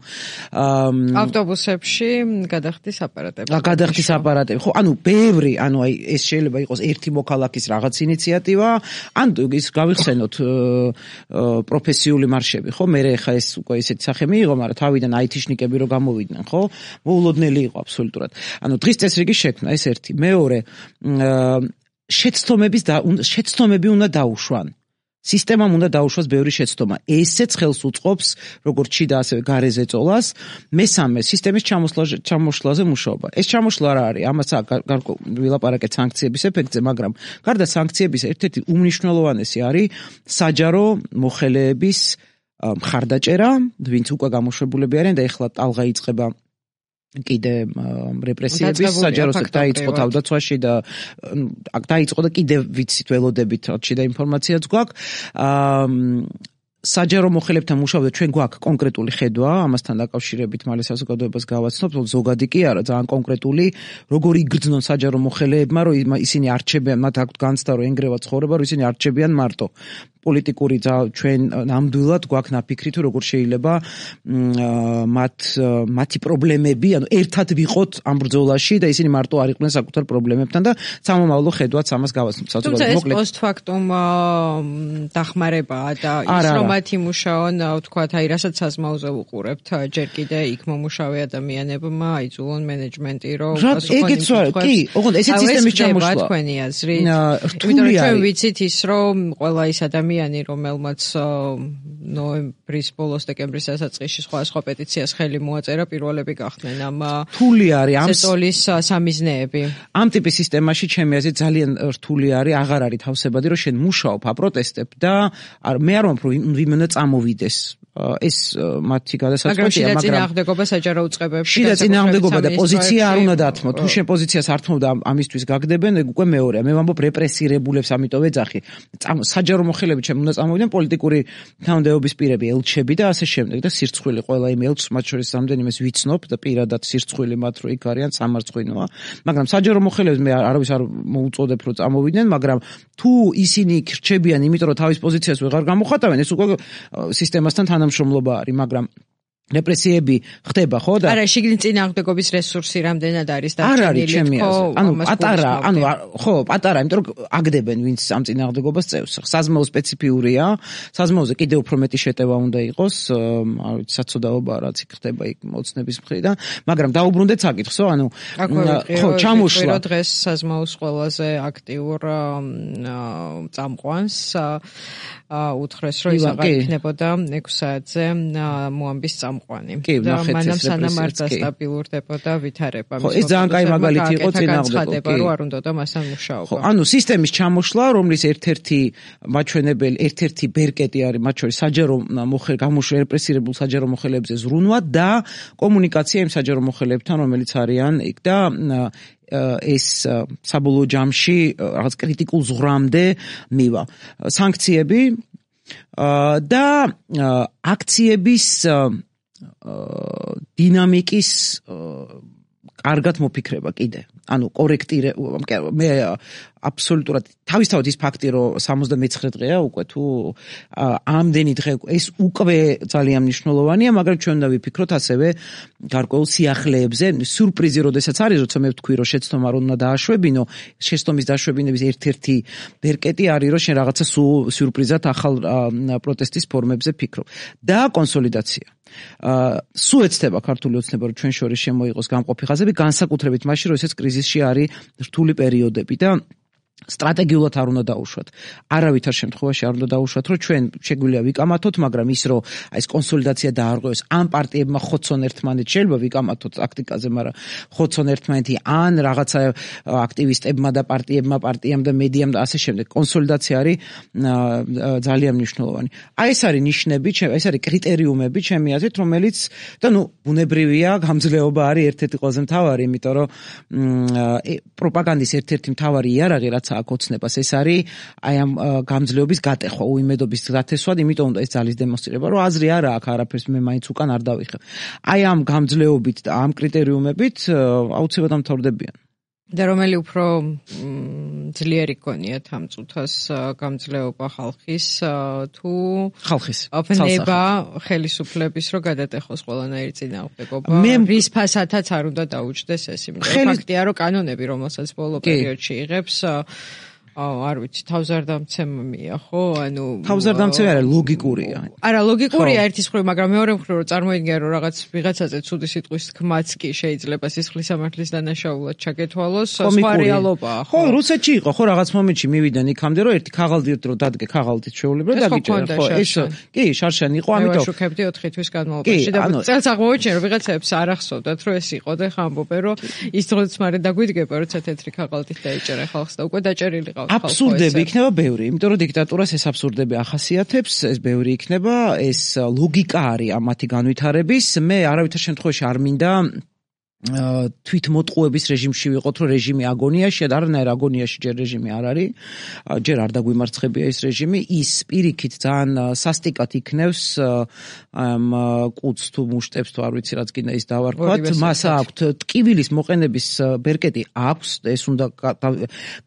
ავტობუსებში გადახდის აპარატები. გადახდის აპარატები. ხო, ანუ ბევრი, ანუ აი ეს შეიძლება იყოს ერთი მოქალაქის რაღაც ინიციატივა, ან ის გავიხსენოთ პროფესიული მარშები, ხო? მე ხა ეს უკვე ისეთი სახე მიიღო, მაგრამ თავიდან აითიშნიკები რო გამოვიდნენ, ხო? მოულოდნელი იყო აბსოლუტურად. ანუ დღის წესრიგის შექმნა ეს ერთი. მეორე, შეცდომები უნდა დაუშვან. სისტემამ უნდა დაუშვას ბევრი შეცდომა. ესეც ხელს უწყობს როგორც შიდა ასევე გარეზე წოლას. მესამე, სისტემის ჩამოშლაზე მუშაობა. ეს ჩამოშლა რა არის? ამას ვილაპარაკეთ სანქციების ეფექტზე, მაგრამ გარდა სანქციების ერთ-ერთი უმნიშვნელოვანესი არის საჯარო მოხელეების მხარდაჭერა, ვინც უკვე გამოშვებულები არიან და ეხლა ტალღა იწყება კიდე რეპრესიების საჯაროსად დაიწყო თავდაცვაში და დაიწყო და კიდე ვიცით ველოდებით როჩი და ინფორმაციაც გვაქვს. საჯარო მოხელებთან მუშაობდა, ჩვენ გვაქვს კონკრეტული ხედვა, ამასთან დაკავშირებით მალე საზოგადოებას გავაცნობთ, ზოგადი კი არა, ძალიან კონკრეტული, როგორი იგრძნონ საჯარო მოხელეებმა, რომ ისინი არჩებიან, მათ აქვთ განცდა, რომ ენგრევა ცხოვრება, რომ ისინი არჩებიან მარტო. პოლიტიკური ჩვენ ნამდვილად გვაქვს ნაფიქრი თუ როგორ შეიძლება მათი პრობლემები, ანუ ერთად ვიყოთ ამ ბრძოლაში და ისინი მარტო არ იყვნენ საკუთარ პრობლემებთან და სამომავლო ხედვაც ამას გავაცნობთ. თუმცა ეს პოსტფაქტუმ დახმარებაა და ის რომ მათი მუშაონ ვთქვათ, აი რასაც საზმაოზე ვუყურებთ, ჯერ კიდე იქ მომუშავე ადამიანებმა აიძულონ მენეჯმენტი რომ კი, ოღონდ ესეც სისტემის ჩამოშლა. თქვენი აზრით. იმიტომ რომ ჩვენ ვიცით ის რომ ყველა ის ადამიანი რომელმაც ნოემბრის ბოლოს დეკემბრის დასაწყისში სხვა პეტიციას ხელი მოაწერა პირველები გახდნენ ამ რთული არის ამ სესოლის სამიზნეები. ამ ტიპის სისტემაში ჩემი აზრით ძალიან რთული არის, აღარ არის თავსებადი რომ შენ მუშაობ, აპროტესტებ და მე არ ვამბობ რომ ვინმე უნდა წამოვიდეს. ეს მათი გადასაწყვეტია, მაგრამ წინააღმდეგობა საჯარო უწყებებში შიდა წინააღმდეგობა და პოზიცია არ უნდა დათმო. თუ შენ პოზიციას არ თმობ და ამისთვის გაგდებენ, ეგ უკვე მეორეა. მე ვამბობ რეპრესირებულებს, ამიტომ ეძახი. საჯარო მოხელეები ჩემ უნდა წამოვიდნენ პოლიტიკური თანამდებობის პირები, ელჩები და ასე შემდეგ და სირცხვილი ყველა იმ ელჩს, მათ შორის რამდენიმეს ვიცნობ და პირადად სირცხვილი მათ რო იქ არიან სამარცხვინოა. მაგრამ საჯარო მოხელეებს მე არავის არ მოუწოდებ რომ წამოვიდნენ, მაგრამ თუ ისინი რჩებიან, იმიტომ რომ თავის პოზიციას ვეღარ გამოხატავენ, ეს უკვე სისტემასთან თანამშრომლობა არის, მაგრამ რეპრესიები ხდება, ხო და არა, შიგნით წინააღმდეგობის რესურსი რამდენად არის დარჩენილი, პატარა, იმიტომ რომ აგდებენ ვინც ამ წინააღმდეგობას წევს. საზმაო სპეციფიურია, საზმაოზე კიდევ უფრო მეტი შეტევა უნდა იყოს, არ ვიცი, საცოდაობა რაც იქ ხდება იქ მოცნების მხრიდან, მაგრამ დაუბრუნდეთ საკითხსო, ხო, ჩამოშლა დღეს საზმაოს ყველაზე აქტიურ წამყვანს უთხრეს რომ ის აღარ იქნებოდა 6 საათზე მოამბის წამყვანი და მანამ სანამ არ დასტაბილურდებოდა ვითარება. ხო, ეს ძალიან კაი მაგალითი იყო წინააღმდეგობა, რომ არ უნდა მასთან მუშაობა. ხო, ანუ სისტემის ჩამოშლა, რომლის ერთ-ერთი მაჩვენებელი, ერთ-ერთი ბერკეტი არის მათ შორის საჯარო გამოშლა რეპრესირებულ საჯარო მოხელეებზე ზრუნვა და კომუნიკაცია იმ საჯარო მოხელეებთან, რომელიც არიან იქ და ეს საბოლოო ჯამში რაღაც კრიტიკულ ზღვრამდე მივა. სანქციები და აქციების დინამიკის კარგად მოფიქრება კიდე. ანუ მე აბსოლუტურად თავისთავად ის ფაქტი რომ 79 დღეა უკვე თუ ამდენი დღე ეს უკვე ძალიან მნიშვნელოვანია, მაგრამ ჩვენ უნდა ვიფიქროთ ასევე გარკვეულ სიახლეებზე. სიურპრიზი როდესაც არის, როცა მე ვთქვი რომ შეცდომა არ უნდა დააშვებინო, შეცდომის დაშვებინების ერთ-ერთი ბერკეტი არის რომ შენ რაღაცა სიურპრიზად ახალ პროტესტის ფორმებზე ფიქრობ და კონსოლიდაცია. სულ ეცდება ქართული ოცნება რომ ჩვენ შორის შემოიღოს გამყოფი ხაზები, განსაკუთრებით მაშინ რომ ესეც კრიზისში არის რთული პერიოდები და სტრატეგიულად არ უნდა დაუშვათ. არავითარ შემთხვევაში არ უნდა დაუშვათ, რომ ჩვენ შეგვიძლია ვიკამათოთ, მაგრამ ის რომ ეს კონსოლიდაცია დაარღვევს ამ პარტიებმა ხოცონ ერთმანეთს, შეიძლება ვიკამათოთ ტაქტიკაზე, მაგრამ ხოცონ ერთმანეთი ან რაღაცა აქტივისტებმა და პარტიამ და მედიამ და ასე შემდეგ. კონსოლიდაცია არის ძალიან მნიშვნელოვანი. აი ეს არის ნიშნები, ეს არის კრიტერიუმები ჩემი აზრით, რომელიც და ბუნებრივია, გამძლეობა არის ერთ-ერთი ყველაზე მთავარი, იმიტომ რომ პროპაგანდის ერთ-ერთი მთავარი იარაღი რაც აქ ოცნებას ეს არის აი ამ გამძლეობის გატეხვა, უიმედობის გათესვა, იმიტომ უნდა ეს ძალის დემონსტრირება, რომ აზრი არა აქვს, არაფერს მე მაინც უკან არ დავიხებ. აი ამ გამძლეობით და ამ კრიტერიუმებით აუცილებლად დამთავრდებიან. და რომელი უფრო ძლიერი გონიათ ამ წუთას გამძლეობა ხალხის თუ ხალხის ოფენება ხელისუფლების რომ გადატეხოს ყველანაირი წინააღმდეგობა, რის ფასადაც არ უნდა დაუჯდეს ეს, იმიტომ ფაქტია რომ კანონები რომელსაც ბოლო პერიოდში იღებს არ ვიცი, თავზარდამცემია, ხო? ანუ თავზარდამცემი არა, ლოგიკურია. არა, ლოგიკურია ერთის მხრივ, მაგრამ მეორე მხრივ რომ წარმოიდგინე რომ რაღაც ვიღაცაზე ცუდი სიტყვის თქმაც კი შეიძლება სისხლის სამართლის დანაშაულად ჩაგეთვალოს, სხვა რეალობაა, ხო? ხო, რუსეთში იყო, ხო, რაღაც მომენტში მივიდნენ იქამდე, რომ ერთი ქაღალდით რომ დადგე ქაღალდით შეულებრად დაგიჭერა, ხო? ეს კი, შარშანი იყო, ამიტომ ვაშუქებდი 4 თვის განმავლობაში და წელს აღმოჩენე, რომ ვიღაცებს არ ახსოვდათ, რომ ეს იყო და ხამბობენ, რომ ის დროც მარე დაგვიდგება, როცა თეთრი ქაღალდით დაიჭერა ხალხს და უკვე დაჭერილი აბსურდები იქნება ბევრი, იმიტომ რომ დიქტატურას ეს აბსურდები ახასიათებს, ეს ბევრი იქნება, ეს ლოგიკა არის ამ მათი განვითარების. მე არავითარ შემთხვევაში არ მინდა თვითმოტყუების რეჟიმში ვიყოთ, რომ რეჟიმი აგონიაშია და არანაირ აგონიაში ჯერ რეჟიმი არ არის, ჯერ არ დაგვიმარცხებია ეს რეჟიმი, ის პირიქით ძალიან სასტიკად იქნევს ამ კუც თუ მუშტებს თუ არ ვიცი რაც გინდა ის დავარქვათ, მას აქვთ ტკივილის მოყენების ბერკეტი აქვს, ეს უნდა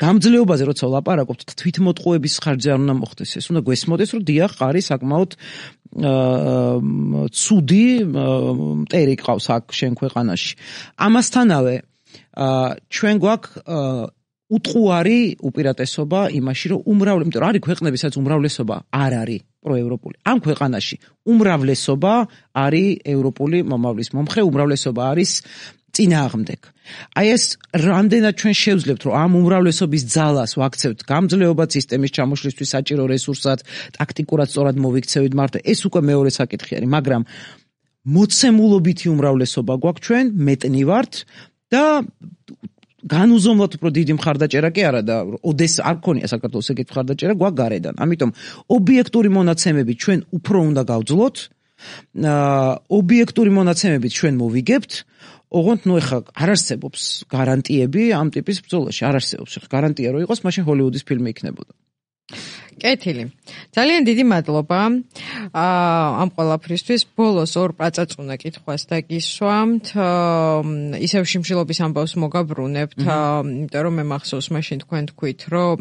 გამძლეობაზე როცა ვლაპარაკობთ, თვითმოტყუების ხარჯზე არ უნდა მოხდეს, ეს უნდა გვესმოდეს, რომ დიახ, არის საკმაოდ ცუდი მტერი ყავს აქ შენ ქვეყანაში. ამასთანავე ჩვენ გვაქვს უტყუარი უპირატესობა იმაში, რომ იმიტომ რომ არის ქვეყნები, სადაც უმრავლესობა არ არის პროევროპული. ამ ქვეყანაში უმრავლესობა არის ევროპული მომავლის მომხრე, უმრავლესობა არის წინააღმდეგ. აი ეს რამდენად ჩვენ შევძლებთ, რომ ამ უმრავლესობის ძალას ვაქცევთ გამძლეობად სისტემის ჩამოშლისთვის საჭირო რესურსად, ტაქტიკურად სწორად მოვიქცევით მართლა, ეს უკვე მეორე საკითხი არის, მაგრამ მოცემულობითი უმრავლესობა გვაქვს ჩვენ, მეტნი ვართ და განუზომლად უფრო დიდი მხარდაჭერა კი არა და ოდეს არ გქონია საქართველოს ეგეთი მხარდაჭერა გვაქვს გარედან. ამიტომ ობიექტური მონაცემებით ჩვენ უფრო უნდა გავძლოთ, ობიექტური მონაცემებით ჩვენ მოვიგებთ, ოღონდ ეხა არ არსებობს გარანტიები ამ ტიპის ბრძოლაში, არ არსებობს. გარანტია რომ იყოს, მაშინ ჰოლივუდის ფილმი იქნებოდა. კეთილი. ძალიან დიდი მადლობა ამ ყველაფრისთვის. ბოლოს ორ პაწაწუნა კითხვას დაგისვამთ. ისევ შიმშილობის ამბავს მოგაბრუნებთ, იმიტომ რომ მე მახსოვს მაშინ თქვენ თქვით, რომ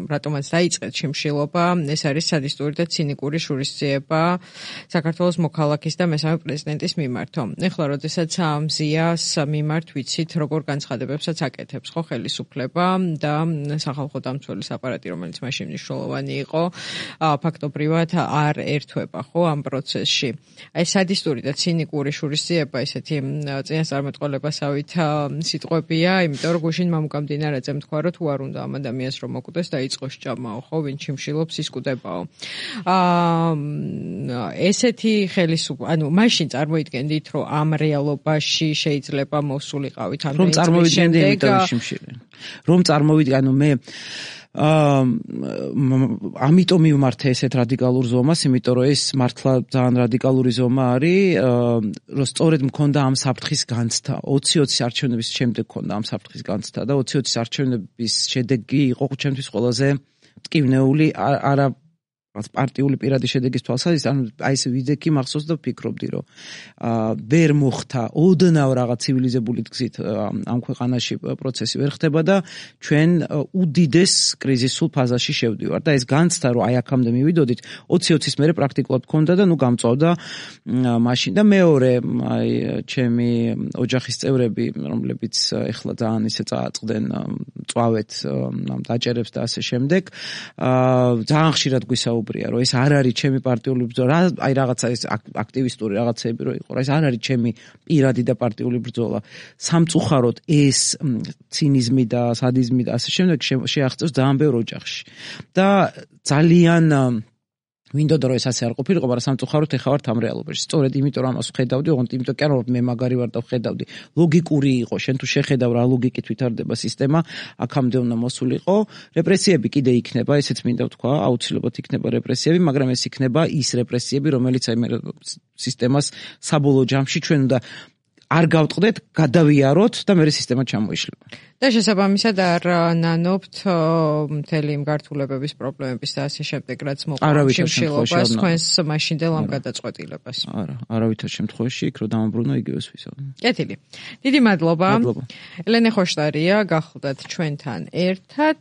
რატომაც დაიწყეთ შიმშილობა, ეს არის სადისტური და ცინიკური შურისძიება საქართველოს მოქალაქის და მესამე პრეზიდენტის მიმართ. ეხლა როდესაც მზიას მიმართ ვიცით, როგორ განცხადებებსაც აკეთებს ხო ხელისუფლება და სახალხო დამცველის აპარატი, რომელიც მაშინ მნიშვნელოვანი იყო, ფაქტობრივად არ ერთვება ხო ამ პროცესში. აი სადისტური და ცინიკური შურისძიება ესეთი წინასწარმეტყველებასავით სიტყვებია, იმიტომ რომ გუშინ მამუკამდინარაძემ თქვა, რომ თუ არ უნდა ამ ადამიანს რომ მოკვდეს, დაიწყოს ჭამაო, ხო, ვინ შიმშილობს ის კვდებაო. ესეთი ანუ მაშინ წარმოიდგენდით, რომ ამ რეალობაში შეიძლება მოსულიყავით ამ რომ წარმოვიდგენდი იმიტომ შიმშილი. რომ წარმოვიდგენ, ანუ მე ამიტომ მივმართე ესეთ რადიკალურ ზომას, იმიტომ რომ ეს მართლა ძალიან რადიკალური ზომა არის, რომ სწორედ მქონდა ამ საფრთხის განცდა. 20-20 არჩევნების შემდეგ მქონდა ამ საფრთხის განცდა და 20-20 არჩევნების შედეგი იყო ჩემთვის ყველაზე მტკივნეული, არა პარტიული პირადი შედეგის თვალსაზრისით, ანუ აი ეს ვიდექი მახსოვს და ვფიქრობდი, რომ ვერ მოხდა ოდნავ რაღაც ცივილიზებული გზით ამ ქვეყანაში პროცესი ვერ ხდება და ჩვენ უდიდეს კრიზისულ ფაზაში შევდივართ და ეს განცდა, რომ აი აქამდე მივიდოდით, 20-20-ის მერე პრაქტიკულად მქონდა და ნუ გამწვავდა მაშინ და მეორე აი ჩემი ოჯახის წევრები, რომლებიც ეხლა ძალიან ისე წააწყდნენ წვავეთ დაჭერებს და ასე შემდეგ, ძალიან ხშირად გვისაუბრებენ რომ ეს არ არის ჩემი პარტიული ბრძოლა, აი რაღაცა ეს აქტივისტური რაღაცები რო იყო, ეს არ არის ჩემი პირადი და პარტიული ბრძოლა. სამწუხაროდ ეს ცინიზმი და სადიზმი და ასე შემდეგ შეაღწევს ძალიან ბევრ ოჯახში. და ძალიან მინდოდა რომ ეს ასე არ ყოფილიყო, მაგრამ სამწუხაროდ ეხა ვართ ამ რეალობაში. სწორედ იმიტომ რომ ამას ვხედავდი, ოღონდ იმიტომ კი არა რომ მე მაგარი ვარ და ვხედავდი. ლოგიკური იყო, შენ თუ შეხედავ რა ლოგიკით ვითარდება სისტემა, აქამდე უნდა მოსულიყო. რეპრესიები კიდე იქნება, ესეც მინდა ვთქვა, აუცილებლად იქნება რეპრესიები, მაგრამ ეს იქნება ის რეპრესიები, რომელიც აი სისტემას საბოლოო ჯამში ჩვენ უნდა არ გავტყდეთ, გადავიაროთ და მე სისტემა ჩამოიშლება. და შესაბამისად არ ნანობთ მთელი იმ გართულებების პრობლემების და ასე შემდეგ, რაც მოყვა შიმშილობას თქვენს მაშინდელ ამ გადაწყვეტილებას. არა, არავითარ შემთხვევაში იქ რო დამაბრუნო იგივეს ვისაუბრე. კეთილი. დიდი მადლობა. ელენე ხოშტარია, გახლდათ ჩვენთან ერთად.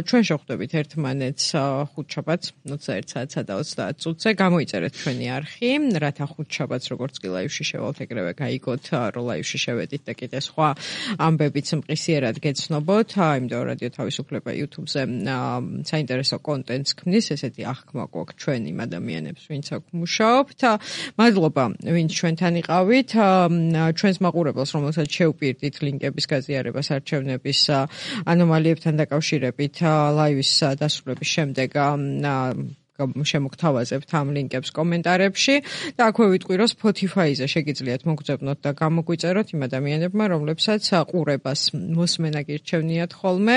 ჩვენ შევხვდებით ერთმანეთს ხუთშაბათს 21 საათსა და 30 წუთზე. გამოიწერეთ ჩვენი არხი, რათა ხუთშაბათს როგორც კი ლაივში შევალთ, ეგრევე გაიგოთ, რომ ლაივში შევედით და კიდე სხვა ამბებიც მყისიერად გეცნობოთ, იმიტომ რადიო თავისუფლება YouTube-ზე საინტერესო კონტენტს ქმნის, ესეთი აღქმა გვაქვს ჩვენ იმ ადამიანებს, ვინც აქ მუშაობთ. მადლობა, ვინც ჩვენთან იყავით. ჩვენს მაყურებელს, რომელსაც შევპირდით ლინკების გაზიარებას არჩევნების ანომალიებთან დაკავშირებით ლაივის დასრულების შემდეგ შემოგთავაზებთ ამ ლინკებს კომენტარებში და აქვე ვიტყვი, რომ Spotify-ზე შეგიძლიათ მოგძებნოთ და გამოგვიწეროთ იმ ადამიანებმა, რომლებსაც ყურებას მოსმენა გირჩევნიათ ხოლმე.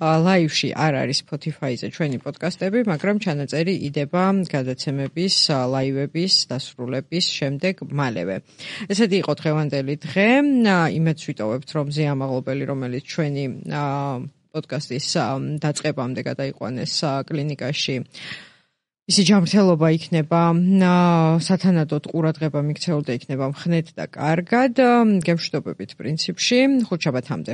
ლაივში არ არის Spotify-ზე ჩვენი პოდკასტები, მაგრამ ჩანაწერი იდება გადაცემების, ლაივების დასრულების შემდეგ მალევე. ესეთი იყო დღევანდელი დღე. იმედს ვიტოვებთ, რომ ზეამაღლობელი, რომელიც ჩვენი პოდკასტის დაწყებამდე გადაიყვანეს კლინიკაში, ისი ჯანმრთელობა იქნება სათანადოდ ყურადღება მიქცეულ და იქნება მხნედ და კარგად. გემშვიდობებით პრინციპში. ხუთშაბათამდე.